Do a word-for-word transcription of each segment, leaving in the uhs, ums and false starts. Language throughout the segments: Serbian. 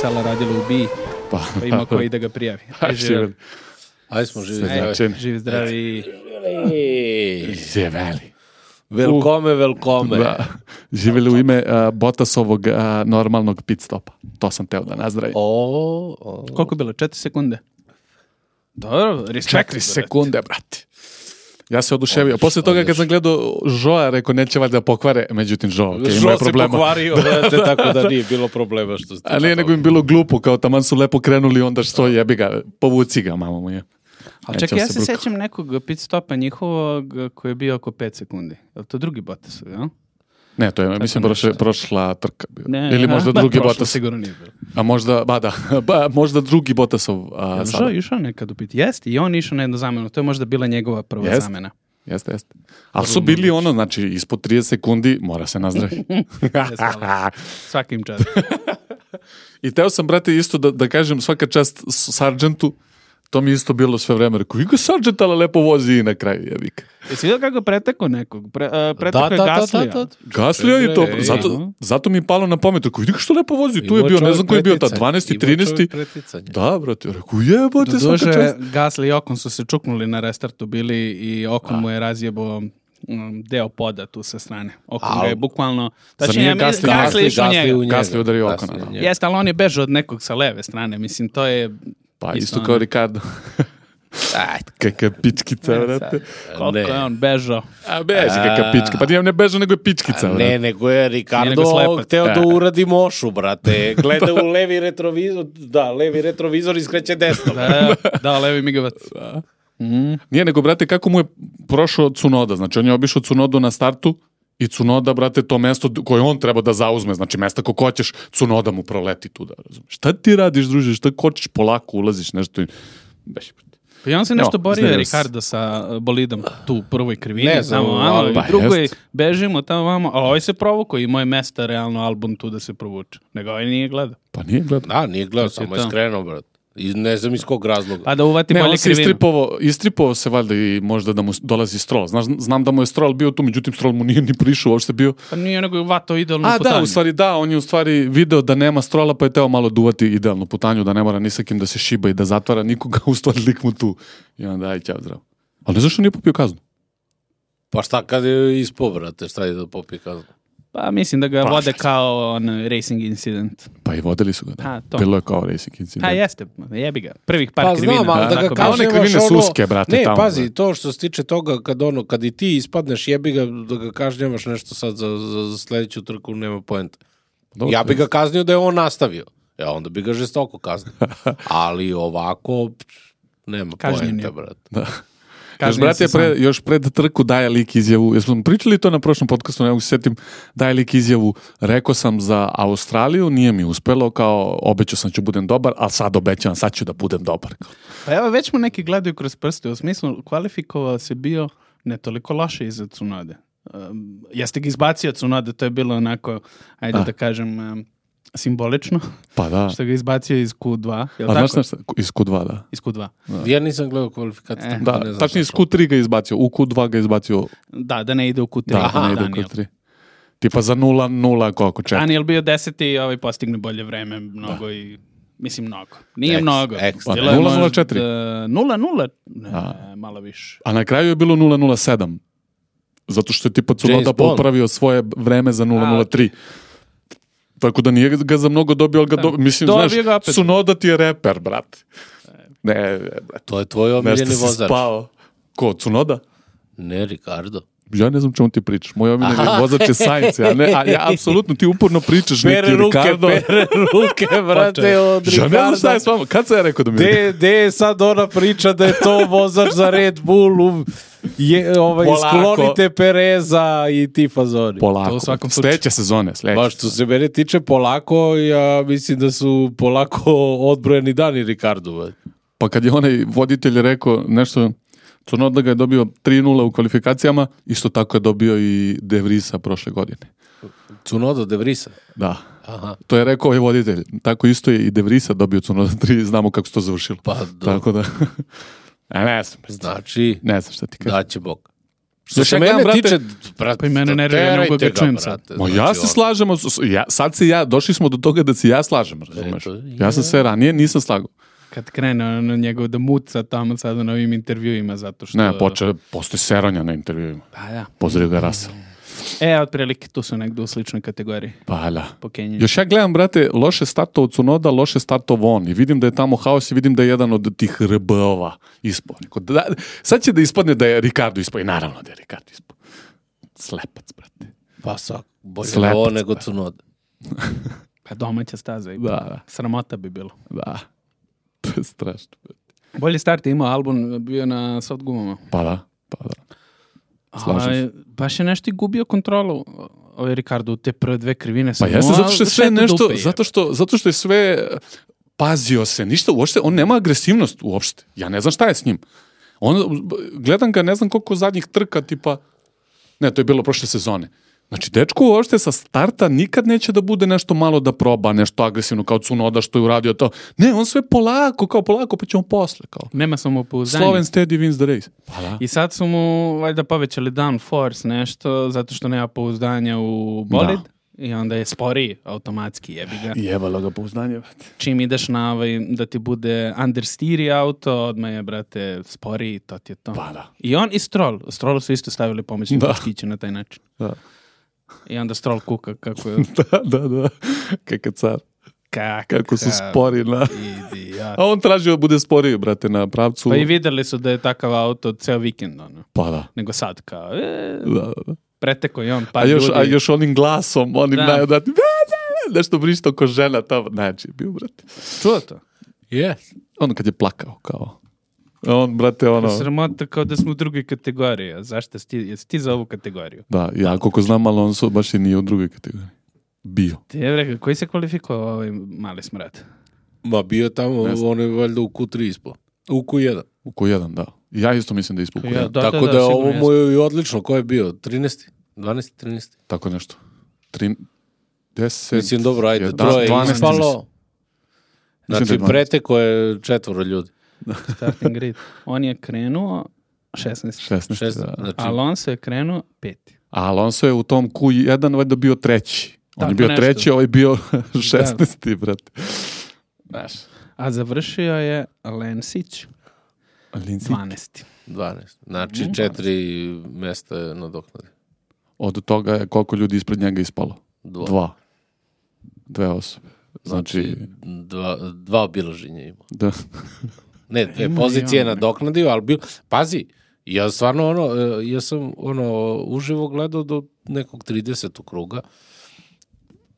sela radilo u B I, pa, pa ima koji da ga prijavi. Ajde, živjeli. Ajde smo živi zdravi. Živi zdravi. Živjeli. Velkome, velkome. Da. Živjeli u ime uh, Bottasovog uh, normalnog pit stopa. To sam teo da nazdravim. O, o. Koliko je bilo? Četiri sekunde? Dobro, respekt. Četiri sekunde, brate. Ja se oduševio. Posle toga kad sam gledao Joa, rekao neće valjda pokvare, međutim Joa, okay, Joa se pokvario, brate, tako da nije bilo problema što ste. A nije nego im bilo glupo, kao taman su lepo krenuli, onda što jebi ga, povuci ga, mamo moja. Ali čekaj, ja se bruka. Sećam nekog pit stopa njihovog koji je bio oko pet sekundi. Je li to drugi Bottas, jel? Ne, to je, tako mislim, prošla, prošla trka bio. Ne, ili možda ba, drugi prošla, Bottas. Sigurno nije bilo. A možda, ba da, ba, možda drugi Bottasov a, ja, sada. Žao išao nekad u pit. Jeste, i on išao na jednu zamenu. To je možda bila njegova prva jest, zamena. Jeste, jeste. Ali su bili ono, znači, ispod trideset sekundi mora se nazdraviti. Svakim čast. I teo sam, brate, isto da, da kažem svaka čast Sargentu. To mi isto bilo sve vreme. Rekao, Igo Sargent, ali lepo vozi i na kraju jebika. Jesi vidio kako preteko nekog? Pre, uh, preteko je Gaslija. Da, da, da. Gaslija i to. Zato, zato mi je palo na pamet. Rekao, vidi što lepo vozi. Tu je bio, ne znam koji je bio ta, dvanaesti, trinaesti. Da, brate. Rekao, jebote, svaka čast. Gasli i Okon su se čuknuli na restartu bili i Okon mu je razjebao deo poda tu sa strane. Okon ga je bukvalno... Znači, nije Gasli, Gasli išao njega. Gasli udario Okona. Jeste, ali on je bežao od nekog sa leve strane. Mislim, to je... Pa isto kao Ricardo. Ajde, kakva pičkica, vrate. Koliko je on bežao. A beži kakva pička. Pa nijem ne bežao, nego je pičkica, vrate. Ne, nego je Ricardo hteo da uradi mošu, brate. Gleda u levi retrovizor, da, levi retrovizor iskreće desno. Da, da, levi migavac. Da. Mm. Nije, nego, brate, kako mu je prošao Tsunoda. Znači, on je obišao Tsunodu na startu i Tsunoda, brate, to mesto koje on treba da zauzme, znači mesta ko hoćeš, Tsunoda mu proleti tu, da razumeš. Šta ti radiš, druže, šta hoćeš, polako ulaziš, nešto i... Beši, brate. Pa i on se nešto no, borio, Ricardo, sa bolidom tu u prvoj krivini, ne, tamo, ali pa, drugoj jest. Bežimo tamo vamo, a ovaj se provukao i moje mesta, realno, album tu da se provuče. Nego ovaj nije gledao. Pa nije gledao. Da, nije gledao, samo je skrenuo, brate. I ne znam iz kog razloga. Pa da uvati ne, bolje krivinu. Istripovao, istripovao se valjda i možda da mu dolazi Stroll. Znaš, znam da mu je Stroll bio tu, međutim Stroll mu nije ni prišao, uopšte bio. Pa nije nego uvatao idealnu A, putanju. A da, u stvari da, on je u stvari video da nema Strolla, pa je teo malo duvati idealnu putanju, da ne mora ni sa kim da se šiba i da zatvara nikoga, u stvari lik mu tu. I onda, aj, ćao, zdravo. Ali ne zašto nije popio kaznu? Pa šta kad je ispao, brate, šta je da popije kaznu? Pa mislim da ga pa, vode kao on racing incident. Pa i vodili su ga, da. Ha, bilo je kao racing incident. Ha, jeste, jebi ga. Prvih par pa, krivina. Znam, ali da, da ga kao one krivine ono, suske, brate, ne, tamo. Ne, pazi, to što se tiče toga, kad, ono, kad i ti ispadneš, jebi ga, da ga kažnjavaš nešto sad za, za, za sledeću trku, nema poenta. Ja bi ga kaznio da je on nastavio. Ja, onda bi ga žestoko kaznio. Ali ovako, nema poenta, brate. Da. Još, brate, pre, još pred trku daje lik izjavu, jesmo pričali to na prošlom podcastu, ne mogu se sjetim, daje lik izjavu, rekao sam za Australiju, nije mi uspelo, kao obećao sam ću budem dobar, ali sad obećavam, sad ću da budem dobar. Pa evo, već mu neki gledaju kroz prste, u smislu kvalifikovao se bio ne toliko loše iza Tsunode. Um, jeste ga izbacio Tsunode, to je bilo onako, ajde A. da kažem... Um, simbolično. Pa da. Što ga izbacio iz Q dva. Jel A tako? Znaš šta? Iz Q dva, da. Iz Q dva. Da. Ja nisam gledao kvalifikaciju. Eh. Da, da tačno iz Q tri ga izbacio. U Q dva ga izbacio. Da, da ne ide u Q tri. Da, Aha, da ne ide Daniel. U Q tri. Tipa za nula nula koliko četiri. Daniel bio deseti i ovaj postigne bolje vreme mnogo da. I... Mislim mnogo. Nije X, mnogo. X, nula nula četiri. nula nula? Ne, malo više. A na kraju je bilo nula nula sedam. Zato što je tipa Tsunoda popravio svoje vreme za nula nula tri. Tako da nije ga za mnogo dobio, ali ga dobio. Mislim, znaš, Tsunoda ti je reper, brate. Ne, brate. To je tvoj omiljeni vozač. Nešto si spao. Ko, Tsunoda? Ne, Ricardo. Ja ne znam čemu ti pričaš. Moj omiljeni vozač je Sainz. Ja, ne, a ja apsolutno ti uporno pričaš pere neki ruke, Ricardo. Pere ruke, brate, od Ricardo. Ja ne znam šta je s vama. Kad sam ja rekao da mi je? De je sad ona priča da je to vozač za Red Bull, je, ovaj, sklonite Pereza i ti fazoni. Polako. Sljedeće sezone. Sljedeće. Baš što se mene tiče polako, ja mislim da su polako odbrojeni dani Ricardo. Pa kad je onaj voditelj rekao nešto... Tsunoda ga je dobio tri nula u kvalifikacijama, isto tako je dobio i De Vriesa prošle godine. Tsunoda De Vriesa? Da. Aha. To je rekao ovaj voditelj. Tako isto je i De Vriesa dobio Tsunoda tri, znamo kako se to završilo. Pa do... Tako da... A ne znam. Znači, ne znam šta ti kažem. Da će Bog. Što se mene brate, tiče, brate, Pa i mene nervira, ne mogu ga čujem sad. Ma ja se slažem, ja, sad se ja, došli smo do toga da se ja slažem, razumeš? Ja sam se ranije nisam slagao. Kad krene na njegov da muca tamo sada na ovim intervjuima, zato što... Ne, poče, postoji seranja na intervjuima. Pa da. Pozdrav ga Rasa. E, otprilike, tu su negdje u sličnoj kategoriji. Pa da. Po Kenji. Još ja gledam, brate, loše startov od Tsunoda, loše startov on. I vidim da je tamo haos i vidim da je jedan od tih R B-ova ispao. Da, sad će da ispadne da je Ricardo ispao. I naravno da je Ricardo ispao. Slepac, brate. Pa svak, bolje Slepac, ovo nego brate. Tsunoda. Pa domaća staza. I Da, da. Sramota bi bilo. Da. To je strašno. Bolji start je imao album, bio na soft gumama. Pa da, pa da. Slažem se. A, baš je nešto i gubio kontrolu ovaj Ricardo u te prve dve krivine. Pa jeste, zato što je sve nešto, zato što, zato što je sve pazio se, ništa uopšte, on nema agresivnost uopšte. Ja ne znam šta je s njim. On, gledam ga, ne znam koliko zadnjih trka, tipa, ne, to je bilo prošle sezone. Znači, dečko uopšte sa starta nikad neće da bude nešto malo da proba, nešto agresivno, kao Tsunoda što je uradio to. Ne, on sve polako, kao polako, pa ćemo posle, kao. Nema samopouzdanja. Slow and steady wins the race. Pa da. I sad su mu valjda povećali downforce nešto, zato što nema pouzdanja u bolid. Da. I onda je sporiji automatski, jebi ga. Jebalo ga pouzdanje, brate. Čim ideš na ovaj, da ti bude understeer auto, odmah je, brate, sporiji, to ti je to. Pa da. I on i Stroll. Stroll su isto stavili pomoćni Da. puškiće na taj način. Da. I onda Stroll kuka kako je... Da, da, da. Kakav car. Kakav Kako su spori na... idiot. A on tražio da bude sporiji, brate, na pravcu. Pa i videli su da je takav auto ceo vikend, ono. Pa da. Nego sad kao, e, Da, da, da. preteko je on par A još, ljudi. a još onim glasom, onim Da. najodati, nešto vrišto ko žena tamo. Znači, bio, brate. Čuo to? Yes. Ono kad je plakao, kao. A on, brate, ono... Sramota kao da smo u drugoj kategoriji. A zašto si ti, jesi ti za ovu kategoriju? Da, ja koliko znam, Alonso baš i nije u drugoj kategoriji. Bio. Ti je rekao, koji se kvalifikovao ovaj mali smrad? Ma bio tamo, on je valjda u Q tri ispao. U Q jedan. U Q jedan, da. Ja isto mislim da je ispao u Q jedan. Ja, da, Tako da, da, da, ovo sigurno mu je i odlično. Ko je bio? trinaesti? dvanaesti, trinaesti? Tako nešto. Tri... Deset... Mislim, dobro, ajde, jedan, troje je dvanaest, ispalo. Mislim da je Znači, dvanaest. preteko je četvoro ljudi. Starting grid. On je krenuo šesnaest. šesnaest, Šest, da. znači, Alonso je krenuo peti. A Alonso je u tom Q jedan valjda bio treći. On Tako je bio nešto. treći, ovaj bio šesnaesti, brate. Znaš. A završio je Lensić Lindsay, dvanaesti. dvanaest. Znači, Mm. četiri mesta je nadoknade. od toga je koliko ljudi ispred njega ispalo? Dva. Dva. Dve osobe. Znači, Znači, dva, dva obilaženja ima. da. Ne, dve Ima pozicije i on, nadoknadio, ali bil... Pazi, ja stvarno ono, e, ja sam ono, uživo gledao do nekog tridesetog kruga.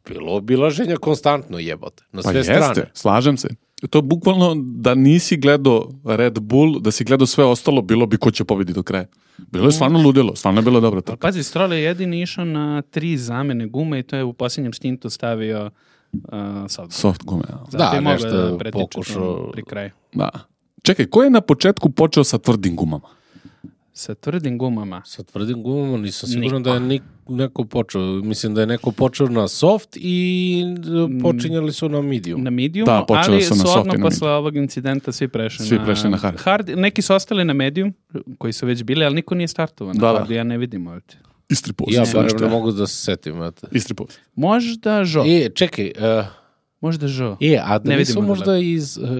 Bilo obilaženja konstantno jebote. Na Pa sve jeste, strane. slažem se. To je bukvalno da nisi gledao Red Bull, da si gledao sve ostalo, bilo bi ko će pobedi do kraja. Bilo je stvarno ludilo, stvarno je bilo dobro Ali tako. pazi, Stroll je jedini išao na tri zamene gume i to je u posljednjem stintu stavio uh, soft. Soft gume. ja. Zato Da, je mogao nešto da je pretiče pokušao- to pri kraju. Da. Čekaj, ko je na početku počeo sa tvrdim gumama? Sa tvrdim gumama. Sa tvrdim gumama nisam siguran Niko. da je nik, neko počeo. Mislim da je neko počeo na soft i e, počinjali su na medium. Na medium, Da, počeli ali su na su soft odmah i na posle ovog incidenta svi prešli Svi na, prešli na hard. Neki su ostali na medium, koji su već bili, ali niko nije startovao na Da, da. hard, ja ne vidim ovdje. Istri post. Ja barem ne mogu da se setim. Eto. Istri post. Možda Žo. E, čekaj, uh, Možda Žo. e, a da Ne nisu vidimo da možda iz... Uh,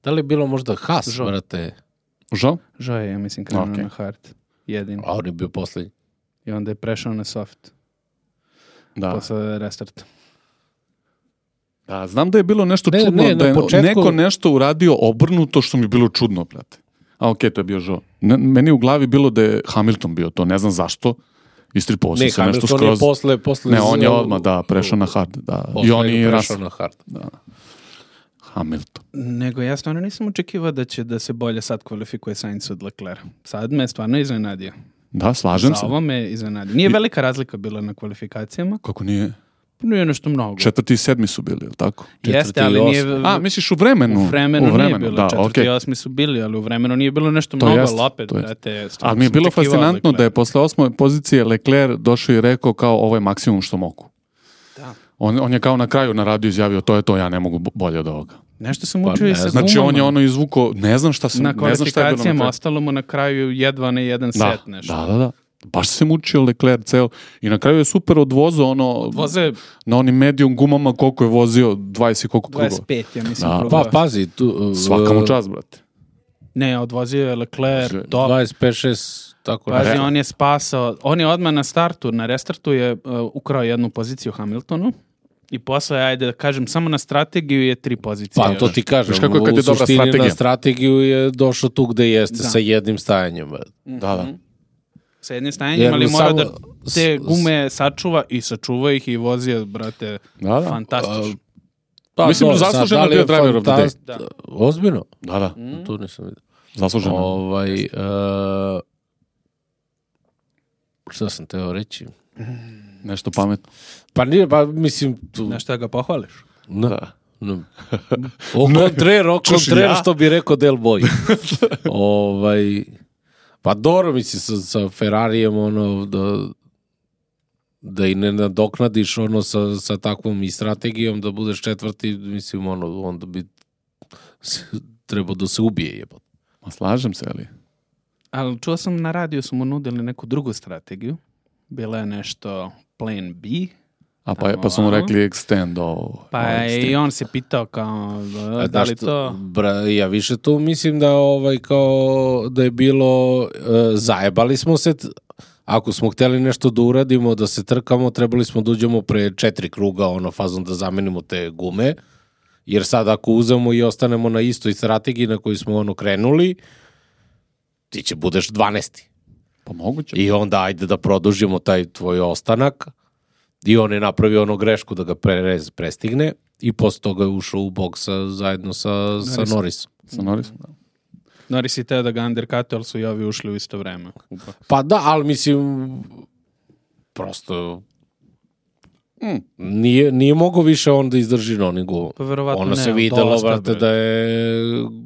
da li je bilo možda Haas, Žo. brate? Žao? Žo je, ja mislim, krenuo Ok. na hard. Jedin. A on je bio poslednji. I onda je prešao na soft. Da. Posle restarta. Da, znam da je bilo nešto Ne, čudno, ne, da na je početku- neko nešto uradio obrnuto što mi je bilo čudno, brate. A okej, to je bio Žo. Ne, meni u glavi bilo da je Hamilton bio to, ne znam zašto. Istripovao sam Ne, se nešto Hamilton je skroz. posle... posle Ne, on je z- odmah, da, prešao na hard. Da. posle I on je i prešao Russell. na hard. Da. Hamilton. Nego ja stvarno nisam očekivao da će da se bolje sad kvalifikuje Sainz od Leclerc. Sad me stvarno iznenadio. Da, slažem Za se. ovo me iznenadio. Nije velika razlika bila na kvalifikacijama. Kako nije? Nije nešto mnogo. Četvrti i sedmi su bili, je li tako? Jeste, ali četvrti i nije... A, misliš u vremenu? u vremenu, u vremenu nije bilo. da, Četvrti okej. i osmi su bili, ali u vremenu nije bilo nešto To mnogo, jest, ali opet, to jest. brate, stvarno Ali mi je sam bilo očekivao fascinantno od da je Leclerca. posle osme pozicije Leclerc došao i rekao kao ovo je maksimum što mogu. Da. On, on je kao na kraju na radiju izjavio to je to, ja ne mogu bo- bolje od ovoga. Nešto sam učio i sa gumama. Znači on je ono izvuko, ne znam šta sam, na ne znam šta je bilo kvalifikacijama, ostalo mu na kraju jedva ne jedan da, set nešto. Da, da, da. Baš se mučio Leclerc ceo. I na kraju je super odvozao ono... Odvoze... Na onim medium gumama koliko je vozio, dvadeset i koliko krugova. dvadeset pet, ja mislim. Da. Pa pazi, tu... Uh, Svaka mu čast, brate. Ne, odvozio je Leclerc, top. dvadeset pet šest, tako Pazi, ne. on je spasao, on je odmah na startu, na restartu je uh, ukrao jednu poziciju Hamiltonu i posle, ajde da kažem, samo na strategiju je tri pozicije. Pa to ti kažem, Viš kako je kad u je dobra suštini strategija. na strategiju je došao tu gde jeste, Da. sa jednim stajanjem. Mm-hmm. Da, da. Sa jednim stajanjem, Jer ali mora samo- da te gume sačuva i sačuva ih i vozio, brate, Da, da. fantastično. Pa, Mislim, dobro, sad, zasluženo da li bio je driver of the day. fantast- Da. Ozbiljno? Da, da. Mm. Tu nisam vidio. Zasluženo. Ovaj, uh, šta sam teo reći? Nešto pametno. Pa nije, pa mislim... Tu, Znaš šta ga pohvališ? no, Da. no. O kontrer, o Čuš, kontrer, ja? što bi rekao Del Boy. ovaj, pa dobro, mislim, sa, sa Ferrarijem, ono, da, da i ne nadoknadiš, ono, sa, sa takvom i strategijom, da budeš četvrti, mislim, ono, onda bi trebao da se ubije, jebot. Ma slažem se, ali... Ali čuo sam na radiju su mu nudili neku drugu strategiju. Bila je nešto plan B. A pa, pa su mu rekli extend ovo. Pa ovo je extend. i on se pitao kao, da, A da li znaš što, to... Bra, ja više tu mislim da ovaj kao da je bilo uh, zajebali smo se t- ako smo htjeli nešto da uradimo, da se trkamo, trebali smo da uđemo pre četiri kruga ono fazom da zamenimo te gume, jer sad ako uzemo i ostanemo na istoj strategiji na koju smo ono krenuli, ti će budeš dvanaesti. Pa moguće. I onda ajde da produžimo taj tvoj ostanak. I on je napravio ono grešku da ga prez, prestigne i posle toga je ušao u boksa zajedno sa, sa Norrisom. Norrisom. Sa Norrisom, da. Norris i teo da ga undercutuje, ali su i ovi ušli u isto vreme. Pa da, ali mislim, prosto Mm. nije, nije mogo više on da izdrži na onim gumama. Pa verovatno Ono ne, se ali videlo, dosta, brate, bre. da je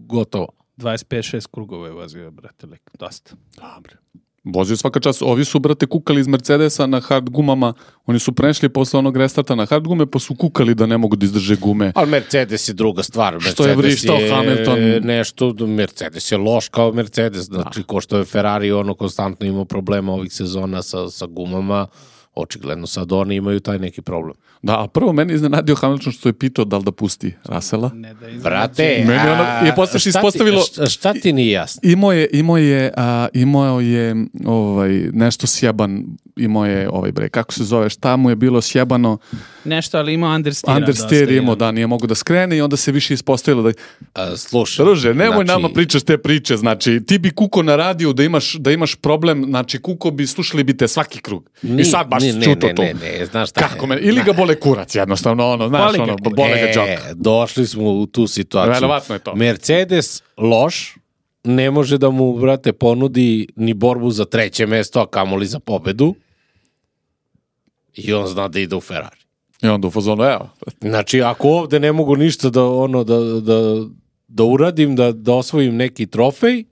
gotovo. dvadeset pet šest krugova je vozio, brate, lik, dosta. Dobre. Vozio svaka čast. Ovi su, brate, kukali iz Mercedesa na hard gumama. Oni su prešli posle onog restarta na hard gume, pa su kukali da ne mogu da izdrže gume. Ali Mercedes je druga stvar. Što je Mercedes vrištao Hamilton? Nešto, Mercedes je loš kao Mercedes. Znači, ko što je Ferrari ono konstantno imao problema ovih sezona sa, sa gumama, očigledno sad oni imaju taj neki problem. Da, a prvo meni iznenadio Hamilton što je pitao da li da pusti Russella. Ne da iznenađe. Brate, Meni ono- a, je posle se šta ti- ispostavilo- Šta, šta ti nije jasno? Imao je, imao je, a, imao je ovaj, nešto sjeban, imao je, ovaj bre, kako se zove, šta mu je bilo sjebano, Nešto, ali imao understeera. understeer dosta, imao, ja. da, nije mogu da skrene i onda se više ispostavilo da... A, slušaj. Druže, nemoj znači, nama pričaš te priče, znači, ti bi kuko na radiju da imaš, da imaš problem, znači, kuko bi, slušali bi te svaki krug. Ni- I sad baš ni- ne, čuto ne, to. ne, ne, znaš šta Kako je? me, ili ga bole kurac, jednostavno, ono, znaš, Boli ga ono, kurac. bole ga E, džok. došli smo u tu situaciju. Verovatno je to. Mercedes loš, ne može da mu, brate, ponudi ni borbu za treće mesto, a kamoli za pobedu. I on zna da ide u Ferrari. I onda u fazonu, evo, Znači, ako ovde ne mogu ništa da, ono, da, da, da uradim, da, da osvojim neki trofej,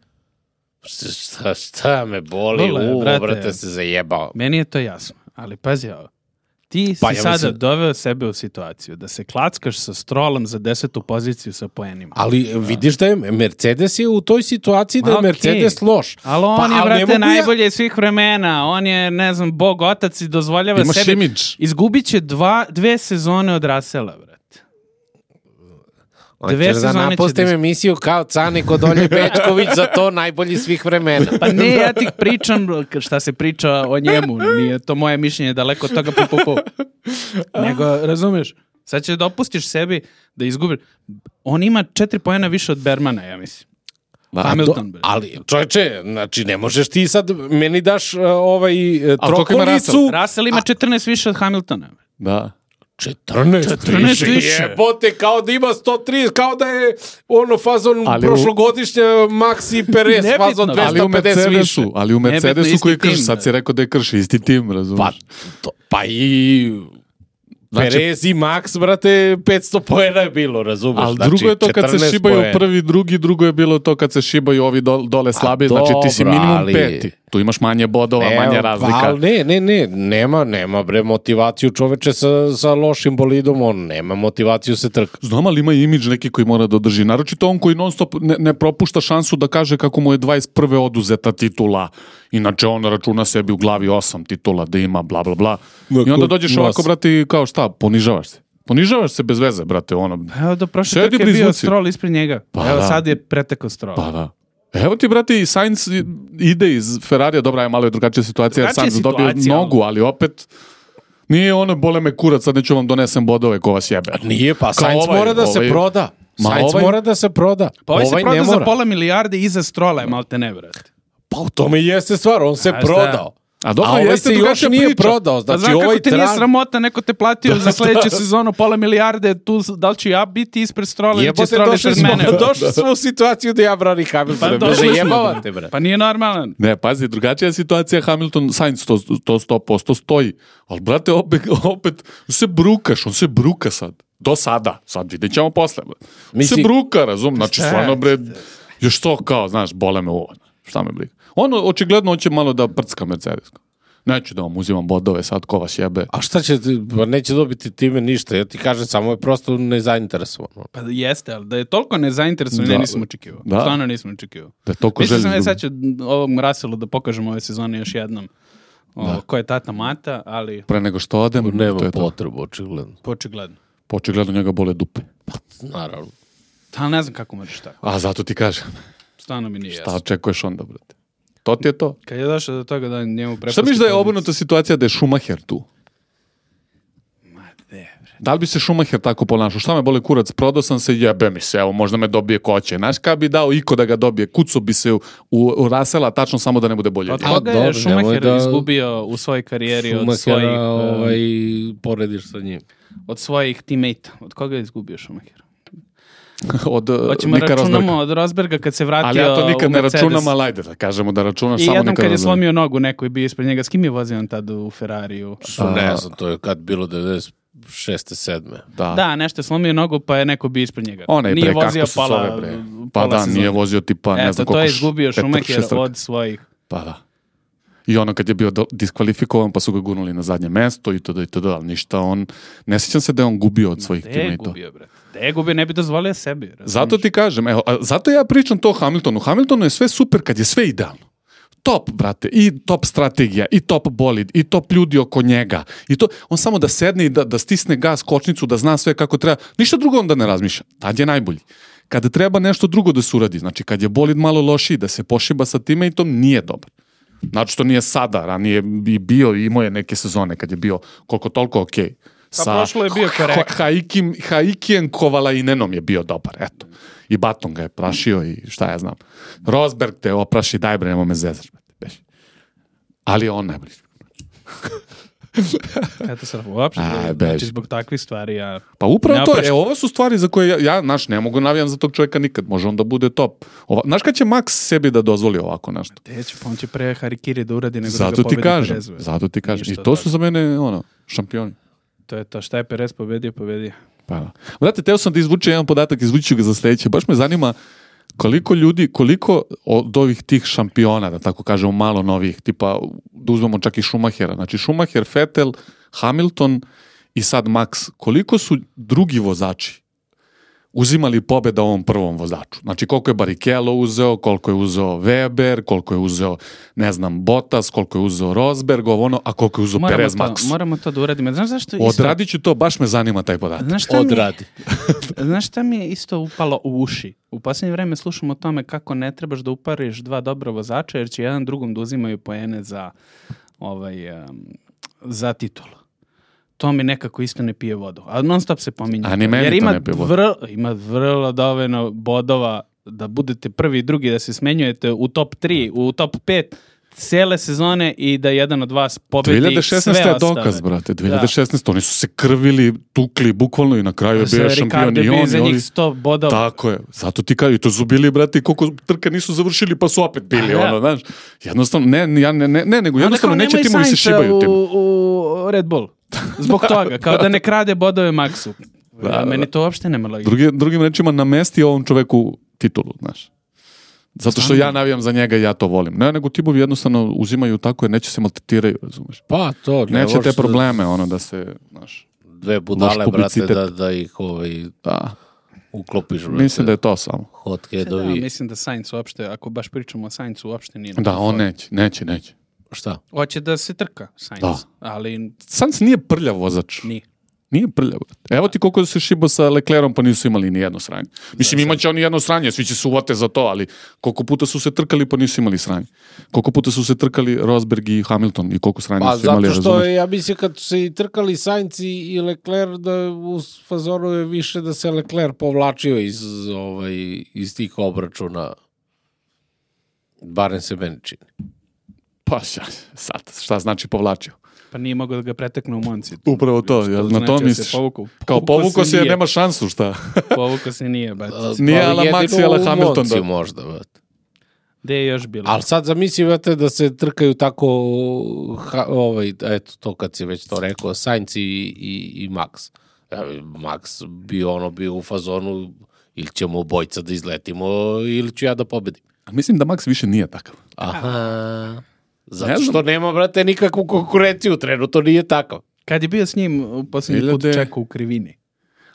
šta, šta me boli, Vole, u, brate. brate, se zajebao. Meni je to jasno, ali pazi ovo. Ti si Pa ja sada mislim- doveo sebe u situaciju da se klackaš sa Strollom za desetu poziciju sa poenima. Ali vidiš da je Mercedes je u toj situaciji da Ma, je okej. Mercedes loš. Ali on Pa, je, ali ne brate, mogu ja- najbolje svih vremena. On je, ne znam, bog otac i dozvoljava imaš sebi... imidž. Izgubit će dva, dve sezone od Russella, brate. Dve Hoćeš da sezone će napustim da- emisiju kao Cani kod Olje Bečković za to najbolji svih vremena. Pa ne, ja ti pričam šta se priča o njemu. Nije to moje mišljenje, daleko od toga pu, pu, pu. Nego, razumeš, sad će da opustiš sebi da izgubiš. On ima četiri pojena više od Bermana, ja mislim. Da, Hamilton, bre. Ali, čovječe, znači ne možeš ti sad, meni daš uh, ovaj uh, koliko ima trokolicu. Russell ima četrnaest više od Hamiltona. bre. da. četrnaest, četrnaest više. Jebote, kao da ima sto trideset, kao da je ono fazon Ali u- prošlogodišnje Maxi Perez, Nebitno, fazon ali Ali u dvesta pedeset više. Mercedesu, ali u Nebitno, Mercedesu isti koji krši, tim, sad si rekao da je krši, isti tim, razumiješ? Pa, to, pa i Znači- Perez i Max, brate, petsto poena je bilo, razumeš? Ali Znači, drugo je to kad se četrnaest šibaju poena. prvi, drugi, drugo je bilo to kad se šibaju ovi dol- dole A slabi, znači ti si dobro, minimum ali- peti. Tu imaš manje bodova, Evo, manje razlika. Ali ne, ne, ne, nema, nema bre motivaciju čoveče sa, sa lošim bolidom, on nema motivaciju se trka. Znam, ali ima imidž neki koji mora da održi. Naročito on koji non stop ne, ne propušta šansu da kaže kako mu je dvadeset prve oduzeta titula. Inače on računa sebi u glavi osam titula da ima, bla, bla, bla. I onda dođeš ovako, brate, kao šta, ponižavaš se. Ponižavaš se bez veze, brate, ono. Evo do prošle trke je bio Stroll ispred njega. Pa Evo da. sad je pretekao Stroll. Pa da. Evo ti, brate, i Sainz ide iz Ferrarija, dobra je malo je drugačija situacija, jer Sainz dobio nogu, ali opet nije ono, bole me kurac, sad neću vam donesem bodove ko vas jebe. Nije, pa Kao Sainz ovaj, mora da ovaj, se proda. Ma Sainz ovaj- mora da se proda. Pa ovaj, ovaj se proda ne za mora. pola milijarde iza Strolla je malte ne, brate. Pa u tome i jeste stvar, on se A šta? prodao. A dobro, A ovaj jeste se još drugačija nije priča. prodao, Pa znači znam ovaj kako te nije tran... sramota, neko te platio za sledeću sezonu pola milijarde, tu, da li ću ja biti ispred Strolla ili će Jebote, Stroll došli ispred smo, mene? došli smo u situaciju da ja branim Hamiltona, Pa pa došli smo. zajebavate, bre. Pa nije normalan. Ne, pazi, drugačija situacija, Hamilton, Sainz, to, to sto posto stoji. Ali, brate, opet, opet se brukaš, on se bruka sad. Do sada, sad vidjet ćemo posle. Bre. On Misli- se bruka, razum, znači Šta? stvarno, bre, još to kao, znaš, bole me ovo, šta me briga. On, očigledno, hoće malo da prcka Mercedes. Neću da vam uzimam bodove sad, ko vas jebe. A šta će, ti- pa neće dobiti time ništa, ja ti kažem, samo je prosto nezainteresovan. Pa jeste, ali da je toliko nezainteresovan, Da. ne nisam očekivao. Da. Stvarno nisam očekivao. Da je toliko Mislio želji sam, e, izgubi. sad ću ovom Russellu da pokažem ove sezone još jednom. O, ko je tata mata, ali Pre nego što odem, to Nema je to. potrebu, očigledno. počigledno. Očigledno njega bole dupe. Naravno. Ali ne znam kako možeš tako. A zato ti kažem, Stvarno mi nije šta jasno. očekuješ onda, brate? To ti je to. Kad je došao do toga da njemu prepusti... Šta misliš da je poziciju? obrnuta situacija da je Schumacher tu? Ma de, bre. Da li bi se Schumacher tako ponašao? Šta me boli kurac? Prodao sam se, jebe mi se, evo, možda me dobije koće. Znaš kada bi dao iko da ga dobije? Kuco bi se u, u, u Russella, tačno samo da ne bude bolje. Od A, koga dobro, je Schumacher nemoj da- izgubio u svojoj karijeri od svojih, Schumachera, um, ovaj, porediš sa njim. od svojih teammate? Od koga je izgubio Schumacher? Od uh, Hoćemo Nika računamo Rosberga. od Rosberga kad se vratio Ali ja to nikad u ne Mercedes. računam, ali ajde da kažemo da računaš I samo jednom Nika kad je Rosberga. slomio nogu, neko je bio ispred njega. S kim je vozio on tad u Ferrariju? Su, ne znam, to je kad bilo devedeset šeste sedme Da. Da, nešto je slomio nogu, pa je neko bio ispred njega. Onaj Nije bre, kako vozio se pola, zove bre. Pa pola da, sezone. nije vozio tipa, ne Eto, znam to koliko. je izgubio petak, Schumacher šest trka. od svojih. Pa da. I ono kad je bio do- diskvalifikovan pa su ga gurnuli na zadnje mesto i to i to, ali ništa on, ne sjećam se da je on gubio od svojih Gde je teammateova. gubio, bre? Gde je gubio, ne bi dozvolio sebi. razumiješ? Zato ti kažem, evo, a zato ja pričam to o Hamiltonu. Hamiltonu je sve super kad je sve idealno. Top, brate, i top strategija, i top bolid, i top ljudi oko njega. I to, on samo da sedne i da, da stisne gas, kočnicu, da zna sve kako treba. Ništa drugo onda ne razmišlja. Tad je najbolji. Kada treba nešto drugo da se uradi, znači kad je bolid malo lošiji, da se pošiba sa teammateom, nije dobar. Znači što nije sada, ranije bi bio i imao je neke sezone kad je bio koliko toliko okej. Pa prošlo je bio korektno. Haikim, Haikijem Kovalainenom je bio dobar, eto. I Baton ga je prašio i šta ja znam. Rosberg te opraši, daj bre, nemo me zezaš. brate, beži. Ali je on najbolji. Katastrofa, uopšte. Aj, Znači, beži. zbog takvih stvari ja... Pa upravo Ne to, opraštam. e, ovo su stvari za koje ja, ja naš, ne mogu navijam za tog čovjeka nikad, može on da bude top. Ova, znaš kad će Max sebi da dozvoli ovako nešto? Te će, pa on će pre Harikiri da uradi nego da Zato ga ti pobedi kažem, Perez. bre. zato ti kažem. I Ništa to od su za mene, ono, šampioni. To je to, šta je Perez pobedio, pobedio. Pa da. Brate, teo sam da izvučem jedan podatak, izvući ću ga za sljedeće. Baš me zanima koliko ljudi, koliko od ovih tih šampiona, da tako kažemo, malo novih, tipa, da uzmemo čak i Schumachera. Znači, Schumacher, Vettel, Hamilton i sad Max. Koliko su drugi vozači uzimali pobjeda ovom prvom vozaču? Znači, koliko je Barrichello uzeo, koliko je uzeo Weber, koliko je uzeo, ne znam, Bottas, koliko je uzeo Rosberg, ovo ono, a koliko je uzeo Moramo Perez to, Max. moramo to da uradimo. Znaš zašto isto? Odradit ću to, baš me zanima taj podatak. Znaš šta, mi, Odradi. znaš šta mi je isto upalo u uši? U posljednje vreme slušamo o tome kako ne trebaš da upariš dva dobra vozača jer će jedan drugom da uzimaju poene za, ovaj, um, za titulu. To mi nekako isto ne pije vodu. A non stop se pominje. A ni meni jer to ima ne pije vodu. vrlo, ima vrlo dovoljno bodova da budete prvi i drugi, da se smenjujete u top tri, u top pet cijele sezone i da jedan od vas pobedi dve hiljade šesnaeste sve je ostale. dokaz, brate. dve hiljade šesnaeste oni su se krvili, tukli, bukvalno i na kraju je Za bio šampion Ricardo i je bio on iza i njih ovi. sto bodova. Tako je. Zato ti kažu, i to su bili, brate, koliko trka nisu završili, pa su opet bili, A, da. ono, znaš. Jednostavno, ne, ja ne, ne, ne nego jednostavno Onda kao neće nemoj timovi se Sainza šibaju tim. u, u Red Bull. Zbog toga, kao da ne krade bodove Maxu. Da, Ja, meni da. to uopšte nema logike. Drugi, drugim rečima, namesti ovom čoveku titulu, znaš. Zato što ja navijam za njega i ja to volim. Ne, nego timovi jednostavno uzimaju tako jer neće se maltretiraju, razumeš? Pa to, ne neće te probleme, da, ono da se, znaš, dve budale, brate, da, da ih ovaj, da. uklopiš. Brate. Mislim da je to samo. Hotkedovi. Da, mislim da Sainz uopšte, ako baš pričamo o Sainzu, uopšte nije. Da, on neće, neće, neće. Šta? Hoće da se trka Sainz, da. ali... Sainz nije prljav vozač. Nije. Nije prljav. Evo ti koliko se šibo sa Leclerom, pa nisu imali ni jedno sranje. Mislim, imaće oni jedno sranje, svi će se uvate za to, ali koliko puta su se trkali, pa nisu imali sranje. Koliko puta su se trkali Rosberg i Hamilton i koliko sranje pa, su imali, zato što razumeš? Ja mislim kad su se i trkali Sainz i Leclerc, da u fazoru je više da se Leclerc povlačio iz, ovaj, iz tih obračuna. Barem se meni čini. Pa sad, šta znači povlačio? Pa nije mogao da ga pretekne u Monci. Upravo to, što ja, znači na to da misliš. Povuku. Kao povuko se, nije. nema šansu, šta? Povuko se nije, bat. Nije ala Max i ala Hamilton. Jedino u Monci možda, bat. Gde je još bilo? Ali sad zamislite da se trkaju tako, ha, ovaj, eto to kad si već to rekao, Sainz i, i, i Max. Max bi ono bio u fazonu, ili ćemo obojca da izletimo, ili ću ja da pobedim. Mislim da Max više nije takav. Aha. Zato što nema, brate, nikakvu konkurenciju, trenutno nije takav. Kad je bio s njim u posljednji put čekao u krivini.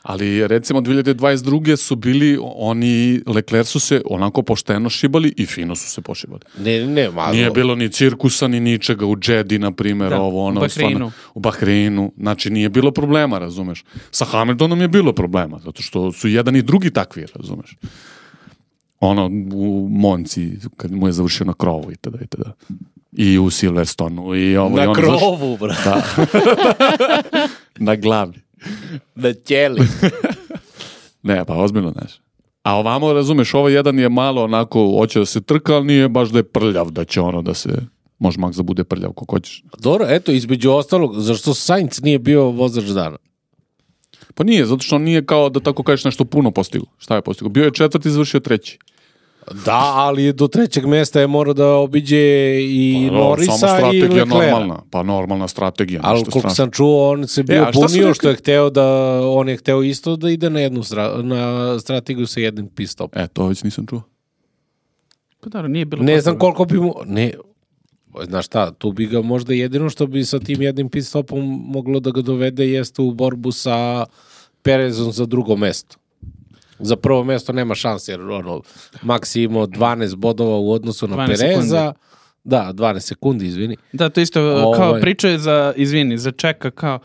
Ali recimo dvije hiljade dvadeset druge su bili, oni, Leclerc su se onako pošteno šibali i fino su se pošibali. Ne, ne, malo. Nije bilo ni cirkusa, ni ničega, u Jeddi, na primjer, da, ovo, ono. U Bahreinu. Stvarno, u Bahreinu, znači nije bilo problema, razumeš. Sa Hamiltonom je bilo problema, zato što su jedan i drugi takvi, razumeš. Ono, u Monci, kad mu je završio na krovu i tada, i tada. I u Silverstonu. I ovo, na i ono, krovu, bro. Da. Na glavi. Na ćeli. Ne, pa ozbiljno, znaš. A ovamo, razumeš, ovo jedan je malo onako, hoće da se trka, ali nije baš da je prljav, da će ono da se, može Max da bude prljav, kako hoćeš. Dobro, eto, između ostalog, zašto Sainz nije bio vozač dana? Pa nije, zato što on nije kao da tako kažeš nešto puno postigo. Šta je postigo? Bio je četvrti, završio treći. Da, ali do trećeg mesta je morao da obiđe i pa, Norisa i Leclerca. Normalna, pa normalna strategija. Ali koliko sam čuo, on se bio e, bunio što je hteo da, on je hteo isto da ide na jednu stra, na strategiju sa jednim pit stopom. E, to već nisam čuo. Pa da, nije bilo. Ne znam koliko bi mu, ne, znaš šta, tu bi ga možda jedino što bi sa tim jednim pit stopom moglo da ga dovede jeste u borbu sa Perezom za drugo mesto. Za prvo mesto nema šanse, jer ono, Max je imao dvanaest bodova u odnosu na Pereza. Sekundi. Da, dvanaest sekundi, izvini. Da, to isto ovaj. Kao priča je za, izvini, za Čeka, kao,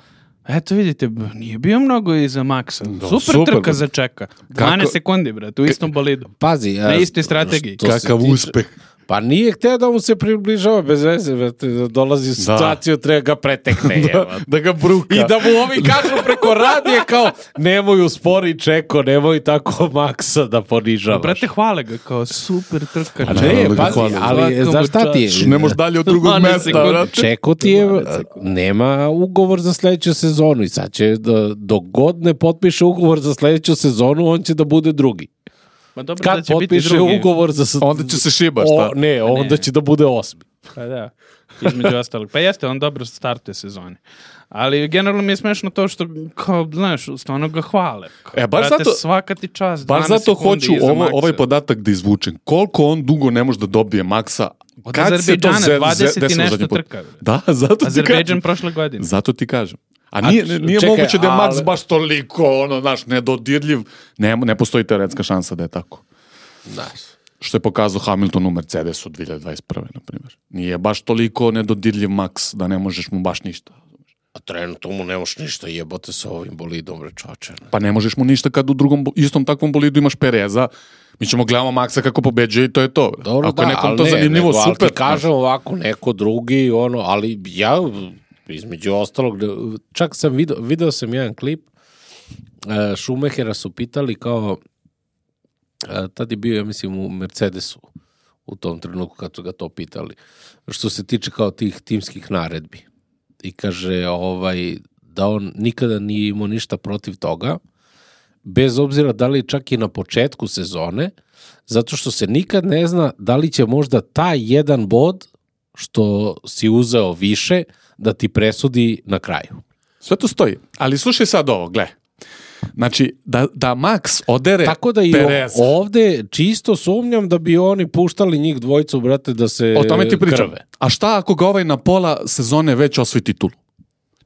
eto vidite, nije bio mnogo i za Maxa. Da, super, super trka za Čeka. dvanaest Kako? Sekundi, brate, u istom bolidu. Pazi. Na istoj strategiji. Kakav uspeh. Pa nije hteo da mu se približava bez veze, da dolazi u situaciju, da. Treba ga pretekne. da, da ga bruka. I da mu ovi kažu preko radije kao, nemoj uspori Čeko, nemoj tako Maxa da ponižavaš. Brate, hvale ga kao super trka. A ne, pazi, ali znaš šta ti je? Ne možeš dalje od drugog mesta. Čeko ti je, nema ugovor za sledeću sezonu i sad će, da, dok god ne potpiše ugovor za sledeću sezonu, on će da bude drugi. Ma dobro, kad da će potpiše biti ugovor za... Onda će se šiba, šta? O, ne, onda ne. će da bude osmi. Pa da, između ostalog. Pa jeste, on dobro startuje sezone. Ali generalno mi je smešno to što, kao, znaš, stvarno ga hvale. Kao, e, baš brate, zato, svaka ti čast, baš zato hoću ovo, ovaj podatak da izvučem. Koliko on dugo ne može da dobije Maxa? Od Azerbejdžana, dvadeset i nešto trka. Da, zato ti kažem. Azerbejdžan prošle godine. Zato ti kažem. A nije, A, nije čekaj, moguće da je Max ali... baš toliko, ono, znaš, nedodirljiv. Ne, ne postoji teoretska šansa da je tako. Znaš. Što je pokazao Hamilton u Mercedesu dvije hiljade dvadeset prve, na primjer. Nije baš toliko nedodirljiv Max da ne možeš mu baš ništa. A trenutno mu ne možeš ništa, jebote sa ovim bolidom, rečoče. Pa ne možeš mu ništa kad u drugom, istom takvom bolidu imaš Pereza. Mi ćemo gledamo Maxa kako pobeđuje i to je to. Dobro, ako da, je nekom to ne, zanimljivo, nego, super. Ali ti kažem ovako, neko drugi, ono, ali ja, između ostalog, čak sam video, video sam jedan klip, Schumachera su pitali kao, tad je bio, ja mislim, u Mercedesu u tom trenutku kad su ga to pitali, što se tiče kao tih timskih naredbi. I kaže ovaj, da on nikada nije imao ništa protiv toga, bez obzira da li čak i na početku sezone, zato što se nikad ne zna da li će možda taj jedan bod što si uzeo više da ti presudi na kraju. Sve to stoji. Ali slušaj sad ovo, gle. Znači, da, da Max odere Tako da i Pereza. ovde čisto sumnjam da bi oni puštali njih dvojicu, brate, da se O tome ti pričam. krve. A šta ako ga ovaj na pola sezone već osvoji titulu?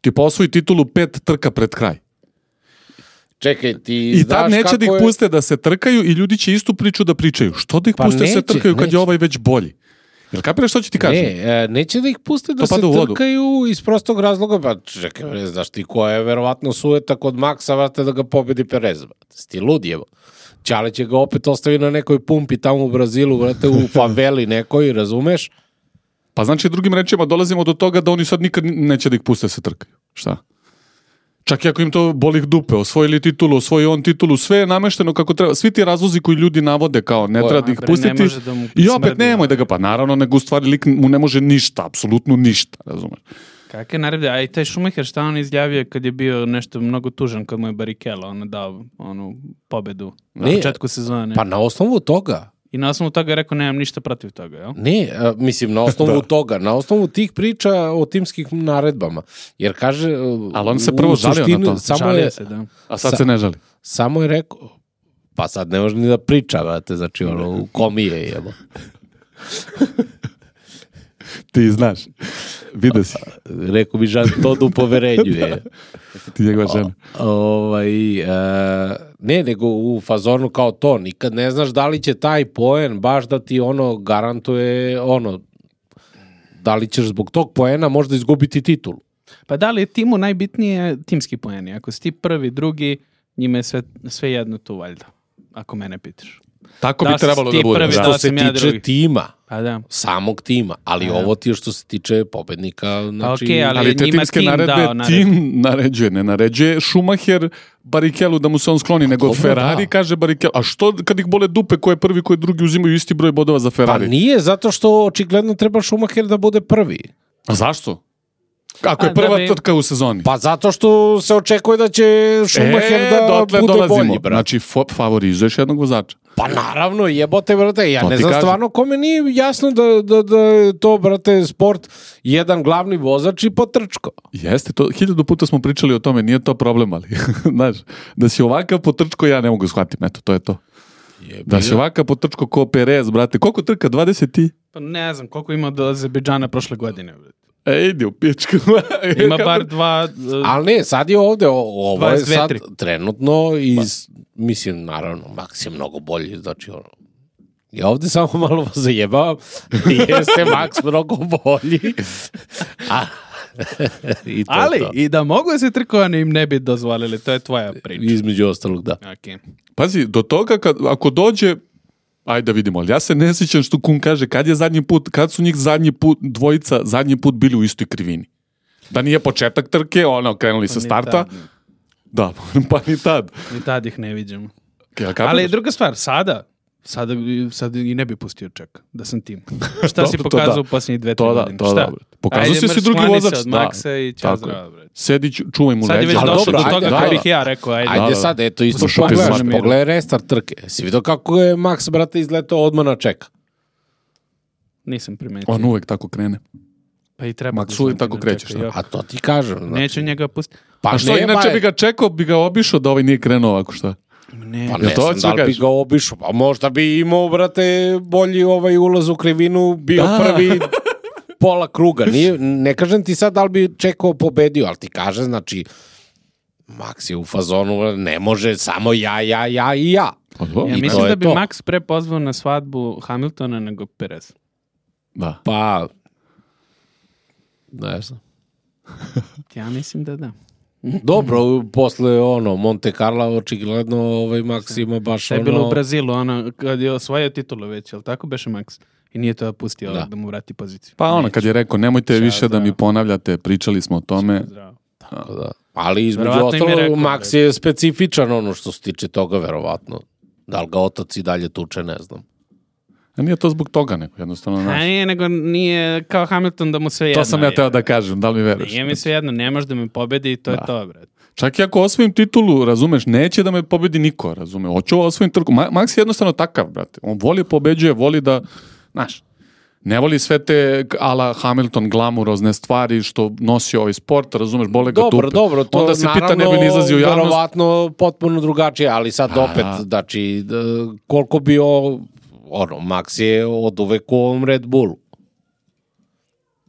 Ti osvoji titulu pet trka pred kraj. Čekaj, ti I znaš tad neće kako da ih je... puste da se trkaju i ljudi će istu priču da pričaju. Što da ih Pa puste da se neće, trkaju kad neće. je ovaj već bolji? Jel kapiraš što ću ti kažem? Ne, e, neće da ih puste da To se pada u vodu. trkaju iz prostog razloga, pa čekaj, ne znaš ti koja je verovatno sujeta kod Maxa, vrate, da ga pobedi Perez, brate. Sti lud jevo. Čale će ga opet ostavi na nekoj pumpi tamo u Brazilu, vrate, u faveli nekoj, razumeš? Pa znači drugim rečima dolazimo do toga da oni sad nikad neće da ih puste da se trkaju. Šta? Čak i ako im to boli dupe, osvojili titulu, osvoji on titulu, sve je namešteno kako treba. Svi ti razlozi koji ljudi navode kao ne treba da ih bre, pustiti. ne može da mu I opet smrdi, nemoj da ga, ovaj. pa naravno, nego u stvari lik mu ne može ništa, apsolutno ništa, razumeš? Kakve naredbe, a i taj Schumacher šta on izjavio kad je bio nešto mnogo tužan kad mu je Barrichello ono dao onu pobedu na Ne, početku sezone. Pa na osnovu toga. I na osnovu toga je rekao nemam ništa protiv toga, jel? Ne, a, mislim, na osnovu toga, na osnovu tih priča o timskih naredbama. Jer kaže... Ali on se u prvo žalio suštini na to. Samo Žalio je, se, da. A sad Sa- se ne žali. samo je rekao, pa sad ne može ni da priča, vrate, znači ono, u komije jebo. Ti znaš. Vidio si. Rekao bi Žan Todd u poverenju je. Ti njegova žena. Ovaj, e, ne, nego u fazonu kao to, nikad ne znaš da li će taj poen baš da ti ono garantuje ono, da li ćeš zbog tog poena možda izgubiti titulu. Pa da li je timu najbitnije timski poeni? Ako si ti prvi, drugi, njima je sve, sve jedno tu valjda. Ako mene pitaš. Tako Da bi si trebalo ti da bude. prvi, Da. da. Što se sam ja tiče drugi. tima, Pa da. samog tima, ali A, ovo ti je što se tiče pobednika, znači... okej, ali- Ali te njima timske tim naredbe, dao naredbu. tim naređuje, ne naređuje Schumacher Barrichellu da mu se on skloni, nego dobro, Ferrari da. kaže Barrichellu. A što kad ih bole dupe, ko je prvi, ko je drugi, uzimaju isti broj bodova za Pa Ferrari? nije, zato što očigledno treba Schumacher da bude prvi. A zašto? Ako A, je prva da bi- trka u sezoni. Pa zato što se očekuje da će Schumacher e, da dotle bude dolazimo. bolji, brate. Znači, fo- favorizuješ jednog vozača. Pa naravno, jebote, brate, ja To ne ti znam kažem. stvarno kome nije jasno da, da, da je to, brate, sport jedan glavni vozač i potrčko. Jeste, to, hiljadu puta smo pričali o tome, nije to problem, ali, znaš, da si ovakav potrčko, ja ne mogu shvatiti, eto, to je to. Da si ovakav potrčko ko Perez, brate, koliko trka, dvadeset i? Pa ne znam koliko ima do Azerbejdžana prošle godine. bre. E, idi u pičku. Ima bar dva... uh, Ali ne, sad je ovde, o- ovo je dvadeset dve, sad tri. trenutno iz, mislim, naravno, Max je mnogo bolji, znači ono, ja ovde samo malo vas zajebavam, jeste Max mnogo bolji, a, i to je ali to. i da mogu se trkovani im ne bi dozvolili, to je tvoja priča. Između ostalog, da. Okay. Pazi, do toga kad, ako dođe, ajde da vidimo, ali ja se ne sjećam što Kun kaže, kad je zadnji put, kad su njih zadnji put, dvojica zadnji put bili u istoj krivini. Da nije početak trke, ono, krenuli sa ni starta. tad, Da, pa ni tad. Ni tad ih ne viđamo. Ja, kapiraš? Ali druga stvar, sada, sada, sad i ne bi pustio čak, da sam tim. Šta si Dobro, to pokazao da. u posljednjih dve, tri To da, godine? to Šta? da, bre. Pokazao Ajde, si si mrš, drugi skloni se vozač, od da. Maxa i ćao Tako zdravo, je. bre. Sedi, ču- čuvaj mu Sad je leđa. već Ali došlo dobro, do ajde, toga kako ajde. bih ja rekao, ajde. Ajde Da, da. sad, eto, isto Slušaj, pogledaj, pismaš miru. pogledaj restart trke. Si vidio kako je Max, brate, izletao odmah na čeka? Nisam primetio. On uvek tako krene. Pa i treba. Max da uvijek znam tako da kreće, čeka, šta? A to ti kažem. Znači, Neću njega pustiti. Pa A što, ne, inače ba- bi ga čekao, bi ga obišao da ovaj nije krenuo ovako, šta? Ne, Pa Jel ne to znam hoćeš da li da bi kažeš? ga obišao, pa možda bi imao, brate, bolji ovaj ulaz u krivinu, bio Da. prvi pola kruga. Nije, ne kažem ti sad da li bi čekao pobedio, ali ti kaže, znači, Max je u fazonu, ne može samo ja, ja, ja i ja. Pa dobro. ja I to mislim je da bi to. Max pre pozvao na svadbu Hamiltona nego Perez. Da. Pa, ne znam. Ja mislim da da. Dobro, posle ono, Monte Carlo, očigledno ovaj Max ima baš Šta je ono... bilo u Brazilu, ono, kad je osvojio titulu već, jel tako beše Max? I nije to pustio Da. da, mu vrati poziciju. Pa ono, kad je rekao, nemojte Ćao, više da mi zdravo. ponavljate, pričali smo o tome. Zdravo. Da. Ali između Verovatno im je ostalog, rekao, Max je specifičan ono što se tiče toga, verovatno. Da li ga otac i dalje tuče, ne znam. A nije to zbog toga, nego jednostavno, A znaš. nije, nego nije kao Hamilton da mu sve jedno. To sam ja je. teo da kažem, da li mi veruješ? Nije mi sve jedno, ne može da me pobedi i to Da. je to, brad. Čak i ako osvojim titulu, razumeš, neće da me pobedi niko, razume. Hoću osvojim trku. Ma- Max je jednostavno takav, brate. On voli pobeđuje, voli da, znaš, Ne voli sve te ala Hamilton glamurozne stvari što nosi ovaj sport, razumeš, bole ga dobro, tupe. Dobro, to onda se naravno, pita ne bi ni izlazio u javnost. verovatno potpuno drugačije, ali sad A, opet, znači, koliko bi o, ono, Max je od uvek u ovom Red Bullu.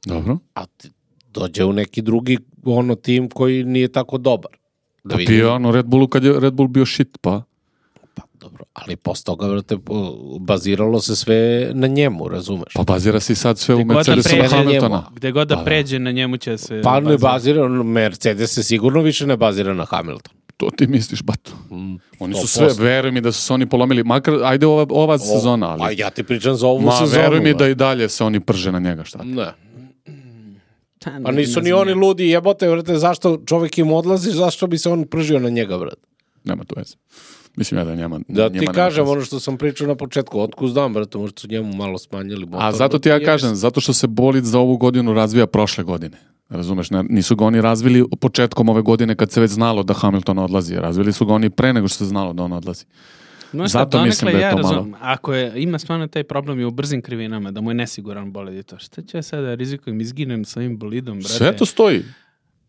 Dobro. A ti dođe u neki drugi ono tim koji nije tako dobar. Da Pa bio ono Red Bullu kad je Red Bull bio shit, pa. Pa dobro, ali posle toga, vrate, baziralo se sve na njemu, razumeš? Pa bazira se i sad sve Gde u god da Mercedesu pređe Hamiltona. Gde god da Pa da. pređe, na njemu će se... Pa ne bazira. bazira, Mercedes se sigurno više ne bazira na Hamilton. To ti misliš, bato. Mm, Oni su sto sve, posto. veruj mi da su se oni polomili, makar, ajde ova, ova sezona, Pa ali... ja ti pričam za ovu Ma, sezonu. veruj mi ba. da i dalje se oni prže na njega, šta? Ne. Ta, Pa nisu ne ni znam oni ja. ludi, jebote, vrate, zašto čovjek im odlazi, zašto bi se on pržio na njega, brate? Nema to veze. Mislim ja da njema... Da njima ti nema kažem veze. ono što sam pričao na početku, otkud znam, brate, možda su njemu malo smanjili motor. A zato ti ja kažem, zato što se bolid za ovu godinu razvija prošle godine. Razumeš, ne, nisu ga oni razvili početkom ove godine kad se već znalo da Hamilton odlazi. Razvili su ga oni pre nego što se znalo da on odlazi. No, Zato sad, mislim donekle da je ja to malo. razumem, ako je, ima stvarno taj problem i u brzim krivinama, da mu je nesiguran bolid i to, šta ću ja sada rizikujem, izginem sa ovim bolidom, brate? Sve to stoji.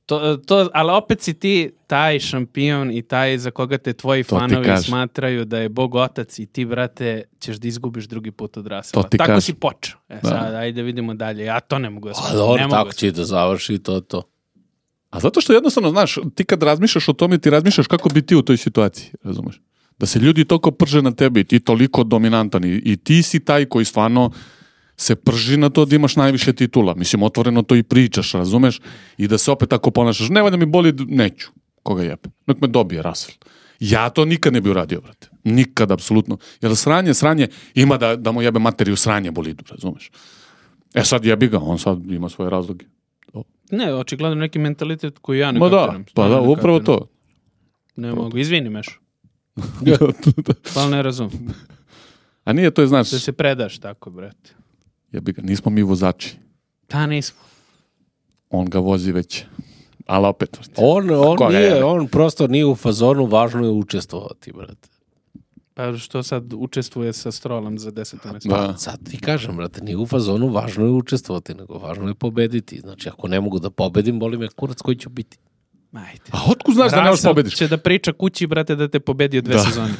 To, to, ali opet si ti taj šampion i taj za koga te tvoji To ti fanovi kažem. smatraju da je Bog otac i ti, brate, ćeš da izgubiš drugi put od Rasela. To ti Tako kažem. si počeo. E Da. sad, ajde vidimo dalje. Ja to ne mogu da A shvatim. dobro, Ne mogu tako da će i da završi to, to. A zato što jednostavno, znaš, ti kad razmišljaš o tome, ti razmišljaš kako bi ti u toj situaciji, razumeš? Da se ljudi toliko prže na tebi i ti toliko dominantan i, i ti si taj koji stvarno se prži na to da imaš najviše titula. Mislim, otvoreno to i pričaš, razumeš? I da se opet tako ponašaš. Ne valja mi boli, neću. Koga jebe? Nek me dobije Russell. Ja to nikad ne bi uradio, brate. Nikad, apsolutno. Jer sranje, sranje, ima da, da mu jebe materiju sranje bolidu, razumeš? E sad jebi ga, on sad ima svoje razloge. Ne, očigledno neki mentalitet koji ja ne Ma da, kapiram. pa Stvarno da, ne upravo kapiram. to. Ne mogu, izvini Meš. Da. Pa ne razum. A nije to je, znaš, Da se predaš tako, brate. jebi ga, nismo mi vozači. Ta nismo. On ga vozi već. Ali opet. On, on, Koga nije, jebe? on prosto nije u fazonu, važno je učestvovati, brate. Pa što sad učestvuje sa Strolom za deset mjesto. Da. Sad ti kažem, brate, nije u fazonu, važno je učestvovati, nego važno je pobediti. Znači, ako ne mogu da pobedim, boli me kurac koji ću biti. Ajde. A otkud znaš da ne možeš Russell pobediš? će da priča kući, brate, da te pobedio dve Da. sezone.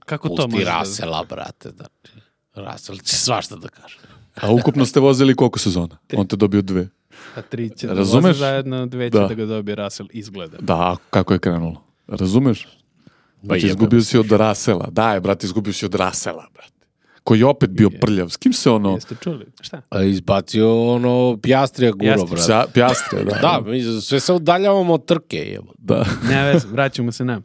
Kako to Pusti može da... Rasela, brate, znači. Rasel će svašta da kaže. A ukupno ste vozili koliko sezona? On te dobio dve. Pa tri će da Razumeš? voze zajedno, dve će Da. da ga dobije Russell, izgleda. Da, a kako je krenulo? Razumeš? Znači, jebe izgubio me si od Rasela. Da, je, brate, izgubio si od Rasela, brate. Koji je opet bio prljav. S kim se ono... Jeste čuli? Šta? A izbacio ono Pjastrija guro, Pjastri. brate. Sa, pjastre, da. Da, mi sve se udaljavamo od trke, jebo. Da. Ne vez, vraćamo se na.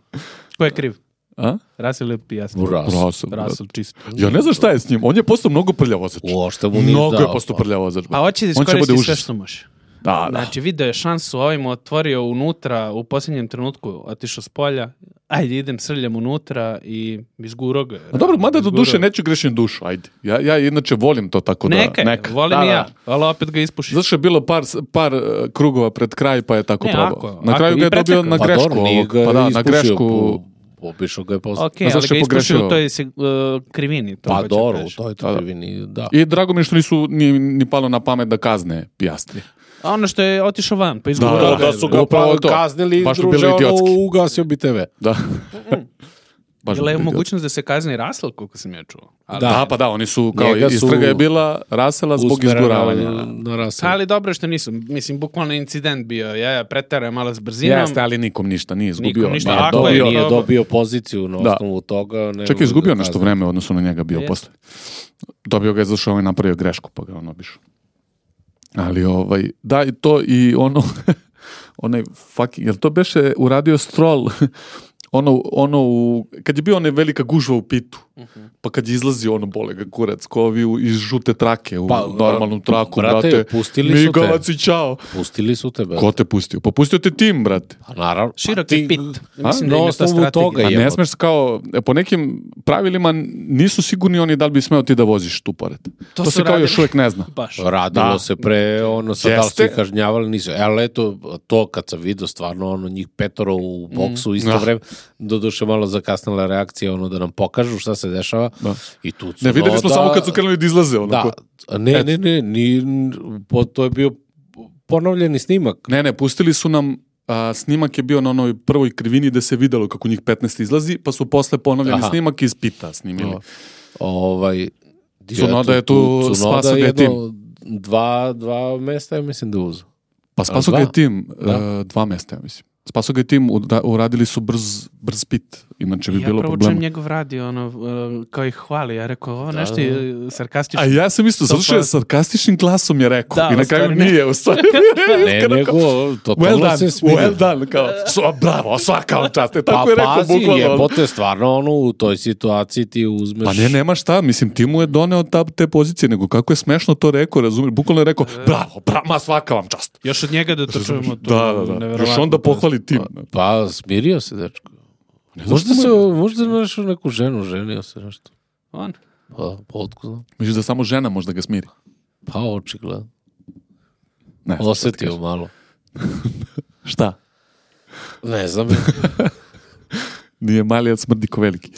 Ko je kriv? A? Russell ili Piastri? Russell. Russell, brate. Russell čisto. Ja ne znam šta je s njim. On je postao mnogo prljav vozač. Uošte mu nije Mnogo je dao, postao pa. prljav vozač. Pa brate. hoće da On će bude iskoristi sve užas. što može. Da, da. Znači, video je šansu, ovim otvorio unutra, u posljednjem trenutku otišao s polja, ajde idem, srljam unutra i izguro ga. A dobro, mada do Izgurao. duše neću grešim dušu, ajde. Ja, ja inače volim to tako da... Neka, je, neka. volim Da, i da. ja, ali opet ga ispuši. Zato što je bilo par, par uh, krugova pred kraj, pa je tako Ne, probao. ako- na ako kraju i ga je dobio prečekao. na Pa grešku. dobro, nije ovog. ga Pa da, na ispušio, grešku. po- Obišao ga je posle. Ok, A zašto ali ga je ispuši pogrešio? u toj se, uh, krivini. To Pa hoću dobro, kažem. to je to Da, da. krivini, da. I drago mi je što nisu ni, ni palo na pamet da kazne Pjastri. A ono što je otišao van, pa Da, izgurao da, ga. Da su ga Upravo pa to. kaznili, Baš bi druže, bilo ono, idiotski. ugasio bi te ve. Da. Baš Bila je bi bio. mogućnost da se kazni Russell, koliko sam ja čuo. Ali, Da, pa da, oni su, kao Njega su istraga je bila Rasela zbog Usmerena izguravanja. Na, na Russell. ali dobro što nisu. Mislim, bukvalno incident bio. Ja, ja pretara malo s brzinom. Jeste, ali nikom ništa nije izgubio. Nikom ništa. Nije Ako Dobio, je dobio, nije probao- dobio poziciju na Da. osnovu toga. ne čak mogu je izgubio da nešto kazne. vreme u odnosu na njega bio Jeste. posle. Dobio ga je zato što je ovaj napravio grešku, pa ga on obišao. Ali ovaj, da, i to i ono, onaj fucking, jel to beše uradio Stroll, ono, ono u, kad je bio ona velika gužva u pitu, pa kad je izlazio ono bole ga kurac, ko ovi u- iz žute trake, u Pa, normalnu traku, brate, brate, pustili su te. migavac i čao. Pustili su tebe. Ko te pustio? Pa pustio te tim, brate. Pa naravno. Širok Pa je ti- pit. A? Mislim Na da im je to osnovu strategija. toga A je. ne jebote. smeš kao, e, po nekim pravilima nisu sigurni oni da li bi smeo ti da voziš tu pored. To, To se su kao još radili. uvijek ne zna. Baš. Radilo Da. se pre, ono, sad da li su Jeste. ih kažnjavali, nisu. E, ali eto, to kad sam vidio stvarno, ono, njih petoro u boksu isto Ah. vreme, doduše malo zakasnila reakcija, ono, da nam pokažu šta se se dešava. Da. I tu Ne, videli smo Tsunoda- samo kad su krenuli da izlaze. Onako. Da, ne, ne, ne, ni, po, to je bio ponovljeni snimak. Ne, ne, pustili su nam, a, snimak je bio na onoj prvoj krivini gde se videlo kako njih petnaest izlazi, pa su posle ponovljeni Aha. snimak iz pita snimili. O, ovaj, Tsunoda je tu Tsunoda spasao ga je tim. jedno Dva, dva mesta, ja mislim da uzu. Pa spaso ga dva? je tim, Da. uh, dva mesta, ja mislim. Spaso ga je tim, ura- uradili su brz, brz pit, inače bi Ja bilo prvo čujem problema. njegov radio, ono, uh, kao ih hvali. Ja rekao, ovo nešto da. je sarkastično. A ja sam isto, zato što je sarkastičnim glasom je rekao. Da, I na u kraju stvari ne. nije, u stvari. Ne, nego, totalno Well done, se smirio. well done, kao, so, bravo, svaka vam čast. E, Pa tako je rekao, pazi, bukvalno. jebote, stvarno, ono, u toj situaciji ti uzmeš... Pa ne, nema šta, mislim, ti mu je doneo ta, te pozicije, nego kako je smešno to rekao, razumiješ, bukvalno je rekao, bravo, bravo, ma svaka vam čast. Još od njega da to čujemo. To Da, da, da, neverovatno. još onda pohvali tim. Pa, smirio se, dečko. Možda se, možda našao neku ženu, ženio se nešto. On. Pa, potku znam. Misliš da samo žena možda ga smiri? Pa, očigledno. Ne, znam šta ti Osetio kažem. malo. Šta? Ne znam. Nije mali, ali smrdi ko veliki.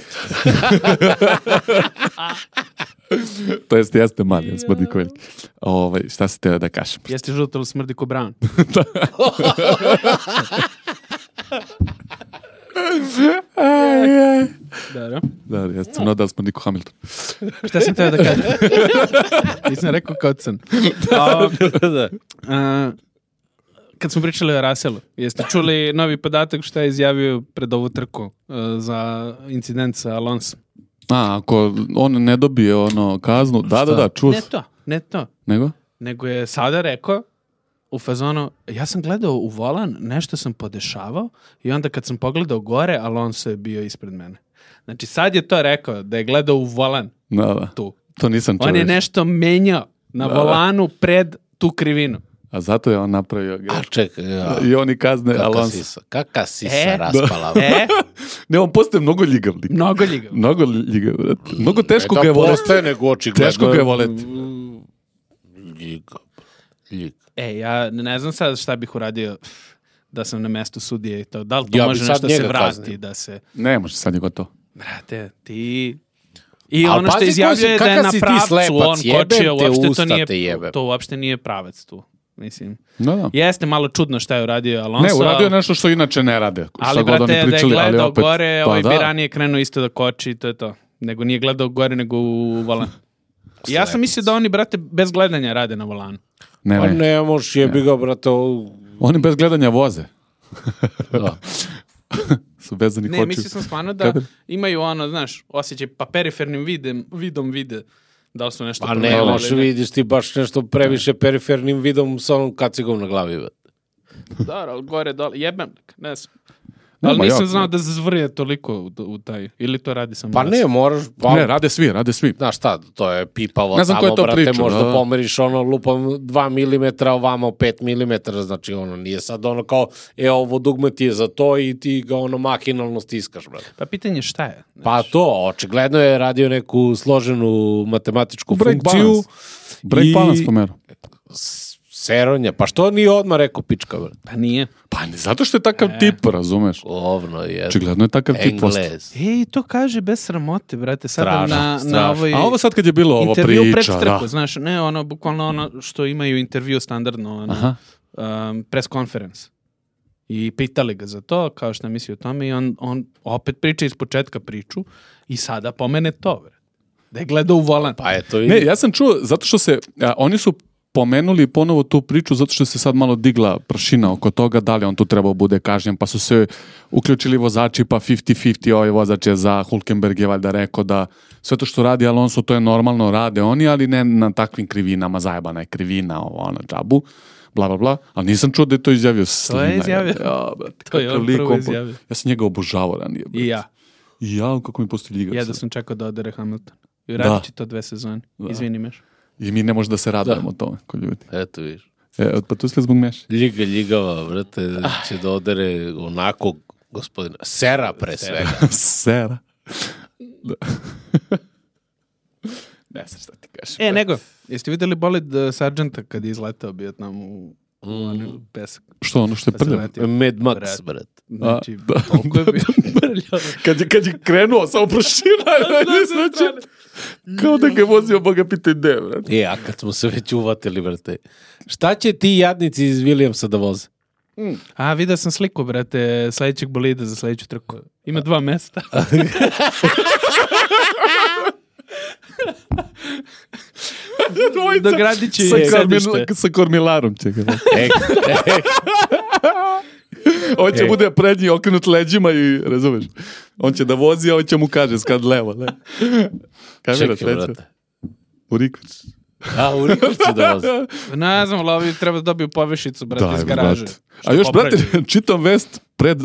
To jest, jeste mali, ali smrdi ko veliki. Ovaj, šta se teo da kažem? Jeste žuto, ali smrdi ko Brown. Da, da. Da, jeste sam nadal smrdi ko Hamilton. Šta sam teo da kažem? Nisam rekao kao crn. A, a, kad smo pričali o Russellu, jeste čuli novi podatak šta je izjavio pred ovu trku a, za incident sa Alonso? A, ako on ne dobije ono kaznu, da, da, da, čuo Ne sam. to, ne to. Nego? Nego je sada rekao u fazonu, ja sam gledao u volan, nešto sam podešavao i onda kad sam pogledao gore, Alonso je bio ispred mene. Znači sad je to rekao, da je gledao u volan Da, da. tu. To nisam čuo. On je još. nešto menjao na Da, da. volanu pred tu krivinu. A zato je on napravio A grešku. čekaj, ja. I oni kazne Kaka Alonso. sisa, kaka sisa E, raspala. E, Ne, on postaje mnogo ljigav lik. mnogo ljigav. Mnogo ljigav, brate. Mnogo teško Ne ga je da voleti. postaje, nego očigledno. Teško ga je voleti. Ljiga. Ljig. E, ja ne znam sad šta bih uradio da sam na mestu sudije i to. Da li to Ja bi može sad nešto se njega vrati, kaznio. da se... Ne može, sad je gotovo. Brate, ti... I Al ono što pazi izjavljuje koji si- da je kakav na si ti pravcu, slepac, on jebem kočio, te uopšte to usta nije, te jebem. to uopšte nije pravac tu. Mislim, Da, da. jeste malo čudno šta je uradio Alonso. Ne, uradio je nešto što inače ne rade. Ali, Šta god brate, oni da je pričali, ali gledao opet- gore, Pa ovaj da. bi ranije krenuo isto da koči i to je to. Nego nije gledao gore, nego u volan. Ja sam mislio da oni, brate, bez gledanja rade na volanu. Ne, Pa ne. ne, moš jebi ga, brate. o- Oni bez gledanja voze. Da. Su vezanih Ne, očiju. mislio sam stvarno da Kada? imaju ono, znaš, osjećaj, pa perifernim videm, vidom vide da li su nešto Pa ne, promenili moš ili ne. vidiš ti baš nešto previše perifernim vidom sa onom kacigom na glavi. brate. Dobro, ali gore, dole, jebem, ne znam. Ne, Ali ma nisam ja- znao da zvrje toliko u, u taj, ili to radi samo Pa nas. ne, moraš... Pa, Ne, rade svi, rade svi. Znaš šta, to je pipavo Ne znam ko tamo, je to brate, pričao, možda da. pomeriš ono lupom dva milimetra, ovamo pet milimetara, znači ono nije sad ono kao, e, ovo dugme ti je za to i ti ga ono mahinalno stiskaš, brate. Pa pitanje šta je? Pa to, očigledno je radio neku složenu matematičku Break funkciju. balance. Break i balance pomeru. s- Seronja, pa što nije odmah rekao pička, brate? Pa nije. Pa ne, zato što je takav E. tip, razumeš? Ovno je. Očigledno je takav tip postao. Englez. Ej, to kaže bez sramote, brate, sada Strašno, na, strašno. na ovoj... A ovo sad kad je bilo ovo intervju pred priča, trku, da. znaš, ne ono, bukvalno ono što imaju intervju standardno, ono, Aha. um, press conference. I pitali ga za to, kao što misli o tome, i on, on opet priča iz početka priču i sada pomene to, bre. Da je gledao u volan. Pa eto, Ne, ja sam čuo, zato što se, a, oni su pomenuli ponovo tu priču zato što se sad malo digla prašina oko toga da li on tu trebao bude kažnjen, pa su se uključili vozači, pa pedeset pedeset, ovaj vozač je za Hülkenberg je valjda rekao da sve to što radi Alonso to je normalno, rade oni, ali ne na takvim krivinama, zajebana je krivina, ovo, ono, džabu, bla, bla, bla, ali nisam čuo da je to izjavio Slina. je izjavio. Ja, brate, To je kakav on lik, prvo on po- izjavio. Ja sam njega obožavao ranije. brate. I ja. I ja, kako mi postoji ljigav. Ja da sad. sam čekao da odere Hamilton. I Da. radit će to dve sezone. Da. Izvini meš. I mi ne možemo da se radujemo tome, ko ljudi. eto viš. E, pa tu sve zbog Meša. Ljiga, ljigava, brate, će da odere onako, gospodina, sera pre svega. Sera. Da. Ne znam šta ti kažeš. E, nego, jeste videli bolid uh, Sargenta kad je izletao bio tamo u... Mm. Pesak. Što ono što je prljavo? Mad Max, brat. Znači, toliko je bio prljavo. Kad je, kad je krenuo, samo prošina, znači, kao da ga je vozio, boga pitaj gde, brate. E, a kad smo se već uvatili, brate, šta će ti jadnici iz Williamsa da voze? Mm. A, vidio sam sliku, brate, sledećeg bolida za sledeću trku. Ima dva mesta. Dogradit će sa, sedište. sa kormilarom će ga. Ek, ek. On će E. bude prednji okrenut leđima i, razumeš, on će da vozi, a on će mu kaže skad levo, le. Kamera Čekaj, treća. brate. U Riković. A, u Riković će da voze. Ne znam, ali ovi treba da dobiju povešicu, brate, iz garaže. Brate. A još, brate, čitam vest pred,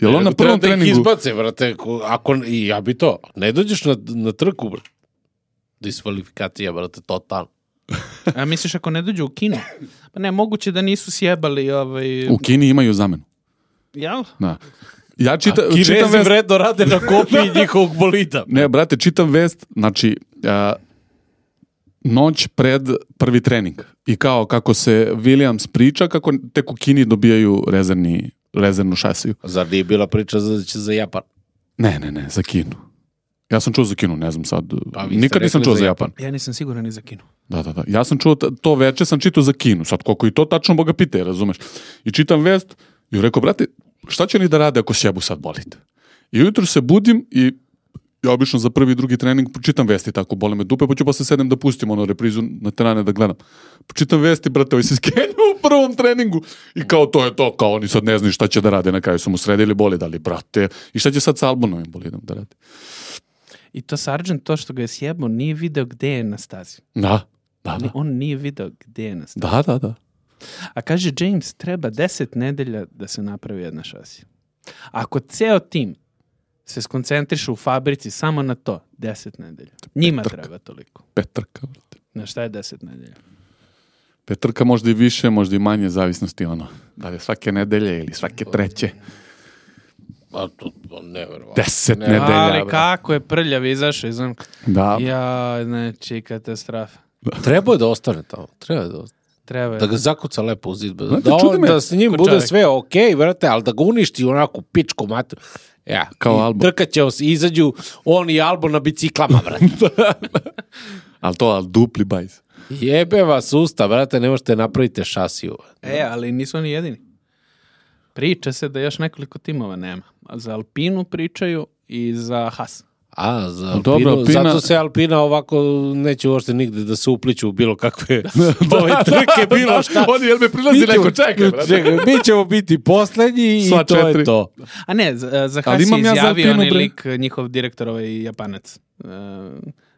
jel on na prvom Treba da ih treningu? izbace, brate, ko- ako, i ja bi to. Ne dođeš na, na trku, brate. Diskvalifikacija, brate, totalno. A misliš ako ne dođu u kino? Pa ne, moguće da nisu sjebali ovaj... U Kini imaju zamenu. Jel? Da. Ja čita, A čitam Kinezi vest. vredno rade na kopiji njihovog bolida. Ne, brate, čitam vest, znači, a, noć pred prvi trening. I kao kako se Williams priča, kako tek u Kini dobijaju rezervni, rezervnu šasiju. Zar nije bila priča za, će za Japan? Ne, ne, ne, za Kinu. Ja sam čuo za Kinu, ne znam sad. Pa vi ste Nikad nisam rekli čuo za za Japan. Ja nisam siguran ni za kino. Da, da, da. Ja sam čuo, t- to veče sam čitao za Kinu. Sad, koliko i to tačno Boga pite, razumeš? I čitam vest i rekao, brate, šta će oni da rade ako sjebu sad bolite? I ujutro se budim i ja obično za prvi i drugi trening čitam vesti tako, bole me dupe, pa ću posle sedem da pustim ono reprizu na terane da gledam. Čitam vesti, brate, ovi se skenju u prvom treningu i kao to je to, kao oni sad ne znaju šta će da rade, na kraju su mu sredili bolid, ali brate, i šta će sad sa Albonovim bolidom da rade? I to Sargent, to što ga je sjebao, nije video gde je na stazi. Da, da, Ni- da. On nije video gde je na stazi. Da, da, da. A kaže James, treba deset nedelja da se napravi jedna šasija. Ako ceo tim se skoncentriše u fabrici samo na to, deset nedelja. Njima treba toliko. Petrka, brate. Na šta je deset nedelja? Petrka možda i više, možda i manje, zavisnosti ono. Da li je svake nedelje ili svake treće. A to, to neverovatno. Deset Ne, nedelja. Ali bre. kako je prljav izašao iz onog... Da. Ja, znači, katastrofa. Treba je da ostane tamo. Treba je da ostane. Treba Da je. ga zakuca lepo u zid. Da, Znate, on, čudi me- da s njim Ko bude čovjek. sve okej, vrate, ali da ga uništi onako pičku mater. Ja, Kao i Albon. trkat će se, izađu on i Albon na biciklama, vrate. Ali to, ali dupli bajs. Jebe vas usta, vrate, ne možete napraviti šasiju. E, ali nisu oni jedini. Priča se da još nekoliko timova nema. A za Alpinu pričaju i za Haas. A, za Alpinu, Dobro, Alpina- zato se Alpina ovako neće uopšte nigde da se upliču u bilo kakve ove trke, bilo šta. Oni, jel me prilazi Mi ćemo- neko, čekaj, brate. čekaj, mi ćemo biti poslednji i Sva to četiri. je to. A ne, za, za Ali Haas je imam ja za izjavio Alpinu, onaj bre. lik, njihov direktor, ovaj Japanac. Uh,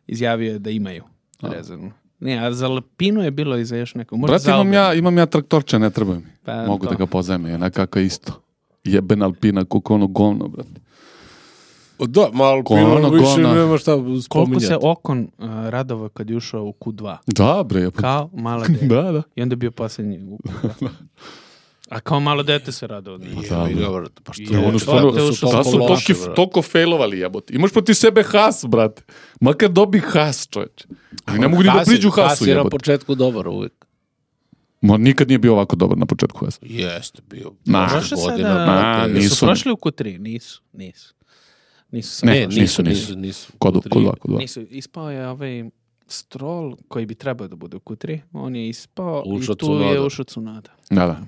izjavio je da imaju rezervnu. Ne, a za Alpinu je bilo i za još neko. Možda Brate, za imam Albon. ja, imam ja traktorče, ne treba mi. Pa, Mogu to. da ga pozajme, jednak kako isto. Jeben Alpina, koliko ono govno, brate. Da, malo Gona, Alpina više gona. nema šta spominjati. Koliko se Okon uh, radovao kad je ušao u Q dva. Da, bre. Ja, Kao malo dete. da, da. I onda je bio posljednji u Q dva. A kao malo dete se radovao. Da, Jebi bre. ga, brate, pa što I je ono ono stvarno- da su što Da toliko su loši, toki, brate. toliko failovali, jebote. Imaš proti sebe Haas, brate. Makar dobi Haas, čovječe. I ne mogu ni da Haas je- priđu Haas Haasu, je na jebote. početku dobar uvijek. Ma nikad nije bio ovako dobar na početku Haas. Jeste bio. Na. Prošle Prošle godine, sada, brate, Na, nisu nisu. prošli u Q tri? Nisu, nisu. Nisu Ne, sad Ne, prošli. nisu, nisu, nisu, nisu. Kod, U tri. kod dva, kod dva. Nisu. Ispao je ovaj Stroll koji bi trebao da bude u Q tri. On je ispao Ušao i tu Tsunoda. je ušao Tsunoda. Da, da.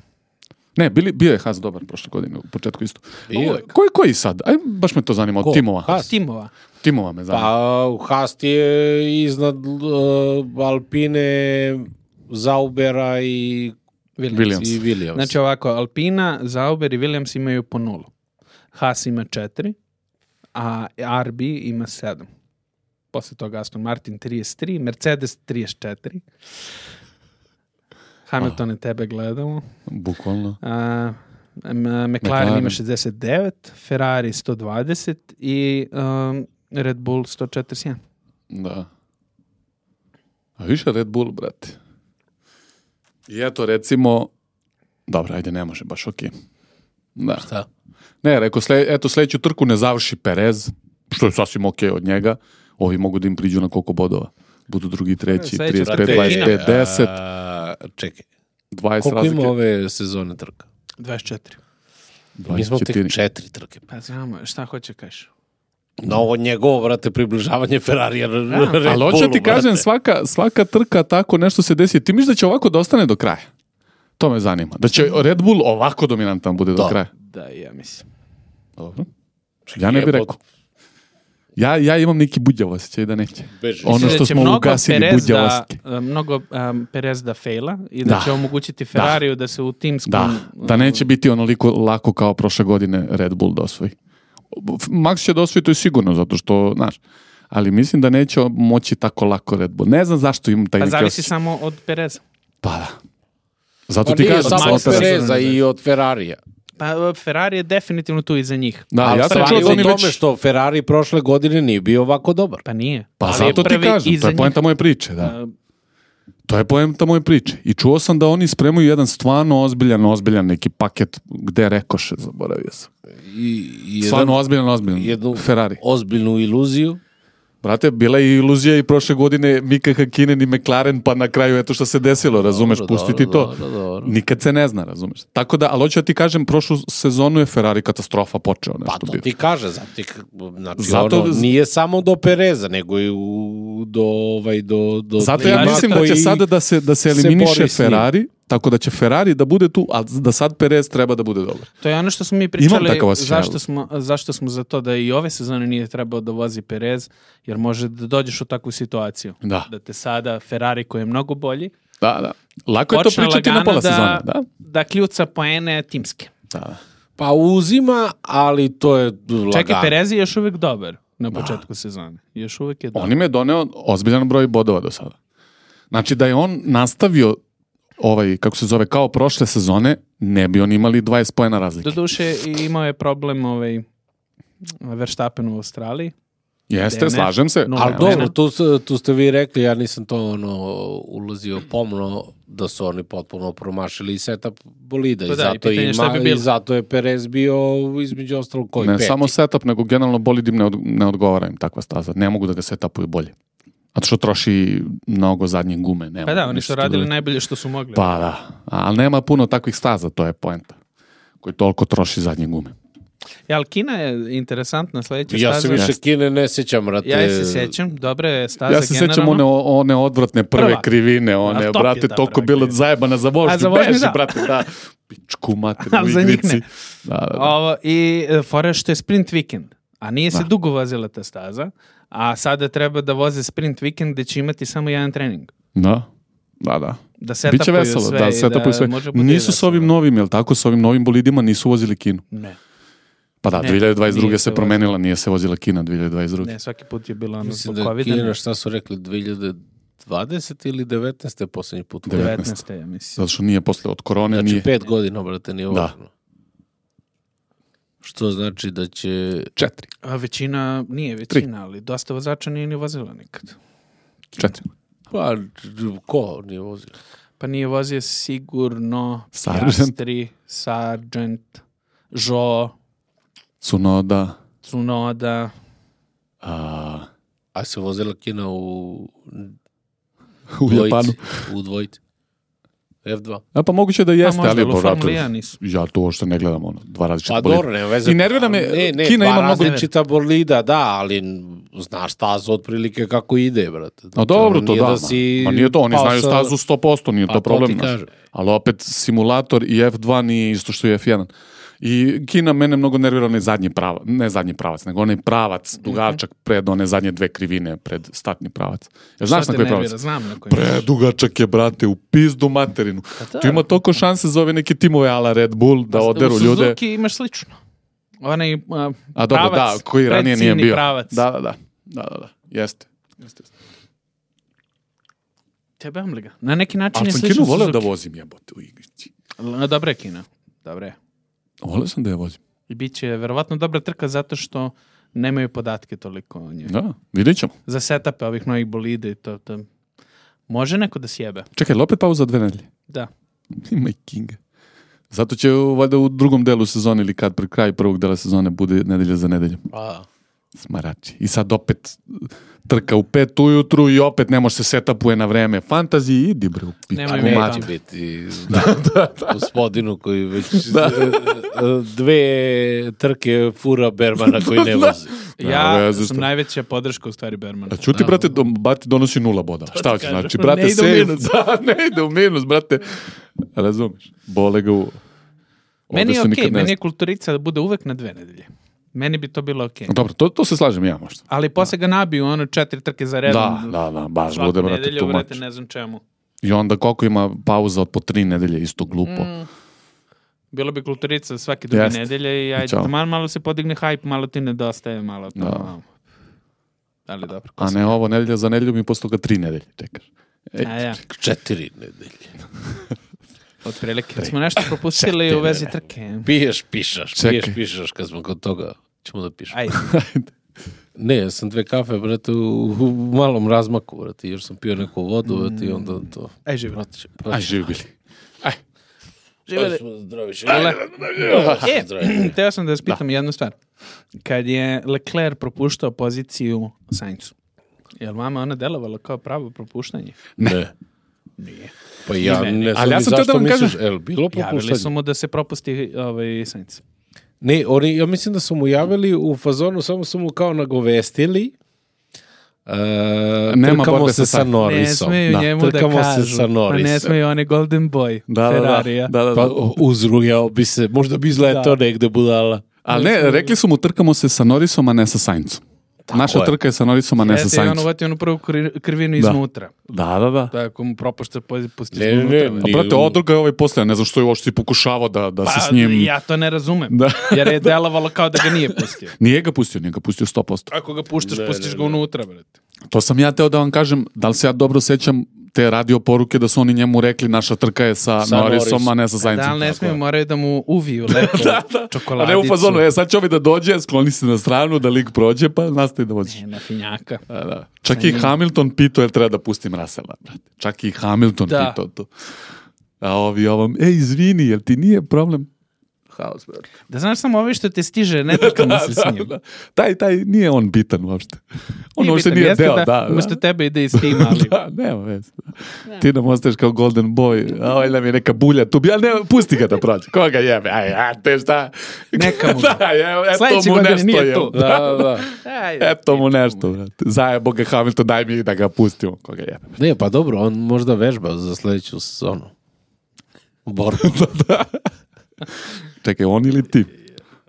Ne, bili, bio je Haas dobar prošle godine, u početku isto. Bio je. Ovo, Koji, koji sad? Aj, baš me to zanima, Ko? od timova. Haas? Timova. Timova me zanima. Pa Haas ti je iznad uh, Alpine, Zaubera i Williams. Williams. i Williams. Znači ovako, Alpina, Sauber i Williams imaju po nulu. Haas ima četiri, a R B ima sedam. Posle toga Aston Martin trideset tri, Mercedes trideset četiri. Hamilton i tebe gledamo. Bukvalno. A, M- McLaren, McLaren. ima šezdeset devet, Ferrari sto dvadeset i um, Red Bull sto četrdeset jedan. Da. A više Red Bull, brate. I eto, recimo, dobro, ajde, ne može, baš okej. Da. Šta? Ne, rekao, sle, eto, sledeću trku ne završi Perez, što je sasvim okej od njega. Ovi mogu da im priđu na koliko bodova. Budu drugi, treći, Sledeća trideset pet, trka je dvadeset pet, Kina. deset. A, čekaj. dvadeset Koliko razlike. ima ove sezone trka? dvadeset četiri. Mi smo dvadeset četiri. tek četiri trke. Pa znamo, šta hoće kažeš? Na ovo njegovo, brate, približavanje Ferrarija Red Bullu, Ali hoću ti kažem, brate. svaka, svaka trka tako nešto se desi. Ti misliš da će ovako da ostane do kraja? To me zanima. Da će Red Bull ovako dominantan bude do Da. kraja? Da, ja mislim. Dobro. Ja ne bih Jebote. rekao. Ja, ja imam neki budjav osjećaj da neće. Beži. Ono Mislim što da će smo mnogo ugasili Perez budjavosti. da, mnogo um, Perez da fejla i da, Da. će omogućiti Ferrariju da, se u timskom... Da, da neće biti onoliko lako kao prošle godine Red Bull da osvoji. Max će da osvoji, to je sigurno, zato što, znaš, ali mislim da neće moći tako lako Red Bull. Ne znam zašto imam taj Pa neki zavisi osjećaj. samo od Pereza. Pa da. Zato Pa ti nije kažem. samo od Maxa Pereza sigurno i od Ferrarija. Pa Ferrari je definitivno tu iza njih. Da, Ali ja sam stvari čuo je da u oni tome već... što Ferrari prošle godine nije bio ovako dobar. Pa nije. Pa Ali zato je ti prvi kažem, iza to je njih. poenta moje priče, da. A, To je poenta moje priče. I čuo sam da oni spremaju jedan stvarno ozbiljan, ozbiljan neki paket gde rekoše, zaboravio sam. I, i jedan, Stvarno ozbiljan, ozbiljan. jednu Ferrari. ozbiljnu iluziju. Brate, bila je iluzija i prošle godine Mika Hakkinen i McLaren, pa na kraju eto što se desilo, razumeš, Dobro, pustiti dobro, to. dobro, dobro. Nikad se ne zna, razumeš. Tako da, ali hoću da ti kažem, prošlu sezonu je Ferrari katastrofa počeo Pa nešto to bio. ti kaže, zato ti, znači, Zato- ono, nije samo do Pereza, nego i u, do, ovaj, do, do Zato ja tima mislim da će koji- sada da se, da se se eliminiše bori s njim. Ferrari, tako da će Ferrari da bude tu, a da sad Perez treba da bude dobar. To je ono što smo mi pričali, takav osjećaj. zašto smo, zašto smo za to da i ove sezone nije trebao da vozi Perez, jer može da dođeš u takvu situaciju. Da. Da te sada Ferrari koji je mnogo bolji, Da, da. Lako je to počne pričati na lagano pola da, sezone, da? da kljuca poene timske. Da. Pa uzima, ali to je lagano. Čekaj, Perez je još uvijek dobar na početku sezone. Još uvijek je dobar. On im je doneo ozbiljan broj bodova do sada. Znači da je on nastavio ovaj, kako se zove, kao prošle sezone, ne bi oni imali dvadeset poena razlike. Doduše i imao je problem ovaj Verstappen u Australiji. Jeste, D N F, slažem se. nula Ali poena. dobro, tu, s- tu ste vi rekli, ja nisam to ono ulazio pomno, da su oni potpuno promašili setup bolida Pa i, da, i zato pitanje ima, šta bi i bilo. zato je Perez bio između ostalog koji Ne peti. samo setup, nego generalno bolid im ne, od, ne odgovara im takva staza. Ne mogu da ga setupuju bolje. Zato što troši mnogo zadnje gume. Ne Pa da, mogu oni ništa su radili da- najbolje što su mogli. Pa da, ali nema puno takvih staza, to je poenta. Koji toliko troši zadnje gume. Ja, ali Kina je interesantna sledeća Ja staza. se više Kine ne sjećam, brate. Ja je se sjećam, dobre je staza Ja se sećam generalno. one, one odvratne prve Prva. krivine, one, A top je brate, ta toliko prva bilo krivina. zajebana za vožnju. A za vožnju, Beži, da. brate, da. Pičku materinu Ali u za njih igrici. ne. Da, da, da. Ovo, I e, fora je što je sprint vikend, a nije se Da. dugo vozila ta staza, a sada treba da voze sprint vikend gde će imati samo jedan trening. Da, da, da. Da Biće setapuju veselo, sve da, i setapuju sve. može bude Nisu s veselo. ovim novim, jel tako, s ovim novim bolidima nisu vozili Kinu. Ne, Pa da, Ne, dvije hiljade dvadeset druge nije se se promenila, nije se vozila Kina dvije hiljade dvadeset druge. ne, svaki put je bila ono Mislim zbog da je covida. Kina, šta su rekli, dve hiljade dvadesete ili devetnaeste posljednji put. Devet- devetnaeste ja mislim. Zato što nije posle od korone, Znači nije pet godina, brate, nije Da. važno. Što znači da će... četiri. A većina, nije većina, ali dosta vozača nije ni vozila nikad. Četiri. Pa, ko nije vozio? Pa nije vozio sigurno Sargent. Piastri, Sargent, Zhou, Tsunoda. Tsunoda. A, A se vozila Kina u u dvojici? Japanu. U dvojici. F dva. A pa moguće da jeste, možda, ali ali u po vratu. Formuli jedan nisu. Ja to uopšte ne gledam, ono, dva različita Pa bolida. dobro, nema veze. I nervira me, ne, ne, Kina dva ima mnogo- različita bolida, da, ali znaš stazu otprilike kako ide, brate. A dobro, Ono to nije da. si Ma nije to, oni pao znaju sa- stazu sto posto, nije Pa to to problem. ti znaš. kažem. Ali opet simulator i F dva nije isto što i F jedan. I Kina mene mnogo nervira onaj zadnji pravac, ne zadnji pravac, nego onaj pravac dugačak pred one zadnje dve krivine pred startni pravac. Ja znaš Šta na te koji nervira? pravac? Znam na koji. Predugačak je, brate, u pizdu materinu. da. Tu ima toliko šanse za ove neke timove ala Red Bull da oderu u ljude. Suzuki imaš slično. Onaj uh, A dobro, pravac, da, koji ranije nije predciljni bio. pravac. Da, da, da. Da, da, da. Jeste. Jeste. Tebe li ga. Na neki način Ali je sam slično Kinu voleo Suzuki. da vozim, jebote, u igrici. Na dobra je Kina. Dobre je. Voleo sam da je vozim. I bit će verovatno dobra trka zato što nemaju podatke toliko o njoj. Da, vidjet ćemo. Za setape ovih novih bolida i to, to. Može neko da sjebe. Čekaj, li opet pauza dve nedelje? Da. Ima i Kinga. Zato će valjda u drugom delu sezone ili kad pri kraju prvog dela sezone bude nedelja za nedeljom. Pa, Smarači. I sad opet trka u pet ujutru i opet ne može se setapuje na vreme. Fantaziji, idi bre. Nemoj Neće mati. biti da, da, da. Gospodinu koji već da. dve trke fura Bermana koji ne vozi. Ja Ne, sam što? najveća podrška u stvari Bermana. A čuti, brate, do, bati donosi nula boda. Šta hoće, kažem. znači, brate, Ne ide u save- minus. Da, ne ide u minus, brate. Razumeš? Bole ga u... Meni Ovde je se okej, nikad ne meni zna. je kulturica da bude uvek na dve nedelje. Meni bi to bilo okej. Dobro, to, to se slažem ja možda. Ali posle ga nabiju ono četiri trke za redom. Da, da, da, baš Svaku bude, brate, nedelju, tu brate, mač. ne znam čemu. I onda koliko ima pauza od po tri nedelje, isto glupo. Mm. Bilo bi kulturica svake druge Jeste. nedelje i ajde, Ćao. taman malo se podigne hype, malo ti nedostaje, malo to. Da. Malo. Ali dobro. ko A se- ne ovo nedelja za nedelju mi posle toga tri nedelje, čekaš. Ej, A ja, Četiri nedelje. otprilike. Smo nešto propustili u vezi trke. Piješ, pišaš, Čekaj. piješ, pišaš, kad smo kod toga. Ćemo da pišemo. Ajde. Ne, ja sam dve kafe, brate, u, u malom razmaku, brate, još sam pio neku vodu, brate, i onda to... Aj, živi. Brate, Aj, živi bili. Aj. Živeli. Zdravi, E, teo sam da vas pitam jednu stvar. Kad je Leclerc propuštao poziciju Sainzu, je li vama ona delovala kao pravo propuštanje? Ne. Nije. Pa ja Ni meni. ne znam Ali ja ni sam teo zašto da vam misliš, kažem- el, bilo Javili propuštanje? su mu da se propusti ovaj Sainz. Ne, oni, ja mislim da su mu javili u fazonu, samo su mu kao nagovestili. Uh, Nema trkamo borbe se sa sa Sainz. Norrisom. Ne smiju Da, njemu da trkamo kažu. se sa Pa Norrisom. ne smiju oni Golden Boy Da, da, da. Ferrarija. da, da, Pa da. uzrujao bi se, možda bi izletao Da. negde budala. Ali ne, rekli su mu trkamo se sa Norrisom, a ne sa Sainzom. Naša je. trka je sa Norrisom, a ne sa Jeste, i on Sainzom. uvati onu prvu kri- krivinu iznutra. Da, da, da. Tako mu propušta pozi- pusti Ne, iznutra. ne, brate. A Nije brate, u- odruga je ovaj posle, ne znam što je uopšte pokušavao da, da se Pa, s njim... ja to ne razumem. Da. Jer je delovalo kao da ga nije pustio. Nije ga pustio, nije ga pustio sto posto. Ako ga puštaš, Ne, pustiš ne, ga ne. unutra, brate. To sam ja teo da vam kažem, da li se ja dobro sećam te radio poruke da su oni njemu rekli naša trka je sa, Sa Norrisom, Norrisom. a ne sa Saincom. Da, ali ne smiju, moraju da mu uviju lepo A čokoladicu. ne u fazonu, e sad će ovi da dođe, skloni se na stranu, da lik prođe, pa nastavi da voziš. Ne, na finjaka. Da, da. Čak i Hamilton pitao jel treba da pustim Russella, brate. Čak i Hamilton Da. pitao to. A ovi ovom, ej, izvini, jel ti nije problem? Haos, brate. Da znaš samo ovi što te stiže, ne trkamo se s njim. Da. Taj, taj, nije on bitan uopšte. On Nije uopšte bitan, nije jeste deo, da, da. da. Umesto tebe ide iz tima, ali... Da, nema veze. Ti nam ostaješ kao Golden Boy, a ovaj nam je neka bulja tu. Ja ne, pusti ga da prođe. Koga jebe? Aj, a te šta? Neka mu. Da, je, eto Sledeće mu godine nešto nije je. tu. Da, da, da. Ajde. Eto mu nešto, brate. Zajebo ga Hamilton, daj mi da ga pustimo. Koga jebe? Ne, pa dobro, on možda vežba za sledeću sezonu. Borbu. Čekaj, on ili ti?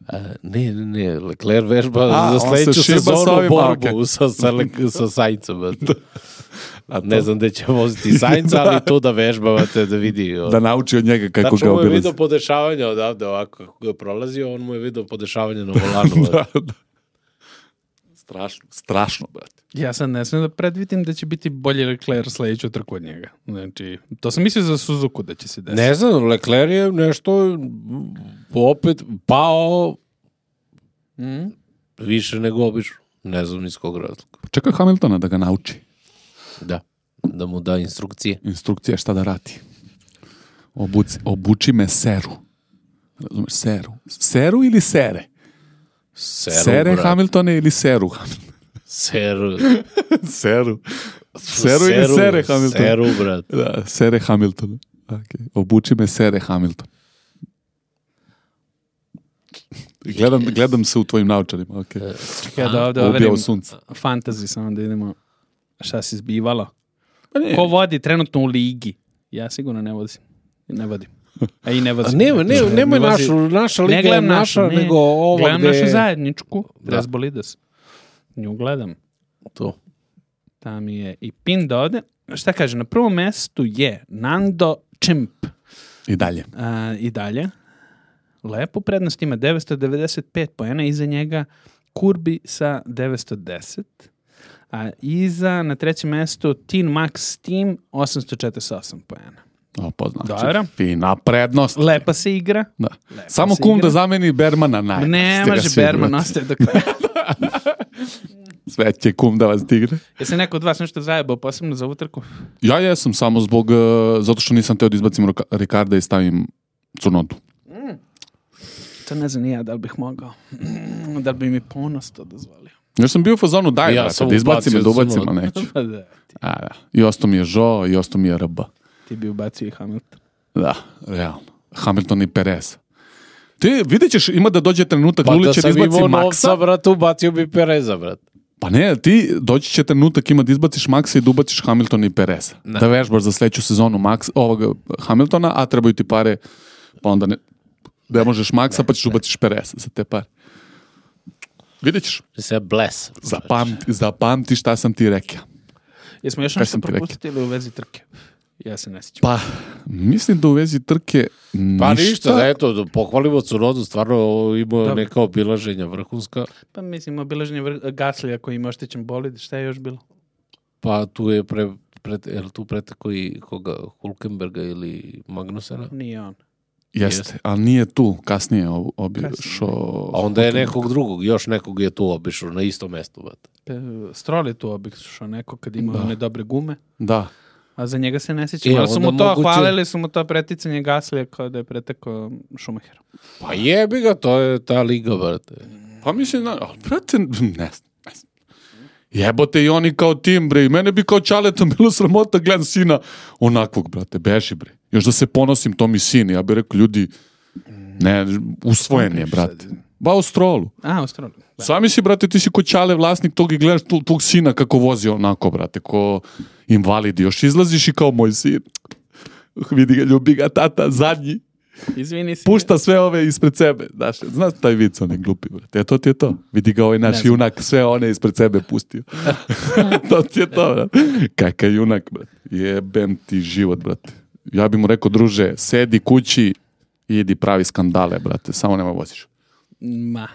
A, ne, ne, ne, Leclerc vežba A, za on se sledeću šiba sa sezonu ovim, borbu okej. sa, sa, Lec- sa Saincom. brate. A to, Ne znam gde će voziti Sainz, ali tu da vežbavate da vidi. da nauči od njega kako Tačno ga mu je obilazi. vidio podešavanja odavde, ovako kako je prolazio, on mu je vidio podešavanje na volanu. Da, da. Strašno, strašno, brate. Ja sad ne smijem da predvidim da će biti bolji Leclerc sledeću trku od njega. Znači, to sam mislio za Suzuku da će se desiti. Ne znam, Leclerc je nešto opet pao Mm? više nego obično. Ne znam iz kog razloga. Čekaj Hamiltona da ga nauči. Da, da mu da instrukcije. Instrukcija šta da radi. Obuci, obuči me seru. Razumeš, seru. Seru ili sere? Seru, Sere brat. Hamiltone ili seru Hamiltone? Seru. Seru. Seru ili sere Hamilton? Seru, brat. Da, sere Hamilton. Okay. Obuči me sere Hamilton. Gledam, gledam se u tvojim naučarima. Okay. Čekaj da ovde Ubijao overim sunce. fantasy, samo da idemo šta se zbivalo. Pa nije. Ko vodi trenutno u ligi? Ja sigurno ne vodim. Ne vodim. A i ne A vozim. nema, nema, nema Ne vozi- našu, naša Ne liga je gledam naša, našu, ne. nego ova Gledam gde... našu zajedničku, Da. Res Bolides. Nju gledam. To. Tam je i pin da ode. Šta kaže, na prvom mestu je Nando Čimp. I dalje. A, I dalje. Lepo prednost ima devetsto devedeset pet poena, iza njega Kurbi sa devetsto deset, a iza na trećem mestu Teen Max Team osamsto četrdeset osam poena. O, pa znači, Dobro. fina prednost. Lepa se igra. Da. Lepo Samo se kum igra. da zameni Bermana naj. Ne Ste ga može svi, Berman, brate. ostaje do kraja. Sve će kum da vas digne. Jesi neko od vas nešto zajebao posebno za ovu trku? Ja jesam samo zbog, uh, zato što nisam teo da izbacim Roka- Ricarda i stavim Cunodu. To ne znam ni ja da li bih mogao. Da li bi mi ponos to dozvolio. Još sam bio u fazonu, daj, Ja brate, sam da izbacim me, ubacio da ubacim, Tsunoda. ali neću. Pa da, ti, A, da. I ostao mi je Žo, i ostao mi je R B. ti bi ubacio i Hamilton. Da, realno. Hamilton i Perez. Ti vidjet ćeš, ima da dođe trenutak, Pa Luli da će da sam izbaci imao Maxa. novca, brate, ubacio bi Pereza, brate. Pa ne, ti doći će trenutak, ima da izbaciš Maxa i da ubaciš Hamiltona i Pereza. Da. Da vežbaš za sledeću sezonu Max, ovoga Hamiltona, a trebaju ti pare, pa onda ne, ne možeš Maxa, pa ćeš ubaciš Pereza za te pare. Vidjet ćeš. Se bless. Zapamti, zapamti šta sam ti rekao. Jesmo još Kaj nešto sam ti rekao? propustili u vezi trke? Ja se ne sjećam. Pa, mislim da u vezi trke Pa ništa. ništa, da eto, da pohvalimo Tsunodu, stvarno ima Dobro. neka obilaženja vrhunska. Pa mislim, obilaženje vr- Gaslija koji ima oštećen bolid, šta je još bilo? Pa tu je pre, pre, je li tu preteko i koga, Hulkenberga ili Magnusena? Nije on. Jeste, ali nije tu, kasnije ob- obišao... A onda je nekog drugog, još nekog je tu obišao na istom mestu. Bat. E, Stroll je tu obišao neko kad ima one dobre gume, Da. a za njega se ne sjećam. E, Ali su mu onda to, moguće- hvalili su mu to preticanje Gaslija kao da je pretekao Schumachera. Pa jebi ga, to je ta liga, brate. Pa mislim, da, ali, brate, ne znam, ne znam. Jebote i oni kao tim, bre, i mene bi kao čaletom bilo sramota, gledam sina onakvog, brate, beži, bre. Još da se ponosim, to mi sin, ja bih rekao, ljudi, ne, usvojen je, brate. Ba u Strolu. A, u Strollu. Da. Sami si, brate, ti si ko čale vlasnik tog i gledaš tu- tvog sina kako vozi onako, brate, ko invalid. Još izlaziš i kao moj sin. Vidi ga, ljubi ga, tata, zadnji. Izvini se. Pušta sve ove ispred sebe. Znaš, znaš taj vic, on je glupi, brate. E, to ti je to. Vidi ga ovaj naš Ne znam. junak, sve one ispred sebe pustio. To ti je to, brate. Kakav junak, brate. Jebem ti život, brate. Ja bi mu rekao, druže, sedi kući i idi pravi skandale, brate. Samo nema voziš. Ma.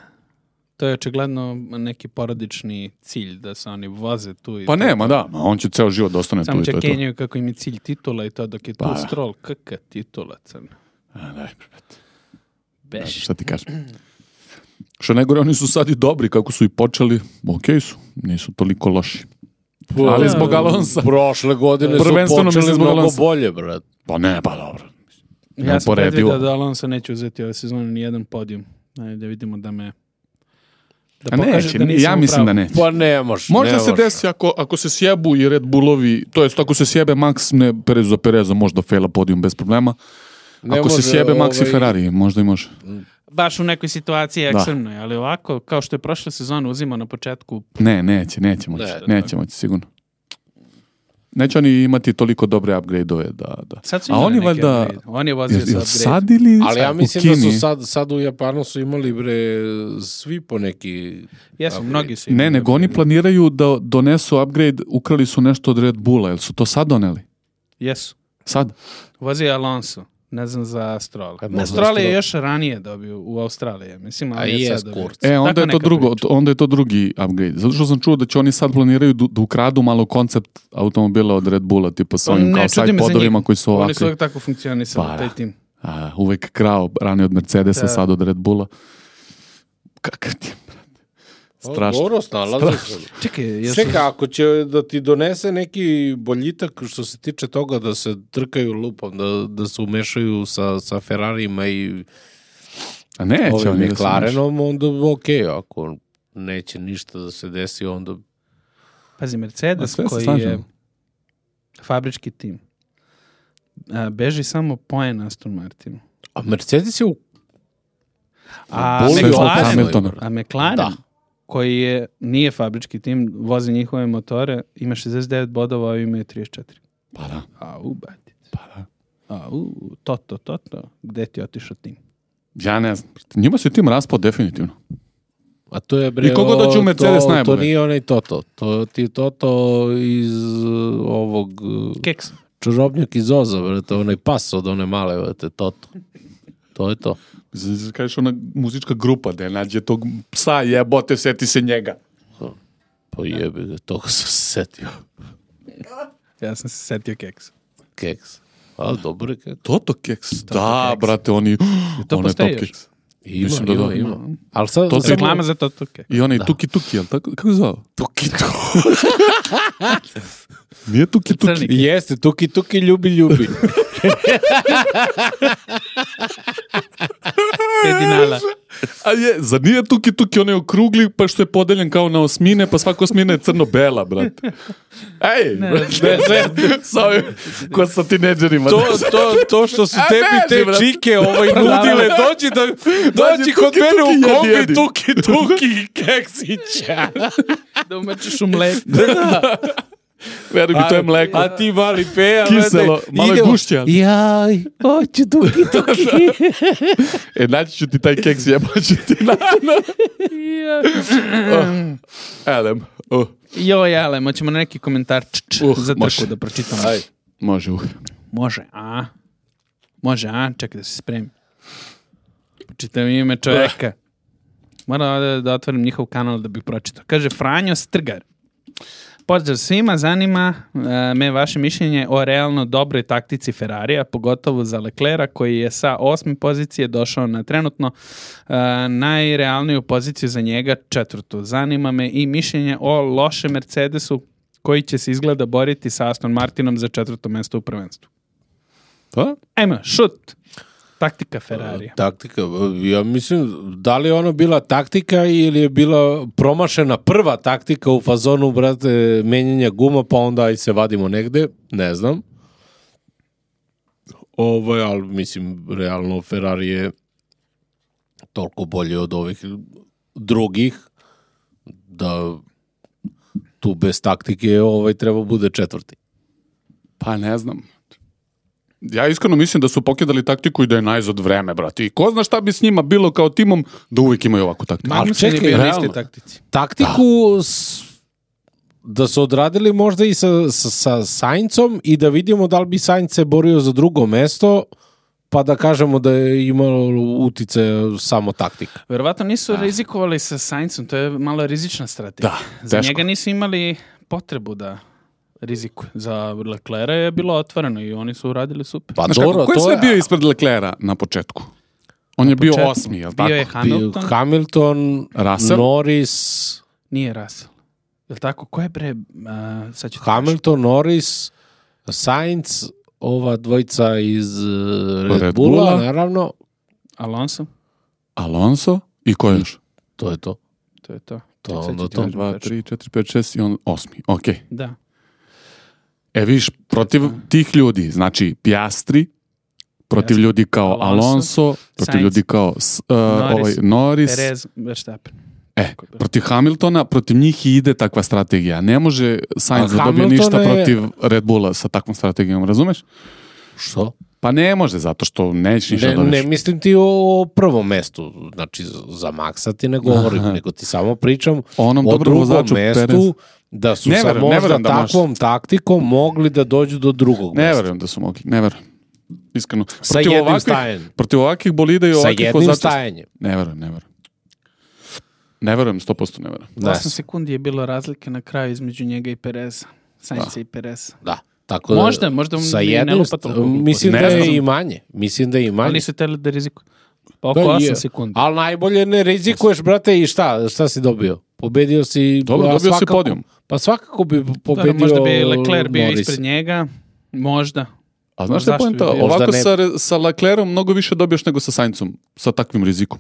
To je očigledno neki porodični cilj da se oni voze tu. I Pa to- nema, da. Ma on će ceo život da ostane tu Samo i to će je to. kenjaju kako im je cilj titula i to dok je tu Pa, da. Stroll. Kaka titula, crna. A, daj, brate. Beš. Šta ti kažem? Što najgore, oni su sad i dobri, kako su i počeli, okej su, nisu toliko loši. Ali zbog Alonsa. Prošle godine su Prvenstveno mislim počeli zbog mnogo Alonsa. bolje, brate. Pa ne, pa dobro. Ja sam Neuporedivo. predvidio da Alonso neće uzeti ove sezone ni jedan podijum. Ajde da vidimo da me... Da A pokaže neće, da nisam ja u mislim pravu. da neće. Pa nemaš, Možda nemaš. se desi ako, ako se sjebu i Red Bullovi, to jest ako se sjebe Max, ne Perez za Pereza, možda fejla podijum bez problema. Ne Ako se može, sjebe Max i ovaj, Ferrari, možda i može. Baš u nekoj situaciji Da. ekstremnoj, ali ovako, kao što je prošle sezone uzimao na početku, Ne, neće, neće moći. Ne, neće moći, sigurno. Neće oni imati toliko dobre upgrade-ove da... da. sad su A imali oni neke valjda... upgrade. On je vozio Jel, sa jel upgrade. sad ili Ali ja u mislim da Kini? su sad, sad u Japanu su imali, bre, svi po neki... Jesu, upgrade. mnogi su Ne, imali nego oni upgrade. planiraju da donesu upgrade, ukrali su nešto od Red Bulla, jel su to sad doneli? Jesu. Sad? Vozio je Alonso. Ne znam za Stroll. Kaj, Ne, možda Stroll je Stroll. još ranije dobio u Australiji. Mislim, A ali je je sad dobio. skurt. E, onda Tako je to neka drugo, priča. onda je to drugi upgrade. Zato što sam čuo da će oni sad planiraju da, da ukradu malo koncept automobila od Red Bulla, tipa sa ovim Ne, kao čudi side me za podovima njih. koji su Oni ovakvi. su uvijek tako funkcionisali, Pa, taj da. tim. A, uvek krao, ranije od Mercedesa, Da. sad od Red Bulla. Kakav ti je, brate? Strašno. Dobro, snalaze se. Čekaj, jesu... Čekaj, ako će da ti donese neki boljitak što se tiče toga da se trkaju lupom, da, da se umešaju sa, sa Ferrarijima i A neće ovim oni da se McLarenom, onda okej, ako neće ništa da se desi, onda... Pazi, A Mercedes sve se koji slažem. je fabrički tim, a, beži samo poen Aston Martinu. A Mercedes je u... A Boli Sve zbog McLaren, Hamiltona. a McLaren Da. koji je, nije fabrički tim, vozi njihove motore, ima šezdeset devet bodova, a imaju trideset četiri. Pa da, A u, bati. pa da. A u, Toto, Toto, gde ti je otišao tim? Ja ne znam. brate. Njima se tim raspao definitivno. A to je, bre, I kogo dođe u o- Mercedes to, najbolje? To nije onaj Toto. To ti je Toto iz uh, ovog... uh, Keks. čarobnjak iz Oza, brate, onaj pas od one male, brate, Toto. To je to. Z- Kažeš ona muzička grupa da nađe tog psa, jebote, seti se njega. Pa jebi ga, toga sam se setio. Ja sam se setio Keksa. Keks. A, dobro je keks. Toto keks. da, keks. brate, oni... to onaj postoji top još? keks. Ima, Mislim da ima, da. ima. Ali sad... To samo- Reklama za Toto Keks. I onaj tuki tuki, jel tako? Kako se zvao? Tuki tuki. Nije tuki tuki. Crni. Jeste, tuki tuki, ljubi, ljubi. Pedinala. A je, zar nije tuki tuki onaj okrugli, pa što je podeljen kao na osmine, pa svaka osmina je crno-bela, brate. Ej, Ne, brate, ne, sa ovim, ko sa tineđerima. To, to, to što su A tebi beži, te brate. čike ovaj nudile, dođi, da, dođi kod tuki, mene tuki, u kombi, jedi, jedi. tuki, tuki, keksića. Da umečiš u mleko. Veruj mi, to je mleko. A ti mali peja, Kiselo, malo je gušće, ali- Jaj, hoću tuki, tuki. E, naći ću ti taj keks, jeboću ti na... oh, elem, oh, Joj, ale, moćemo na neki komentar č, č, Uh, za trku može. da pročitam. Aj. može, uh. Može, a? Može, a? Čekaj da se spremim. Pročitam ime čoveka. Moram da, da otvorim njihov kanal da bih pročitao. Kaže Franjo Strgar. Pozdrav svima, zanima uh, me vaše mišljenje o realno dobroj taktici Ferrarija, pogotovo za Leclerca koji je sa osme pozicije došao na trenutno uh, najrealniju poziciju za njega, četvrtu. Zanima me i mišljenje o lošem Mercedesu koji će se izgleda boriti sa Aston Martinom za četvrto mesto u prvenstvu. Pa? Ajmo, šut. Taktika Ferrarija. Taktika, ja mislim, da li je ono bila taktika ili je bila promašena prva taktika u fazonu, brate, menjanja guma, pa onda i se vadimo negde, ne znam. Ovo je, ali mislim, realno Ferrari je toliko bolje od ovih drugih, da tu bez taktike ovaj treba bude četvrti. Pa ne znam. Ja iskreno mislim da su pokidali taktiku i da je najzad vreme, brate. I ko zna šta bi s njima bilo kao timom da uvijek imaju ovakvu taktiku. Ali Magnussen je čekaj, bio na realno. istoj taktici. Taktiku s, da su odradili možda i sa, sa, sa Saincom i da vidimo da li bi Sainz se borio za drugo mesto, pa da kažemo da je imalo utice samo taktika. Verovatno nisu rizikovali sa Saincom, to je malo rizična strategija. Da, Za teško. njega nisu imali potrebu da rizikuju. Za Leclerca je bilo otvoreno i oni su uradili super. Pa Znaš dobro, kako, ko je to sve je bio ispred Leclerca na početku? On je bio početku. osmi, jel Bio tako? je Hamilton, bio Hamilton, Russell? Norris, nije Russell. Jel tako? Ko je bre... Uh, sad ću ti Hamilton, Norris, Sainz, ova dvojica iz uh, Red, Red Bulla, Bulla. naravno, kažem. Alonso, Alonso i ko je još? to je to. to je to. To Sad ću onda ti to. kažem dva, tačno. tri, četiri, pet, šest i on osmi. Okej. Da. E viš, protiv tih ljudi, znači Piastri, protiv Jasno. ljudi kao Alonso, Alonso, protiv Sainz, ljudi kao s- uh, Norris, ovaj, Norris, Perez, Verstappen. e, protiv Hamiltona, protiv njih i ide takva strategija. Ne može Sainz A da dobije Hamilton ništa je- protiv Red Bulla sa takvom strategijom, razumeš? Što? Pa ne može, zato što neće ništa Ne, dobiješ. ne mislim ti o prvom mestu, znači za Maxa ti ne govorim, Aha. nego ti samo pričam Onom o dobrom drugom vozaču, mestu, Perez. da su Ne sa verujem, ne možda verujem da može. takvom taktikom mogli da dođu do drugog Ne mesta. verujem da su mogli, ne verujem. Iskreno. Sa Protiv jednim ovakvih- stajanjem. Protiv ovakvih bolida i Sa ovakvih jednim vozača- stajanjem. Ne verujem, ne verujem. Ne verujem, sto posto ne verujem. Da, osam sekundi je bilo razlike na kraju između njega i Pereza. Sainca i Pereza. da. Tako da, Možda, možda sa ne- ne jednim, lupa toliko gluposti. mislim Ne da znam. je i manje. Mislim da je i manje. Ali nisu teli da rizikuju. Pa Da oko je. osam sekundi. Ali najbolje ne rizikuješ, brate, i šta? Šta si dobio? Pobedio si... Dobro, a dobio si svakako- podijum. Pa svakako bi Dobro, pobedio možda bi Leclerc bio Norris. ispred njega. Možda. A znaš šta je Zašto poenta? bi bio? Ovako Možda ne- sa, re- sa Leclerom mnogo više dobiješ nego sa Saincom, sa takvim rizikom.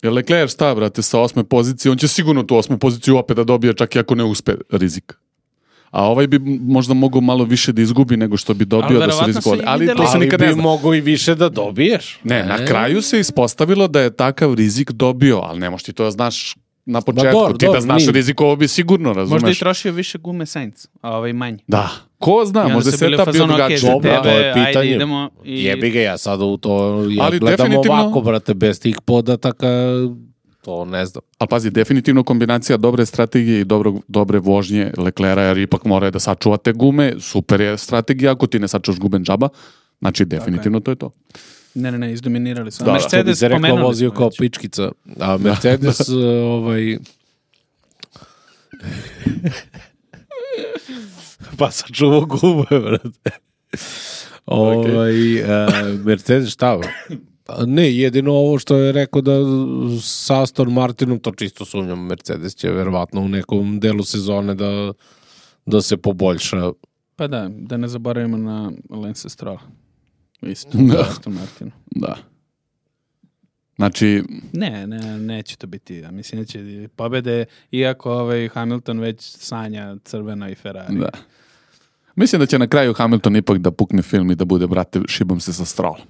Jer Leclerc šta, brate, sa osme pozicije, on će sigurno tu osmu poziciju opet da dobije, čak i ako ne uspe rizik. A ovaj bi možda mogao malo više da izgubi nego što bi dobio Ali da se verovatno rizikuje. su i Ali to videli- se Ali nikad ne bi zna. mogao i više da dobiješ. Ne, na kraju se ispostavilo da je takav rizik dobio, ali ne možeš ti to da znaš na početku. dobro, ti da dobro, znaš mi- rizik, ovo bi sigurno, razumeš? Možda i trošio više gume Sainz, a ovaj manji. Da. Ko zna, I onda možda su se bili u etap bio fazonu, drugačiji. ok, za Dobro, tebe, to je ajde pitanje. idemo. I... Jebi ga, ja sad u to ja Ali gledam definitivno- ovako, brate, bez tih podataka, to ne znam. Ali pazi, definitivno kombinacija dobre strategije i dobrog, dobre vožnje Leclerca, jer ipak mora da sačuva te gume, super je strategija, ako ti ne sačuvaš guben džaba, znači definitivno to je to. Ne, ne, ne, izdominirali su. A Da, da. Što bi Mercedes se reklo, pomenuli vozio smo kao već. pičkica. A Mercedes, uh, ovaj... pa sačuvao gume, brate. Ovaj, uh, Mercedes šta? Pa ne, jedino ovo što je rekao da sa Aston Martinom, to čisto sumnjam, Mercedes će verovatno u nekom delu sezone da, da se poboljša. Pa da, da ne zaboravimo na Lance Strolla. Isto, Da. Aston Martin. Da. Znači... Ne, ne, neće to biti. Ja mislim da će pobede, iako ovaj Hamilton već sanja crvena i Ferrari. Da. Mislim da će na kraju Hamilton ipak da pukne film i da bude, brate, šibom se sa Strollom.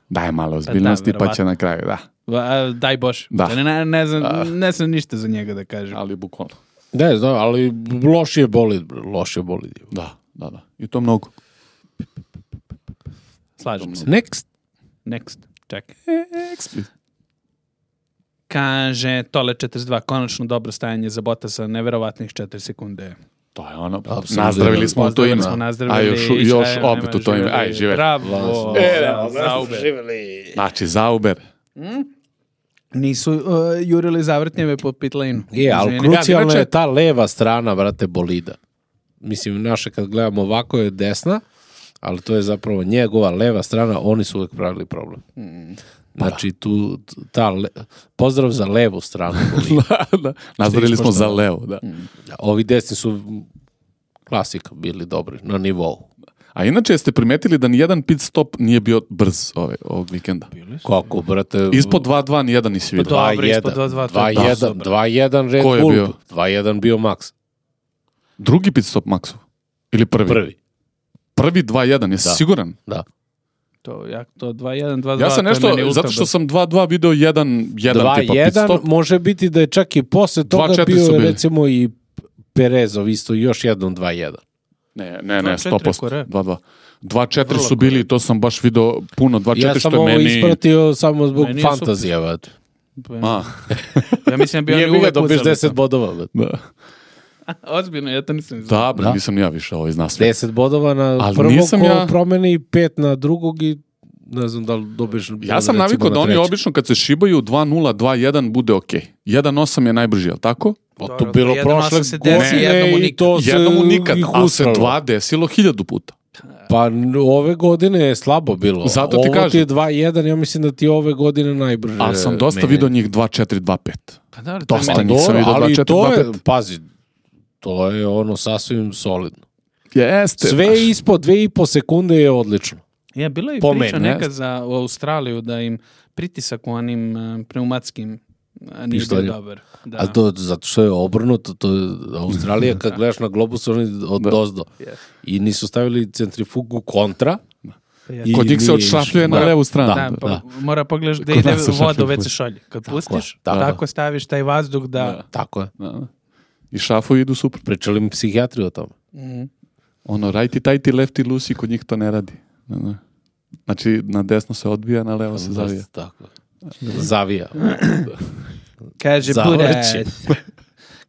Daj malo ozbiljnosti, pa, da, pa će na kraju, da. Va, daj Bož. Da. Ne, ne, znam, ne znam ništa za njega da kažem. Ali bukvalno. Ne znam, ali loš je bolid, loš je bolid. Da, da, da. I to mnogo. Slažem se. Next. Next. Čekaj. Next. Kaže, Tole četrdeset dva, konačno dobro stajanje za Bottasa, neverovatnih četiri sekunde. To je ono, Absolutno. Nazdravili smo u to ime. A još, još opet u to ime. Aj, živeli. Bravo. E, Zauber. Živeli. Znači, Zauber. Mm? Nisu uh, jurili zavrtnjeve po pit lane-u. Je, ali krucijalna je ta leva strana, brate, bolida. Mislim, naše kad gledamo ovako je desna, ali to je zapravo njegova leva strana, oni su uvijek pravili problem. Mm. Znači, tu, ta le... pozdrav za levu stranu. da, da. Nazdravili smo za levo, da. Mm. Ovi desni su klasika bili dobri, na nivou. A inače, jeste primetili da nijedan pit stop nije bio brz ove, ovog vikenda? Kako, brate? Ispod dva dva nijedan nisi vidio. Dobro, ispod dva dva. dva jedan Red Bull. Bio? dva jedan bio Max. Drugi pit stop Maxu? Ili prvi? Prvi. Prvi dva jedan, jesi da. siguran? Da. To, ja, to dva jedan, dva dva. Ja sam nešto, zato što sam dva dva video jedan, jedan tipa pit stop. Može biti da je čak i posle toga bio recimo i Perezov isto još jednom dva jedan. Ne, ne, ne, sto posto. dva dva. dva četiri su bili, to sam baš video puno, dva četiri ja što je meni... Ja sam ovo ispratio samo zbog fantazija. A. Ja mislim da bi oni uvek dobiš deset bodova. Da. Ozbiljno, ja to nisam znao. Da, bre, da. Nisam ja više ovo iz nas. deset bodova na ali prvog ko ja... promeni, pet na drugog i ne znam da li dobiješ... Ja sam navikao da oni obično kad se šibaju dva nula, dva jedan bude okej. Okay. jedan osam je najbrži, ali tako? O, to bilo prošle godine i to se jednom nikad, ali se dva desilo hiljadu puta. Pa ove godine je slabo bilo. Zato ti ovo kažem. Ti je dva jedan, ja mislim da ti ove godine najbrže. Ali sam dosta mene. Vidio njih dva četiri dva pet. Pa da, dosta nisam vidio dva četiri dva pet. Pazi, to je ono sasvim solidno. Jeste. Sve baš. Ispod dve i po sekunde je odlično. Ja, bilo je priča nekad za u Australiju da im pritisak u onim uh, pneumatskim uh, nije bio dobar. Da. A to zato što je obrnuto, to je Australija kad gledaš na globus oni od da. Dozdo. Yes. I nisu stavili centrifugu kontra. I kod njih se odšrafljuje na levu stranu. Da, pa da. Mora pogledaš da ide voda u ve ce šolji. Kad tako pustiš, je, tako, tako staviš taj vazduh da... da. Tako je. Da. I šrafovi idu super. Pričali mi psihijatriju o tome. Mm. Ono, righty, tighty, lefty, loosey, kod njih to ne radi. Znači, na desno se odbija, na levo se zavija. Tako. Zavija. Kaže Buraz.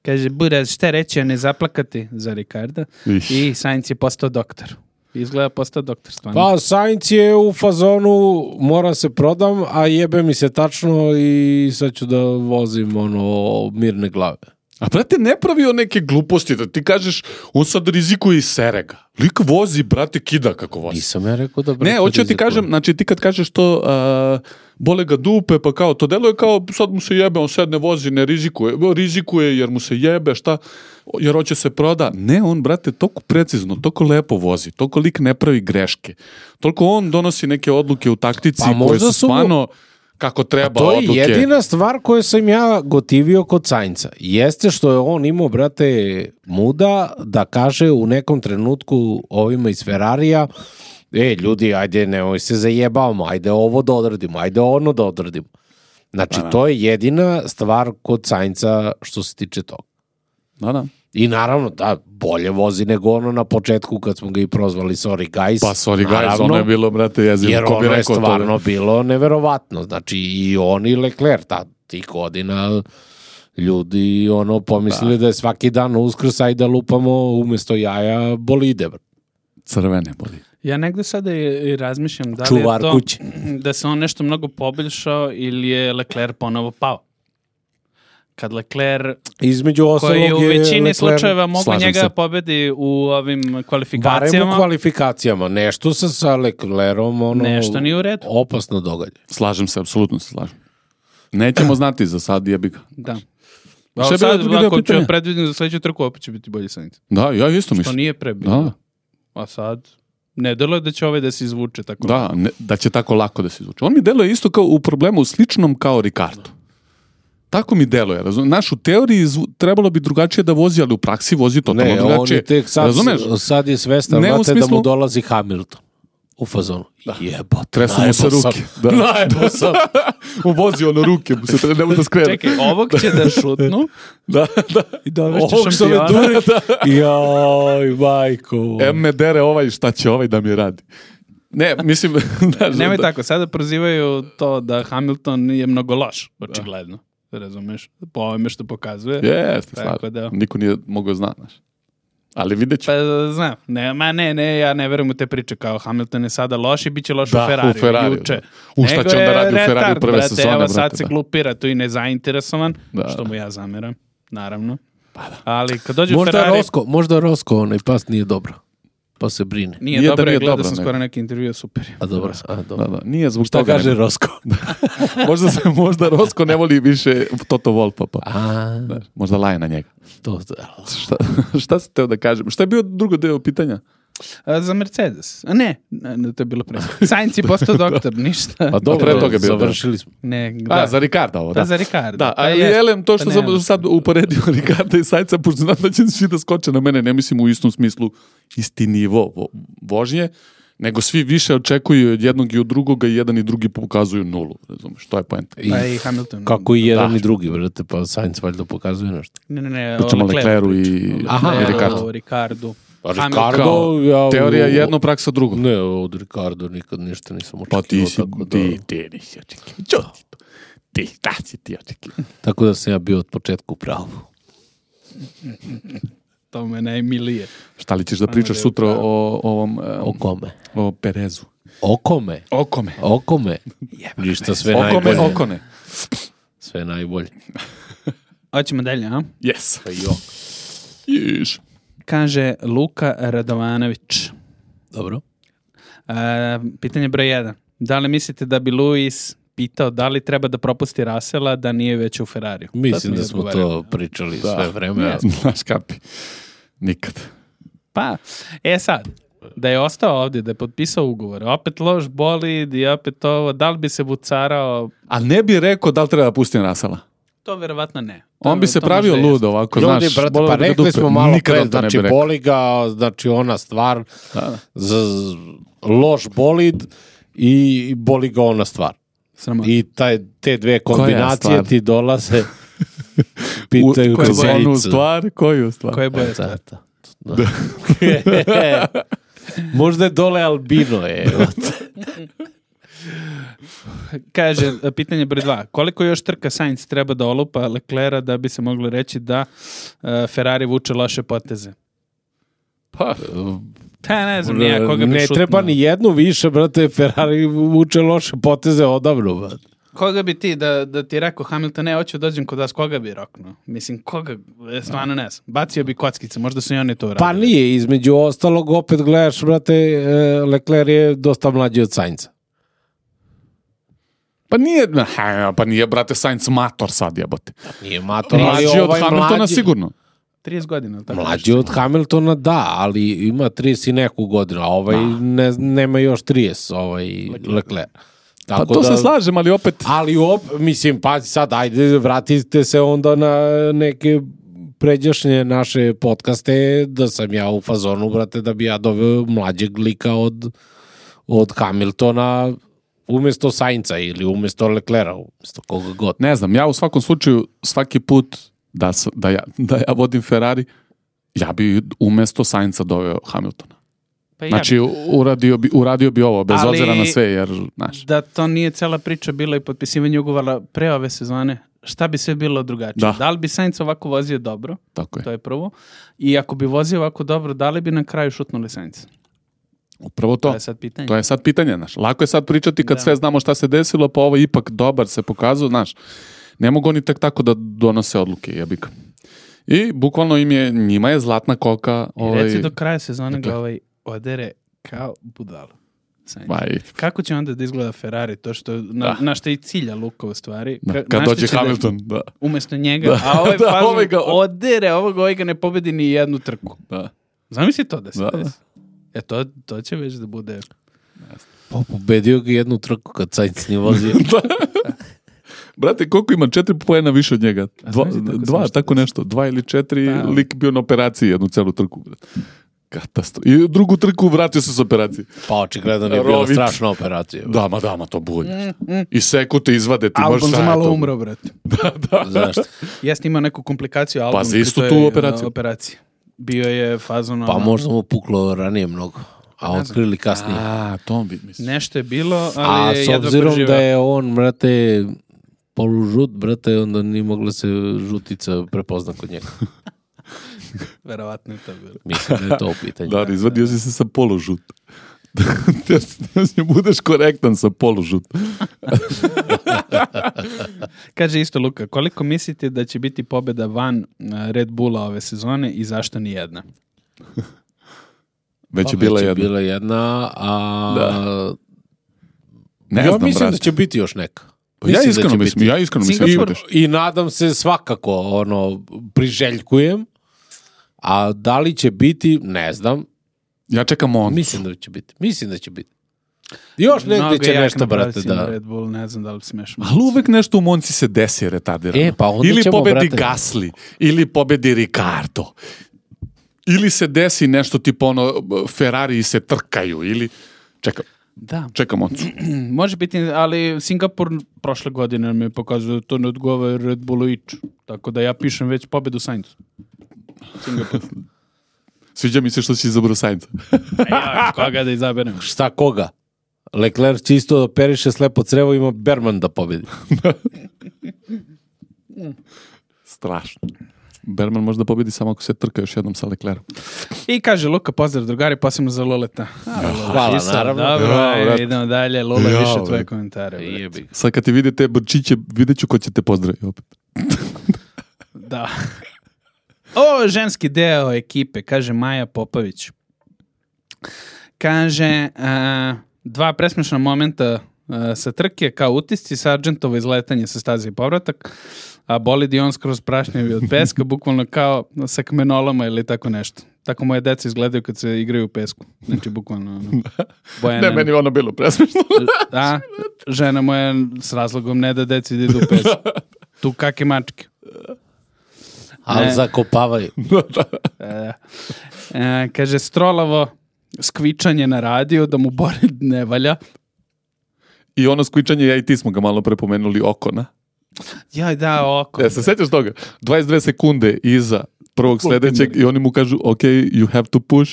Kaže Buraz, šta reći, a ne zaplakati za Ricarda. Iš. I Sainz je postao doktor. Izgleda postao doktor stvarno. Pa Sainz je u fazonu mora se prodam, a jebe mi se tačno i sad ću da vozim ono mirne glave. A brate, ne pravio neke gluposti, da ti kažeš, on sad rizikuje i sere ga. Lik vozi, brate, kida kako vozi. Nisam ja rekao da brate ne, hoću ti kažem, znači ti kad kažeš to, uh, bole ga dupe, pa kao, to deluje kao, sad mu se jebe, on sad ne vozi, ne rizikuje, rizikuje jer mu se jebe, šta, jer hoće se proda. Ne, on, brate, toliko precizno, toliko lepo vozi, toliko lik ne pravi greške, toliko on donosi neke odluke u taktici pa, koje su stvarno... kako treba odluke. To je odluke. Jedina stvar koju sam ja gotivio kod Sainza. Jeste što je on imao, brate, muda da kaže u nekom trenutku ovima iz Ferrarija, e, ljudi, ajde, nemoj se zajebavamo, ajde ovo da odradimo, ajde ono da odradimo. Znači, da, to je jedina stvar kod Sainza što se tiče toga. Da, da. I naravno, da, bolje vozi nego ono na početku kad smo ga i prozvali Sorry Guys. Pa Sorry Guys, ono je bilo, brate, jezivo. Jer ono je stvarno to... bilo neverovatno. Znači, i on i Leclerc, ta, tih godina ljudi ono pomislili da, da je svaki dan Uskrs, ajde da lupamo umjesto jaja bolide. Crvene bolide. Ja negde sada i razmišljam da li Čuvar je to kući. Da se on nešto mnogo poboljšao ili je Leclerc ponovo pao. Kad Leclerc, između ostalog koji u većini Leclerc, slučajeva mogu njega pobedi u ovim kvalifikacijama. Barem u kvalifikacijama. Nešto se sa Leclercom ono, nešto nije u redu. Opasno događa. Slažem se, apsolutno se slažem. Nećemo znati za sad, jebi ga. Da. Šta sad, ako ću predvidim za sledeću trku, opet će biti bolji Sainz. Da, ja isto mislim. Što nije pre bilo. Da. A sad... Ne deluje da će ovaj da se izvuče tako. Da, ne, da će tako lako da se izvuče. On mi deluje isto kao u problemu sličnom kao Ricardo. Tako mi deluje, razumiješ? Naš u teoriji zvu, trebalo bi drugačije da vozi, ali u praksi vozi totalno ne, drugačije. Ne, on je tek sad, sad je svestan, znate smislu... da mu dolazi Hamilton. U fazonu. Da. Jebote, tresu mu se ruke. Da. Najbo sam. Uvozi ono ruke, mu se ne da skrene. Čekaj, ovog će da šutnu. Da, da. I dovešće šampiona. Dure, da. Joj, majko. Em me dere ovaj, šta će ovaj da mi radi. Ne, mislim... da, Nemoj da... tako, sada prozivaju to da Hamilton je mnogo loš, očigledno. Da. Razumeš? Po ovome što pokazuje. Jeste, stvarno. Da... Niko nije mogao znati, znaš. Ali vidjet ću. Pa znam, ne, ma ne, ne, ja ne verujem u te priče kao Hamilton je sada loš i bit će loš da, u Ferrari. U Ferrari, juče. Da. U šta će onda radi u Ferrari u prve brate, sezone, evo brate. sad se da. glupira tu i nezainteresovan, da, što mu ja zameram, naravno. Pa da. Ali kad dođe možda Ferrari... Rosko, možda Rosko, onaj pas nije dobro. Pa se brine. Nije, nije dobro, da nije gledao dobro, sam ne. skoro neki intervju, super. A dobro, a dobro. Da, da. Nije zbog šta toga kaže ne... Rosko? možda, se, možda Rosko ne voli više Toto Wolfa, pa. A... Da, možda laje na njega. To, šta, šta sam teo da kažem? Šta je bio drugo deo pitanja? A, za Mercedes. A ne, ne, to je bilo pre. Sainz je postao doktor, ništa. A dobro, pre toga je bio. Završili smo. Ne, da. A, za Ricarda ovo, da. Da, za Ricarda. Da, ali Elem, to što sam sad uporedio Ricarda i Sainza, pošto znam da će svi da skoče na mene, ne mislim u istom smislu isti nivo vožnje, nego svi više očekuju od jednog i od drugoga i jedan i drugi pokazuju nulu, razumeš, to je poenta. I, pa i Hamilton. Kako i jedan da. i drugi, vrate, pa Sainz valjda pokazuje nešto. Ne, ne, ne, pričamo o Lecleru i, Aha, i Ricardo. O Ricardu. Pa Ricardo, ja, teorija jedno, praksa drugo. Ne, od Ricardo nikad ništa nisam očekivao. Pa ti si, tako da... ti, ti nisi očekivao. Ti, da si ti očekivao. Tako da sam ja bio od početka u pravu. To me najmilije. Šta li ćeš da pričaš sutra o, o ovom... Um, o kome? O Perezu. O kome? O kome? O kome? Ništa, sve o najbolje. Kome, okone. Sve najbolje. Hoćemo dalje, a? Yes. Pa jo. Jiš. Kaže Luka Radovanović. Dobro. E, pitanje broj jedan. Da li mislite da bi Lewis pitao da li treba da propusti Russella da nije već u Ferrariju? Mislim da smo to pričali da. sve vreme. Ja, znaš kapi. Nikad. Pa, e sad, da je ostao ovdje, da je potpisao ugovor, opet loš bolid i opet ovo, da li bi se vucarao? A ne bi rekao da li treba da pustim Russella? To verovatno ne. To, on bi se pravio lud ovako, ljudi, znaš. Brate, pa rekli smo malo pre, znači boli ga, znači ona stvar, da. Z, loš bolid i boli ga ona stvar. Sramot. I taj, te dve kombinacije ti dolaze, pitaju kroz onu stvar, koju stvar? Koje boje stvar? Da. Možda je dole albino, je. Kaže, pitanje broj dva. Koliko još trka Sainz treba da olupa Leclerca da bi se moglo reći da uh, Ferrari vuče loše poteze? Pa... Ta ne znam, nija koga bi ne šutno. treba ni jednu više, brate, Ferrari vuče loše poteze odavno, brate. Koga bi ti, da, da ti rekao Hamilton, ne, hoću dođem kod vas, koga bi roknuo? Mislim, koga, stvarno ne znam. Bacio bi kockice, možda su i oni to uradili. Pa nije, između ostalog, opet gledaš, brate, Leclerc je dosta mlađi od Sainza. Pa nije, pa nije, brate, Sainz mator sad, jebote. Nije mator, ali mlađi ovaj od Hamiltona mlađi... sigurno. trideset godina. Tako mlađi od Hamiltona, da, ali ima trideset i neku godinu, a ovaj ne, nema još trideset, ovaj Leclerc. Tako pa to da, se slažem, ali opet... Ali op, mislim, pazi sad, ajde, vratite se onda na neke pređašnje naše podcaste, da sam ja u fazonu, brate, da bi ja doveo mlađeg lika od, od Hamiltona umjesto Sainza ili umjesto Leclerca, umjesto koga god. Ne znam, ja u svakom slučaju, svaki put da, da, ja, da ja vodim Ferrari, ja bi umjesto Sainza doveo Hamiltona. Pa znači, ja bi. uradio, bi, uradio bi ovo, bez ali, obzira na sve, jer, znaš... Da to nije cela priča bila i potpisivanje ugovora pre ove sezone, šta bi sve bilo drugačije? Da, da li bi Sainz ovako vozio dobro? Tako je. To je prvo. I ako bi vozio ovako dobro, da li bi na kraju šutnuli Sainz? Upravo to. To je sad pitanje. To je sad pitanje, znaš. Lako je sad pričati kad da. sve znamo šta se desilo, pa ovo ipak dobar se pokazao, znaš. Ne mogu oni tek tako da donose odluke, jebika. I bukvalno im je, njima je zlatna koka... Ovaj... I reci do kraja sezone ga ovaj odere kao budalo. Kako će onda da izgleda Ferrari, to što na, na što je i cilja Luka u stvari. Da, kad dođe Hamilton, da, da. Umjesto njega, da, a ovaj da, fazon ovaj ga... odere, ovog ovaj ga ne pobedi ni jednu trku. Da. Zamisli to da se da, desi. E, to, to će već da bude... Pa pobedio ga jednu trku kad Sainz nije vozio. Brate, koliko ima? Četiri poena više od njega. Dva, tako dva tako nešto. Dva ili četiri, Da. lik bio na operaciji jednu celu trku. Brate. Katastrofa. I drugu trku vratio se s operacije. Pa očigledno nije bila Rovit. strašna operacija. Da, ma da, ma to bolje. I seku te izvade, ti možeš Albon za šta je malo to? umro, brate. Zašto? Jeste imao neku komplikaciju Albon. Pa za pri istu toj, tu uh, operaciju. operaciji. Bio je fazon... Pa ono, možda mu puklo ranije mnogo. A otkrili kasnije. A, to bi, mislim. Nešto je bilo, A ali je s jedva obzirom preživeo. da je on, brate, polužut, brate, onda nije mogla se žutica prepozna kod njega. Verovatno je to bilo. Mislim da je to u pitanju. Da, izvadio si se sa polužut. Ne budeš korektan sa polužut. Kaže isto Luka, koliko mislite da će biti pobjeda van uh, Red Bulla ove sezone i zašto ni jedna? Već Pa je bila već je jedna. bila jedna, a... Da. Ne ja znam, mislim brate. da će biti još neka. Pa ja Mislim da iskreno će mislim, biti. ja iskreno mislim da će I, biti. I nadam se svakako, ono, priželjkujem, a da li će biti, ne znam, Ja čekam on. mislim da će biti. Mislim da će biti. Još negdje Mnogo će jak nešto, na brate, pravcima da... Red Bull, ne znam da li smeš. Ali uvek nešto u Monci se desi retardirano. E, pa onda ili ćemo, pobedi brate. Gasly, ili pobedi Ricardo. Ili se desi nešto tipa ono, Ferrari se trkaju, ili... Čekam, Da, čekam Moncu. može biti, ali Singapur prošle godine nam je pokazao da to ne odgovara Red Bullu ič. Tako da ja pišem već pobedu Sainzu. Singapur. Sviđa mi se što si izabrao Sainza. Ja, koga da izaberem? Šta koga? Leclerc će isto da operiše slepo crevo, ima Berman da pobedi. Strašno. Berman možda pobedi samo ako se trka još jednom sa Leclerom. I kaže Luka, pozdrav drugari, posebno za Loleta. A, Lola, Hvala, Šisa, naravno. Dobro, Ja, ajde, brate. idemo dalje. Lola, Ja, više tvoje brate. komentare. brate. Jebi. Sad kad ti vidite brčiće, vidjet ću ko će te pozdraviti opet. Da. O, ženski deo ekipe, kaže Maja Popović. Kaže, a, dva presmešna momenta a, sa trke kao utisci, Sargentovo izletanje sa staze i povratak, a bolid i on skroz prašnjevi od peska, bukvalno kao sa kamenolama ili tako nešto. Tako moje deca izgledaju kad se igraju u pesku. Znači, bukvalno... Ono, Bojana, Ne, meni ono bilo presmešno. a, žena moja s razlogom ne da deci da idu u pesku. Tu kake mačke. Ali Ne. zakopavaju. E, e, kaže, Strolavo skvičanje na radio da mu Borid ne valja. I ono skvičanje, ja i ti smo ga malo prepomenuli Okona. Jaj, da, oko. E, se sećaš toga? dvadeset dve sekunde iza prvog sledećeg i oni mu kažu, ok, you have to push.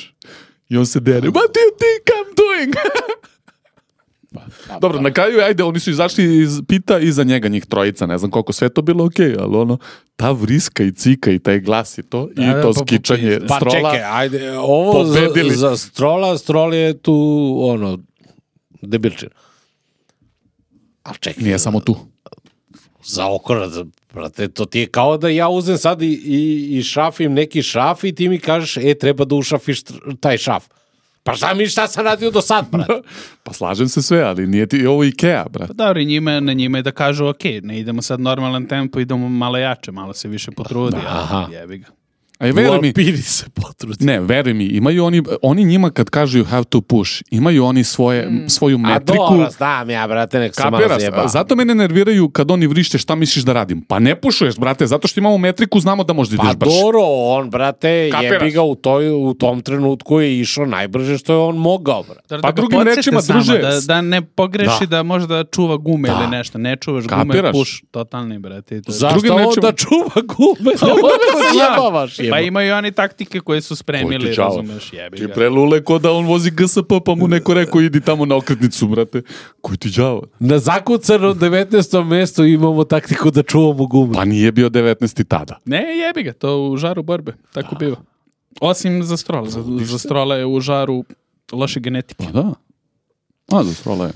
I on se dere, what do you think I'm doing? Dobro, na kraju, ajde, oni su izašli iz pita iza njega, njih trojica, ne znam koliko, sve to bilo ok, ali ono, ta vriska i cika i taj glas i to, Da, i da, to pa, pa, skičanje pa, Pa Strola. čekaj, ajde, ovo za, Pobedili. za Strola, Strol je tu, ono, debilčin. A čekaj, Nije samo tu. za okona, za- brate, to ti je kao da ja uzem sad i, i, i šafim neki šaf i ti mi kažeš, e, treba da ušafiš tr- taj šaf. Pa šta mi, šta sam radio do sad, brate? Pa slažem se sve, ali nije ti ovo Ikea, brat. Pa dobro, i njima, na njima je da kažu, ok, ne idemo sad normalan tempo, idemo malo jače, malo se više potrudi. Aha. A, jebi ga. A i U veruj mi, Alpini se potrudi. ne, veruj mi, imaju oni, oni njima kad kažu you have to push, imaju oni svoje, svoju A metriku. dobro, znam ja, brate, nek se malo Kapiraš, zjeba. zato mene nerviraju kad oni vrište šta misliš da radim. Pa ne pušuješ, brate, zato što imamo metriku, znamo da možda Pa ideš brže. dobro, on, brate, Kapiraš? jebi ga u, toj, u tom trenutku je išao najbrže što je on mogao, brate. Da, Pa da ga drugim podsjete rečima, samo, druže, Da, da ne pogreši Da. da, možda čuva gume Da. ili nešto. Ne čuvaš gume, Kapiraš? puš, totalni, brate. i to je- Zašto drugim on rečima- da čuva gume? Ne možeš zjebavaš, Pa jeba. imaju oni taktike koje su spremili, Koji ti čao. razumeš, jebi Ti ga. prelule ko da on vozi G S P pa mu neko rekao idi tamo na okretnicu, brate. Koji ti đavo? Na zakucanom devetnaestom mestu imamo taktiku da čuvamo gume. Pa nije bio devetnaesti tada. Ne, jebi ga, to u žaru borbe, tako biva. Osim za Strola, za, za Strola je u žaru loše genetike. Pa da. A, da, srola je.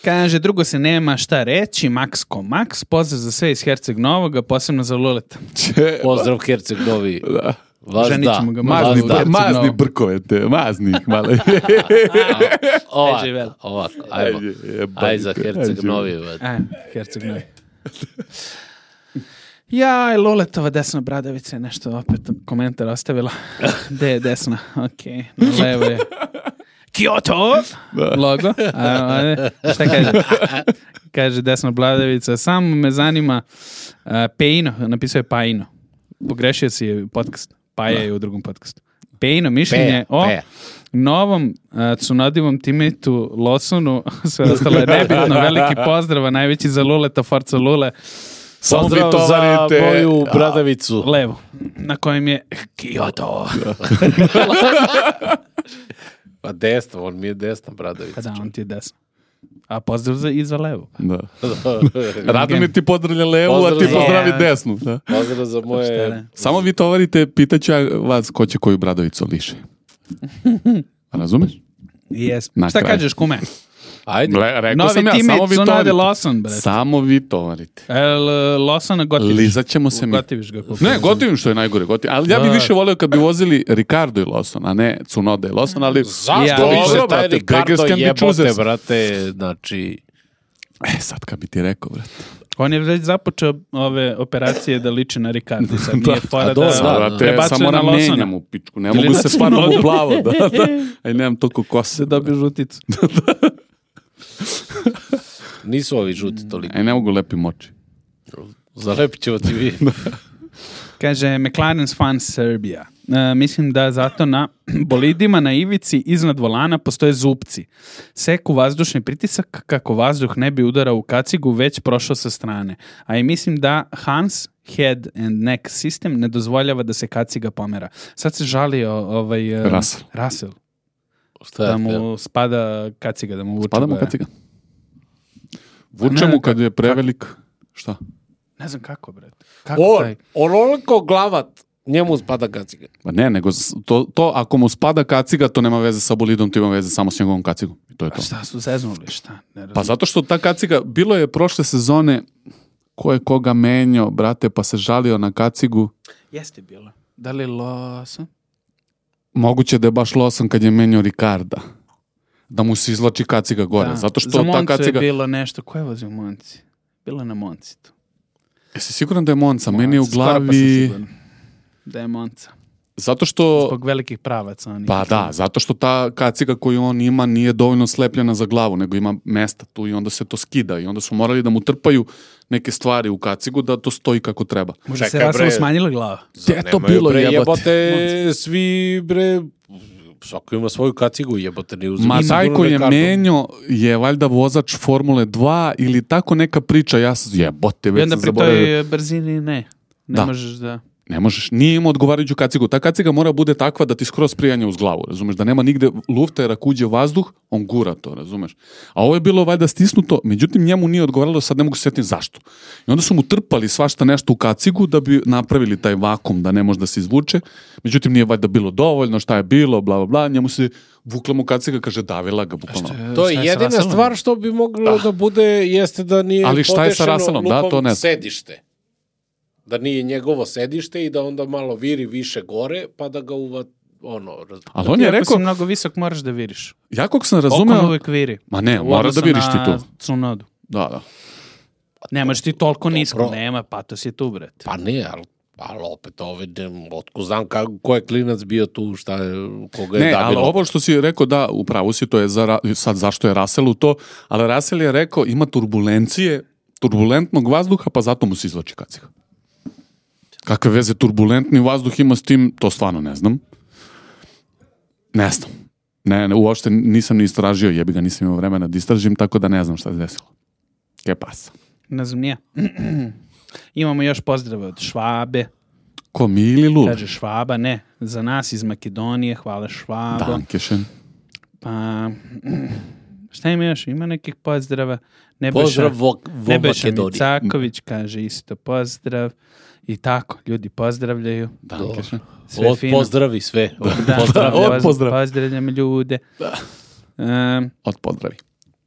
Kaže, drugo se nema šta reći, Max ko Max, pozdrav za sve iz Herceg Novoga, posebno za Luleta. Če, Pozdrav Herceg Novi. da. Vas Ženit da. ćemo ga, Vas mazni Mazni, da. Herceg mazni Novo. brkove te, mazni ih malo. Ovako, živel. ovako, ajmo. Ajde, jebate, Aj za Herceg ajde. Novi. brate. A, Herceg Novi. Jaj, Loletova desna bradavica je nešto opet komentar ostavila. Gde je desna? Ok, na levo je. Kyoto! Logo. A, a, šta kaže? Kaže desna bradavica. Samo me zanima uh, Peino, napisao je Paino. Pogrešio si je podcast. Paja je u drugom podcastu. Peino, mišljenje Peja, o peja. novom uh, Tsunodivom teammate-u Lawsonu. Sve ostalo je nebitno. Veliki pozdrav, najveći za Luleta, Forza Lule. Samo vi Pozdrav za tovarite moju bradavicu. Levo, na kojem je Kyoto. Pa desno, on mi je desna bradavica. Pa da, on ti je desno. A pozdrav za, i za levo. Da. Rado mi ti pozdravlja levu, a ti Pozdrav za- pozdravi desnu. Da. Pozdrav za Šta moje... ne? Samo vi tovarite, pitaću ja vas ko će koju bradavicu liše. Razumeš? Yes. Na Šta kraju. kažeš, kume? Ajde. Le, rekao Novi sam ja, samo teammate vi Tsunade tovarite. Lawson, bre. Samo vi tovarite. El, Lawsona gotiviš. Lizat ćemo se mi. Gotiviš ga. koliko Ne, ja znam. gotivim što je najgore. Gotivim. Ali ja bih Da. više volio kad bi vozili Ricardo i Lawson, a ne Tsunoda i Lawson, ali... Zašto Ja, više dobro, taj brate, Ricardo beggars can be jebote, choosers. brate, znači... E, sad kad bi ti rekao, brate. On je već započeo ove operacije da liči na Ricardo. Sad nije fora A da, dobro, da, brate, prebacuje samo na na Lawsona. menjam u pičku. Ne Ili mogu na se stvarno Tsunodu. u plavo. Da, da. Aj, nemam toliko kose. Da dobije žuticu. Nisu ovi žuti toliko. Aj, ne mogu lepim oči. Zalepit ćemo ti vi. Kaže, McLaren's fan Serbia. E, mislim da zato na bolidima na ivici iznad volana postoje zupci. Seku vazdušni pritisak kako vazduh ne bi udarao u kacigu, već prošao sa strane. A i mislim da Hans head and neck system ne dozvoljava da se kaciga pomera. Sad se žalio ovaj, e, Russell. Russell, Šta je da to? mu spada kaciga, da mu vuče Spada mu boja. kaciga. Vuče Ne, mu kad je prevelik... Šta? Ne znam kako, brate. Kako On, taj? onoliko glavat, njemu spada kaciga. Pa ne, nego s- to, to ako mu spada kaciga, to nema veze sa bolidom, to ima veze samo s njegovom kacigom. I to je Pa to. šta su zeznuli, šta? Ne Pa razumijem. zato što ta kaciga, bilo je prošle sezone ko je koga menjao, brate, pa se žalio na kacigu. Jeste bilo. Da li Lawson? Moguće da je baš Lawson kad je menjao Ricarda. Da mu se izlači kaciga gore. Da. Zato što Za ta Moncu kaciga... je bilo nešto. Ko je vozio Monci? Bilo na Monci tu. Jesi siguran da je Monca? Meni je u Monca, skoro pa sam glavi... siguran da je Monca. Zato što... Zbog velikih pravaca. Oni Pa da, zato što ta kaciga koju on ima nije dovoljno slepljena za glavu, nego ima mesta tu i onda se to skida i onda su morali da mu trpaju neke stvari u kacigu da to stoji kako treba. Možda se Čekaj, Russell bre. smanjila glava. Gde je to Nemaju, bilo, bre, jebote? jebote, svi bre, svako ima svoju kacigu, jebote, ne uzim. Ma taj koji je menio je valjda vozač Formule dva ili tako neka priča, ja sam jebote, I već onda sam pri zaboravio. toj brzini ne. Ne Da. možeš da... Ne možeš, nije imao odgovarajuću kacigu. Ta kaciga mora bude takva da ti skroz prijanja uz glavu, razumeš? Da nema nigde lufta jer ako uđe vazduh, on gura to, razumeš? A ovo je bilo valjda stisnuto, međutim njemu nije odgovaralo, sad ne mogu se sjetiti zašto. I onda su mu trpali svašta nešto u kacigu da bi napravili taj vakum da ne može da se izvuče. Međutim nije valjda bilo dovoljno, šta je bilo, bla bla bla, njemu se vukla mu kaciga, kaže davila ga bukvalno. To je Šta je sa jedina Russellom? stvar što bi moglo da bude, jeste da nije Ali šta je sa podešeno Russellom? Da, lupom to ne znam. sedište. Da nije njegovo sedište i da onda malo viri više gore, pa da ga uva, ono, raz... Ali on Ti je ako rekao, si mnogo visok, moraš da viriš. ja kako sam Okon razumeo, uvijek viri. ma ne, U mora da odnosu viriš ti na to. Tsunodu. Da, da. Nemaš ti toliko nisko, Dobro. nema, patos je tu, brate. Pa ne, ali, ali opet ove, otko znam kako, ko je klinac bio tu, šta je, koga je Ne, ali davilo. ovo što si rekao, da, upravo si, to je za, Ra- sad zašto je Russellu to, ali Russell je rekao ima turbulencije, turbulentnog vazduha, pa zato mu se izvlači kaciga. Kakve veze turbulentni vazduh ima s tim, to stvarno ne znam. Ne znam. Ne, ne, uopšte nisam ni istražio, jebi ga, nisam imao vremena da istražim, tako da ne znam šta se desilo. Ke pasa? Ne znam, nije. Imamo još pozdrave od Švabe. Ko, mi ili Lul? Kaže Švaba, ne. Za nas iz Makedonije, hvala Švabo. Dankešen. Pa, šta ima još? Ima nekih pozdrava. Nebojša, Pozdrav vo, vo Nebojša Makedoniji. Micaković kaže isto pozdrav. I tako, ljudi pozdravljaju. Dankešen. Sve Od fino. pozdravi sve. Od Da, pozdravi. od poz- pozdrav. Pozdravljam ljude. Um, Od pozdravi.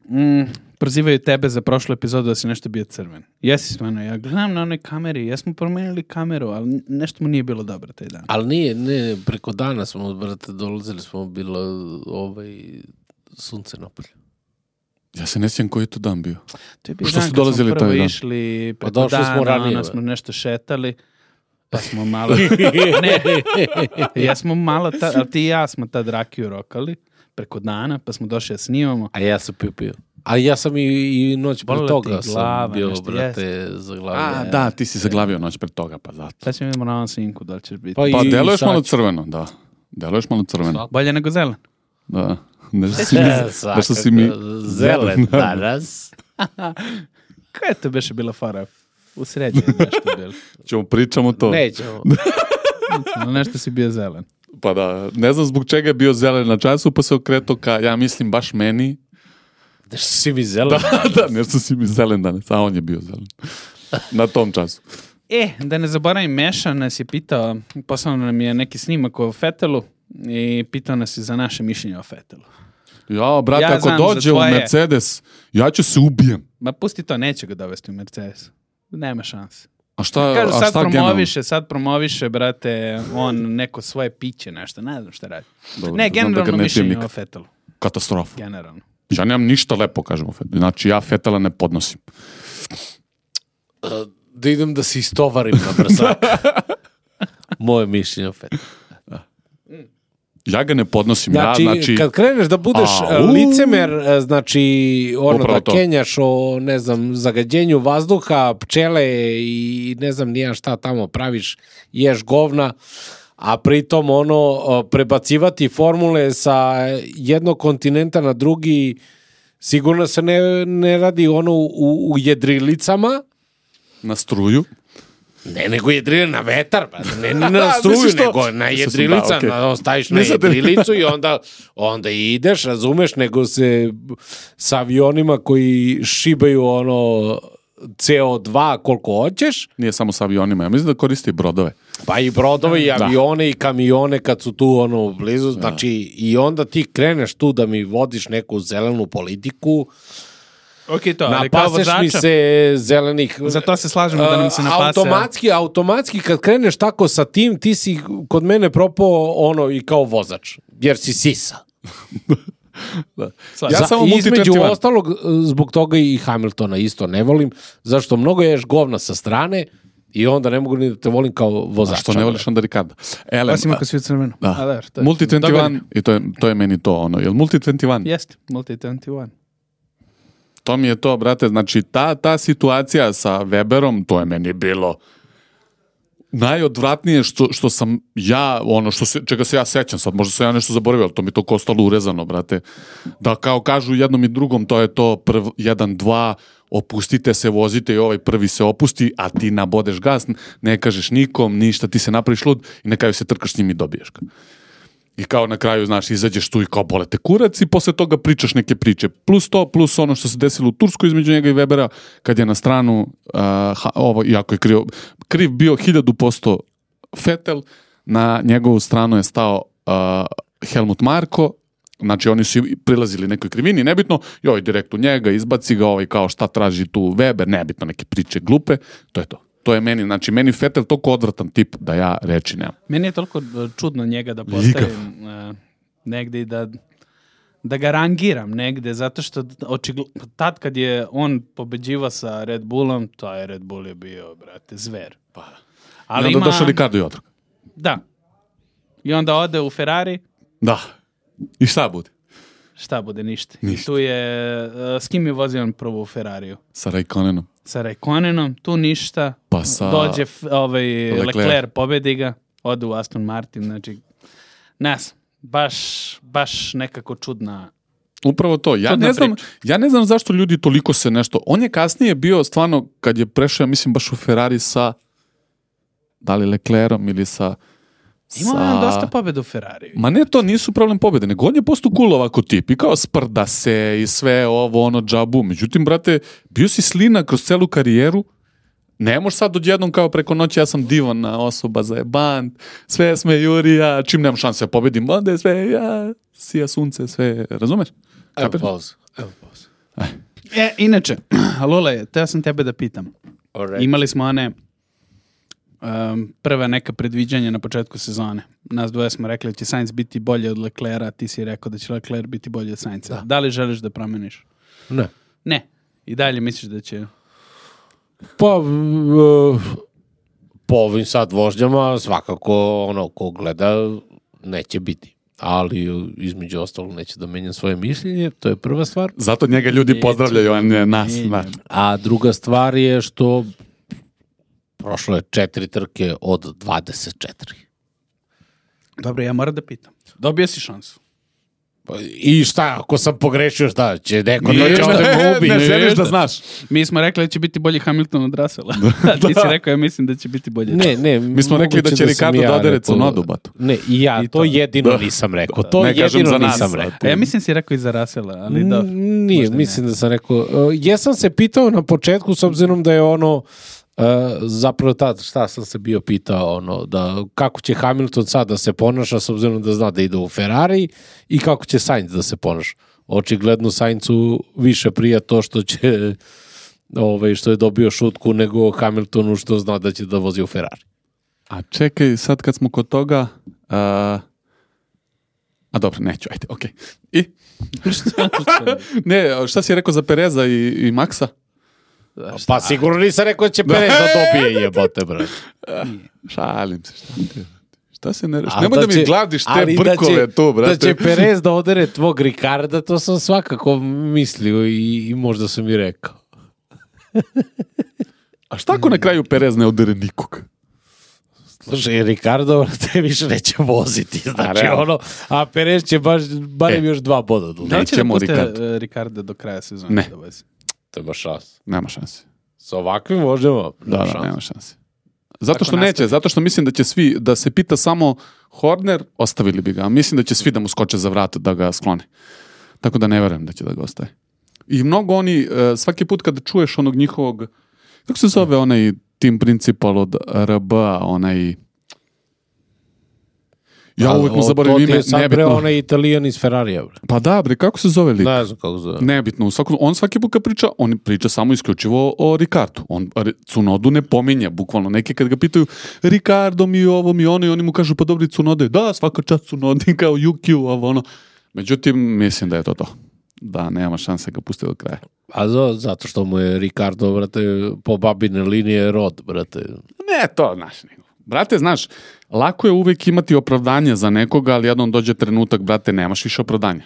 mm, prozivaju tebe za prošlu epizodu da si nešto bio crven. Jesi stvarno, ja gledam na onoj kameri, jesmo promenili kameru, ali nešto mu nije bilo dobro taj dan. Ali nije, ne, preko dana smo, brate, dolazili smo, bilo ovaj, sunce napolje. Ja se ne sjećam koji je to dan bio. To je bio Što dan su kad dolazili smo prvo taj dan? išli Pa preko došli dana, smo ranije, onda smo ba. nešto šetali, pa smo malo... ne, ja smo malo, ta, ali ti i ja smo tad rakiju rokali preko dana, pa smo došli da snimamo. A ja sam pio pio. A ja sam i, i noć pre Bolila toga ti glava, sam bio, nešto, brate, zaglavio. A, da, ti si zaglavio noć pred toga, pa zato. Sad ćemo vidimo na ovom snimku da li ćeš biti. Pa i- Pa deluješ sad malo ću. crveno, da. Deluješ malo crveno. Bolje nego zelen. Da. Nešto si mi, E, nešto si mi zelen danas. Koja je to beše bila fora? U srednje je nešto bilo. Ćemo pričamo to. Nećemo. No, nešto si bio zelen. Pa da, ne znam zbog čega je bio zelen na času, pa se okreto ka, ja mislim baš meni. Nešto si mi zelen. Da, nešto si mi zelen danas, a on je bio zelen. Na tom času. E, da ne zaboravim, Meša nas je pitao, poslao nam je neki snimak o Fetelu i pitao nas je za naše mišljenje o Fetelu. Ja, brate, Ja ako znam za dođe u tvoje. Mercedes, ja ću se ubijem. Ma pusti to, neće ga dovesti u Mercedes. Nema šanse. A šta, Kažu, a sad šta generalno? promoviše, sad promoviše, brate, on neko svoje piće, nešto, ne znam šta radi. Dobro, ne, znam da ga generalno ne pijem mišljenje nikad. o Fetelu. Katastrofa. Generalno. Ja nemam ništa lepo, kažemo. Znači, ja Fetela ne podnosim. Da idem da se istovarim na brzak. Moje mišljenje o Fetelu. Ja ga ne podnosim. Znači, ja, znači kad kreneš da budeš A, e, u. licemer, e, znači, ono Upravo da to. kenjaš o, ne znam, zagađenju vazduha, pčele i ne znam nija šta tamo praviš, ješ govna, a pritom ono, o, prebacivati formule sa jednog kontinenta na drugi, sigurno se ne, ne radi ono u, u jedrilicama, na struju. ne, nego jedrilje na vetar, pa ne, ne Da, na struju, misliš to? nego na Mislio sam, jedrilica, da, okej. na, staviš na Nisam te- jedrilicu i onda, onda ideš, razumeš, nego se sa avionima koji šibaju ono C O dva koliko hoćeš, Nije samo sa avionima. Ja mislim da koristi i brodove. pa i brodove i Da. avione i kamione kad su tu ono blizu, znači i onda ti kreneš tu da mi vodiš neku zelenu politiku, Ok, to, ali kao napaseš mi vozača, se zelenih... za to se slažemo da nam se Uh, napase. Automatski, automatski kad kreneš tako sa tim, ti si kod mene propao ono i kao vozač, jer si sisa. Slažem. Ja Za- samo između multi ostalog, uh, zbog toga i Hamiltona isto ne volim, zašto mnogo ješ govna sa strane i onda ne mogu ni da te volim kao A vozača. što ne voliš onda Ricarda? Elem, Osim ako si u crvenu. da. A, dobro, to je- Multi dvadeset jedan, Dogodine. i to je, to je meni to ono. Jel Multi dvadeset jedan? Jeste, Multi dvadeset jedan. To mi je to, brate, znači ta, ta situacija sa Weberom, to je meni bilo najodvratnije što, što sam ja, ono što se, čega se ja sećam sad, možda sam ja nešto zaboravio, ali to mi je to ostalo urezano, brate. Da kao kažu jednom i drugom, to je to prv, jedan, dva, opustite se, vozite i ovaj prvi se opusti, a ti nabodeš gas, ne kažeš nikom, ništa, ti se napraviš lud i na kraju se trkaš s njim i dobiješ ga. I kao na kraju, znaš, izađeš tu i kao bole te kurac i posle toga pričaš neke priče. Plus to, plus ono što se desilo u Turskoj između njega i Webera, kad je na stranu, uh, ha, ovo, iako je kriv, kriv bio hiljadu posto Vettel, na njegovu stranu je stao uh, Helmut Marko, znači oni su prilazili nekoj krivini, nebitno, i ovaj direkt u njega, izbaci ga, ovaj kao šta traži tu Weber, nebitno, neke priče glupe, to je to. To je meni, znači meni Vettel toliko odvratan tip da ja reči nemam. Meni je toliko čudno njega da postavim uh, negde i da, da ga rangiram negde, zato što očigl... tad kad je on pobeđivao sa Red Bullom, taj Red Bull je bio, brate, zver. Pa. Ali I onda došao Ricardo i otrok. Da. I onda ode u Ferrari, Da. I šta bude? šta bude, ništa. Ništa. I tu je, uh, s kim je vozio on prvo u Ferrariju? Sa Raikkonenom. Sa Raikkonenom, tu ništa. Pa sa- Dođe f- ovaj Leclerc. Leclerc, pobedi ga, ode u Aston Martin, znači, ne znam, baš, baš nekako čudna. Upravo to. Ja Čudna ne, znam, priča. ja ne znam zašto ljudi toliko se nešto... On je kasnije bio stvarno, kad je prešao, ja mislim, baš u Ferrari sa... Da li Leclerom ili sa... Imao je on dosta pobjeda u Ferrariju. Ma ne, to nisu problem pobjede, nego on je postao cool ovako tip i kao sprda se i sve ovo, ono, džabu. Međutim, brate, bio si slina kroz celu karijeru, ne možeš sad odjednom kao preko noći ja sam divana osoba za jebant, sve sme Jurija, čim nemam šanse da pobedim, onda je sve ja, sija sunce, sve, razumeš? Evo Kapiraš? pauza. Evo pauza. E, inače, Lule, teo sam tebe da pitam. Alright. Imali smo one um, prve neka predviđanja na početku sezone. Nas dvoje smo rekli da će Sainz biti bolje od Leclerca, ti si rekao da će Leclerc biti bolji od Sainza. Da. da li želiš da promeniš? Ne. Ne. I dalje misliš da će... Pa, uh, po ovim sad vožnjama svakako ono ko gleda neće biti. Ali između ostalog neće da menjam svoje mišljenje, to je prva stvar. Zato njega ljudi pozdravljaju, a ne nas. Ne. A druga stvar je što prošlo je četiri trke od dvadeset četiri. Dobro, ja moram da pitam. Dobio si šansu. I šta, ako sam pogrešio, šta će neko Nije, doći ovde me ubi? ne Ne, želiš da znaš. Mi smo rekli da će biti bolji Hamilton od Russella. A ti si rekao, ja mislim da će biti bolji. Ne, ne. Mi smo rekli da će sam Ricardo ja da odere rekao- Cunodu, batu. Ne, i ja, I to, to. jedino Da. nisam rekao. To Ne kažem jedino za nas, nisam a rekao. A ja mislim si rekao i za Russella, ali da. Nije, možda mislim da sam rekao. Uh, jesam se pitao na početku, s obzirom da je ono, uh, zapravo tad, šta sam se bio pitao, ono, da kako će Hamilton sad da se ponaša, s obzirom da zna da ide u Ferrari, i kako će Sainz da se ponaša. Očigledno Sainzu više prija to što će, ovaj, što je dobio šutku, nego Hamiltonu što zna da će da vozi u Ferrari. A čekaj, sad kad smo kod toga... A, a dobro, neću, ajde, okej. I? Ne, šta si rekao za Pereza i, i Maxa? Pa sigurno nisam rekao da će Perez da dobije, jebote, brate. Šalim se, šta ti je? Šta se ne... A Nemoj da, će- mi gladiš te ali da brkove će- tu, brate. Da će Perez da odere tvog Ricarda, to sam svakako mislio i, i možda sam i rekao. A šta ako na kraju Perez ne odere nikog? Slušaj, Ricardo te više neće voziti, znači realno. ono, a Perez će baš, barem E. još dva boda do Da li će da Nećemo puste Ricardo. uh, Ricarda do kraja sezone? Ne. Da vozi? To ima šans. Nema šanse. Sa ovakvim vožnjama, Da, nema da, šans. nema šanse. Zato Ako što neće, nastavi. zato što mislim da će svi, da se pita samo Horner, ostavili bi ga. A mislim da će svi da mu skoče za vrat da ga sklone. Tako da ne verujem da će da ga ostaje. I mnogo oni, e, svaki put kada čuješ onog njihovog, kako se zove onaj team principal od R B-a, onaj... Ja A, uvijek mu o, zaboravim to ti ime, je sad, bre, nebitno. onaj Italijan iz Ferrarija, bre. Pa da, bre, kako se zove lik? Ne znam kako zove. Nebitno, u svakom, on svaki put kad priča, on priča samo isključivo o Ricardu. On Re- Cunodu ne pominje, bukvalno. Neki kad ga pitaju Ricardo mi ovo mi ono i oni mu kažu pa dobri Cunode. Da, svaka čast Cunodi kao Yukiju, ovo ono. Međutim, mislim da je to to. Da, nema šanse ga pusti do kraja. A zo, zato što mu je Ricardo, brate, po babine linije rod, brate. Ne, to, znaš, nego. Brate, znaš, lako je uvijek imati opravdanje za nekoga, ali jednom dođe trenutak, brate, nemaš više opravdanja.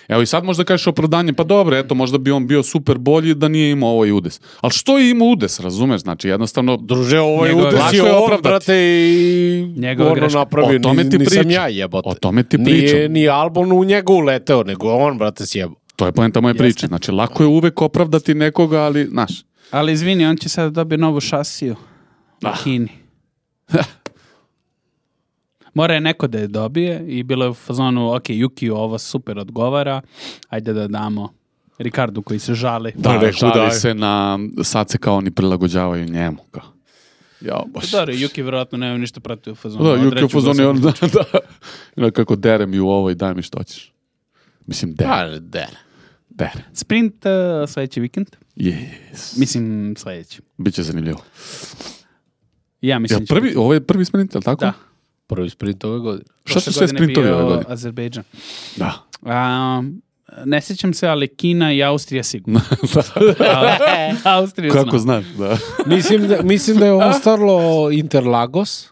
Evo i sad možda kažeš opravdanje, pa dobro, eto, možda bi on bio super bolji da nije imao ovaj udes. Ali što je imao udes, razumeš? Znači, jednostavno... Druže, ovaj Njegova udes greška. je Lako je on, opravdati. brate, i Njegova ono greška. napravio. O tome Ni- ti nisam pričam. ja, jebote. O tome ti Nije, pričam. nije Albon u njega uleteo, nego on, brate, sjebo. To je poenta moje priče. Znači, lako je uvek opravdati nekoga, ali, znaš, Ali izvini, on će sad dobiti novu šasiju u Kini. Mora je neko da je dobije i bilo je u fazonu, ok, Yuki ovo super odgovara, ajde da damo Ricardu koji se žali. da, neku žali daj. se na, sad se kao oni prilagođavaju njemu. Kao. Ja, baš. Dobro, Yuki vjerojatno nema ništa protiv u fazonu. Da, Juki u odreću ga fazonu je on, da, sam. da. Ono kako dere mi u ovo i daj mi što ćeš. Mislim, dere, Pa, der. dere. Sprint uh, sljedeći vikend. Yes. Mislim sljedeći. Biće zanimljivo. Ja mislim Jel će prvi, biti. ovo je prvi sprint, je li tako? Da. Prvi sprint ove godine. Šta su Prošle sve godine sprintovi bio ove godine? Azerbejdžan. Da. A, ne sjećam se, ali Kina i Austrija sigurno. Ali, Austriju Kako znam. znaš, da. Mislim da, mislim da je ostalo Interlagos.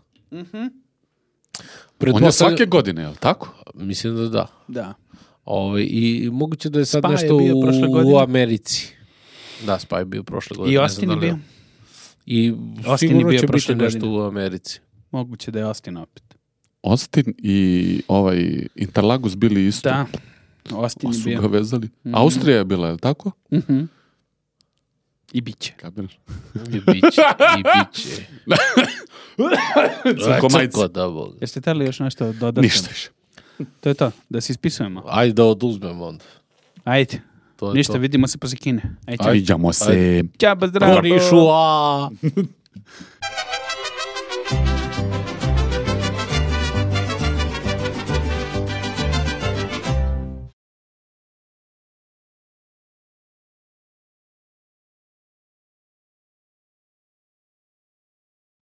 On je svake godine, je li tako? Mislim da da. Da. Ove, I moguće da je sad Spa je nešto bio u, prošle u godine. Americi. Da, Spa je bio prošle godine. I ne Austin znam je da li bio. I Austin sigurno je bio će prošle biti nešto godine. u Americi. Moguće da je Austin opet. Austin i ovaj Interlagos bili isto. Da. Austin Pa je su bio. ga vezali. Austrija je bila, je li tako? Mhm. I bit će. Kapiraš? I biće. I biće. Crko majci. Crko, da Bog. Jeste htjeli još nešto dodati? Ništa više. To je to. Da se ispisujemo. Ajde da oduzmemo onda. Ajde. To je Ništa, to. vidimo se poslije Kine. Ajde. Viđamo se. Ćao, zdravo. Korišu, a...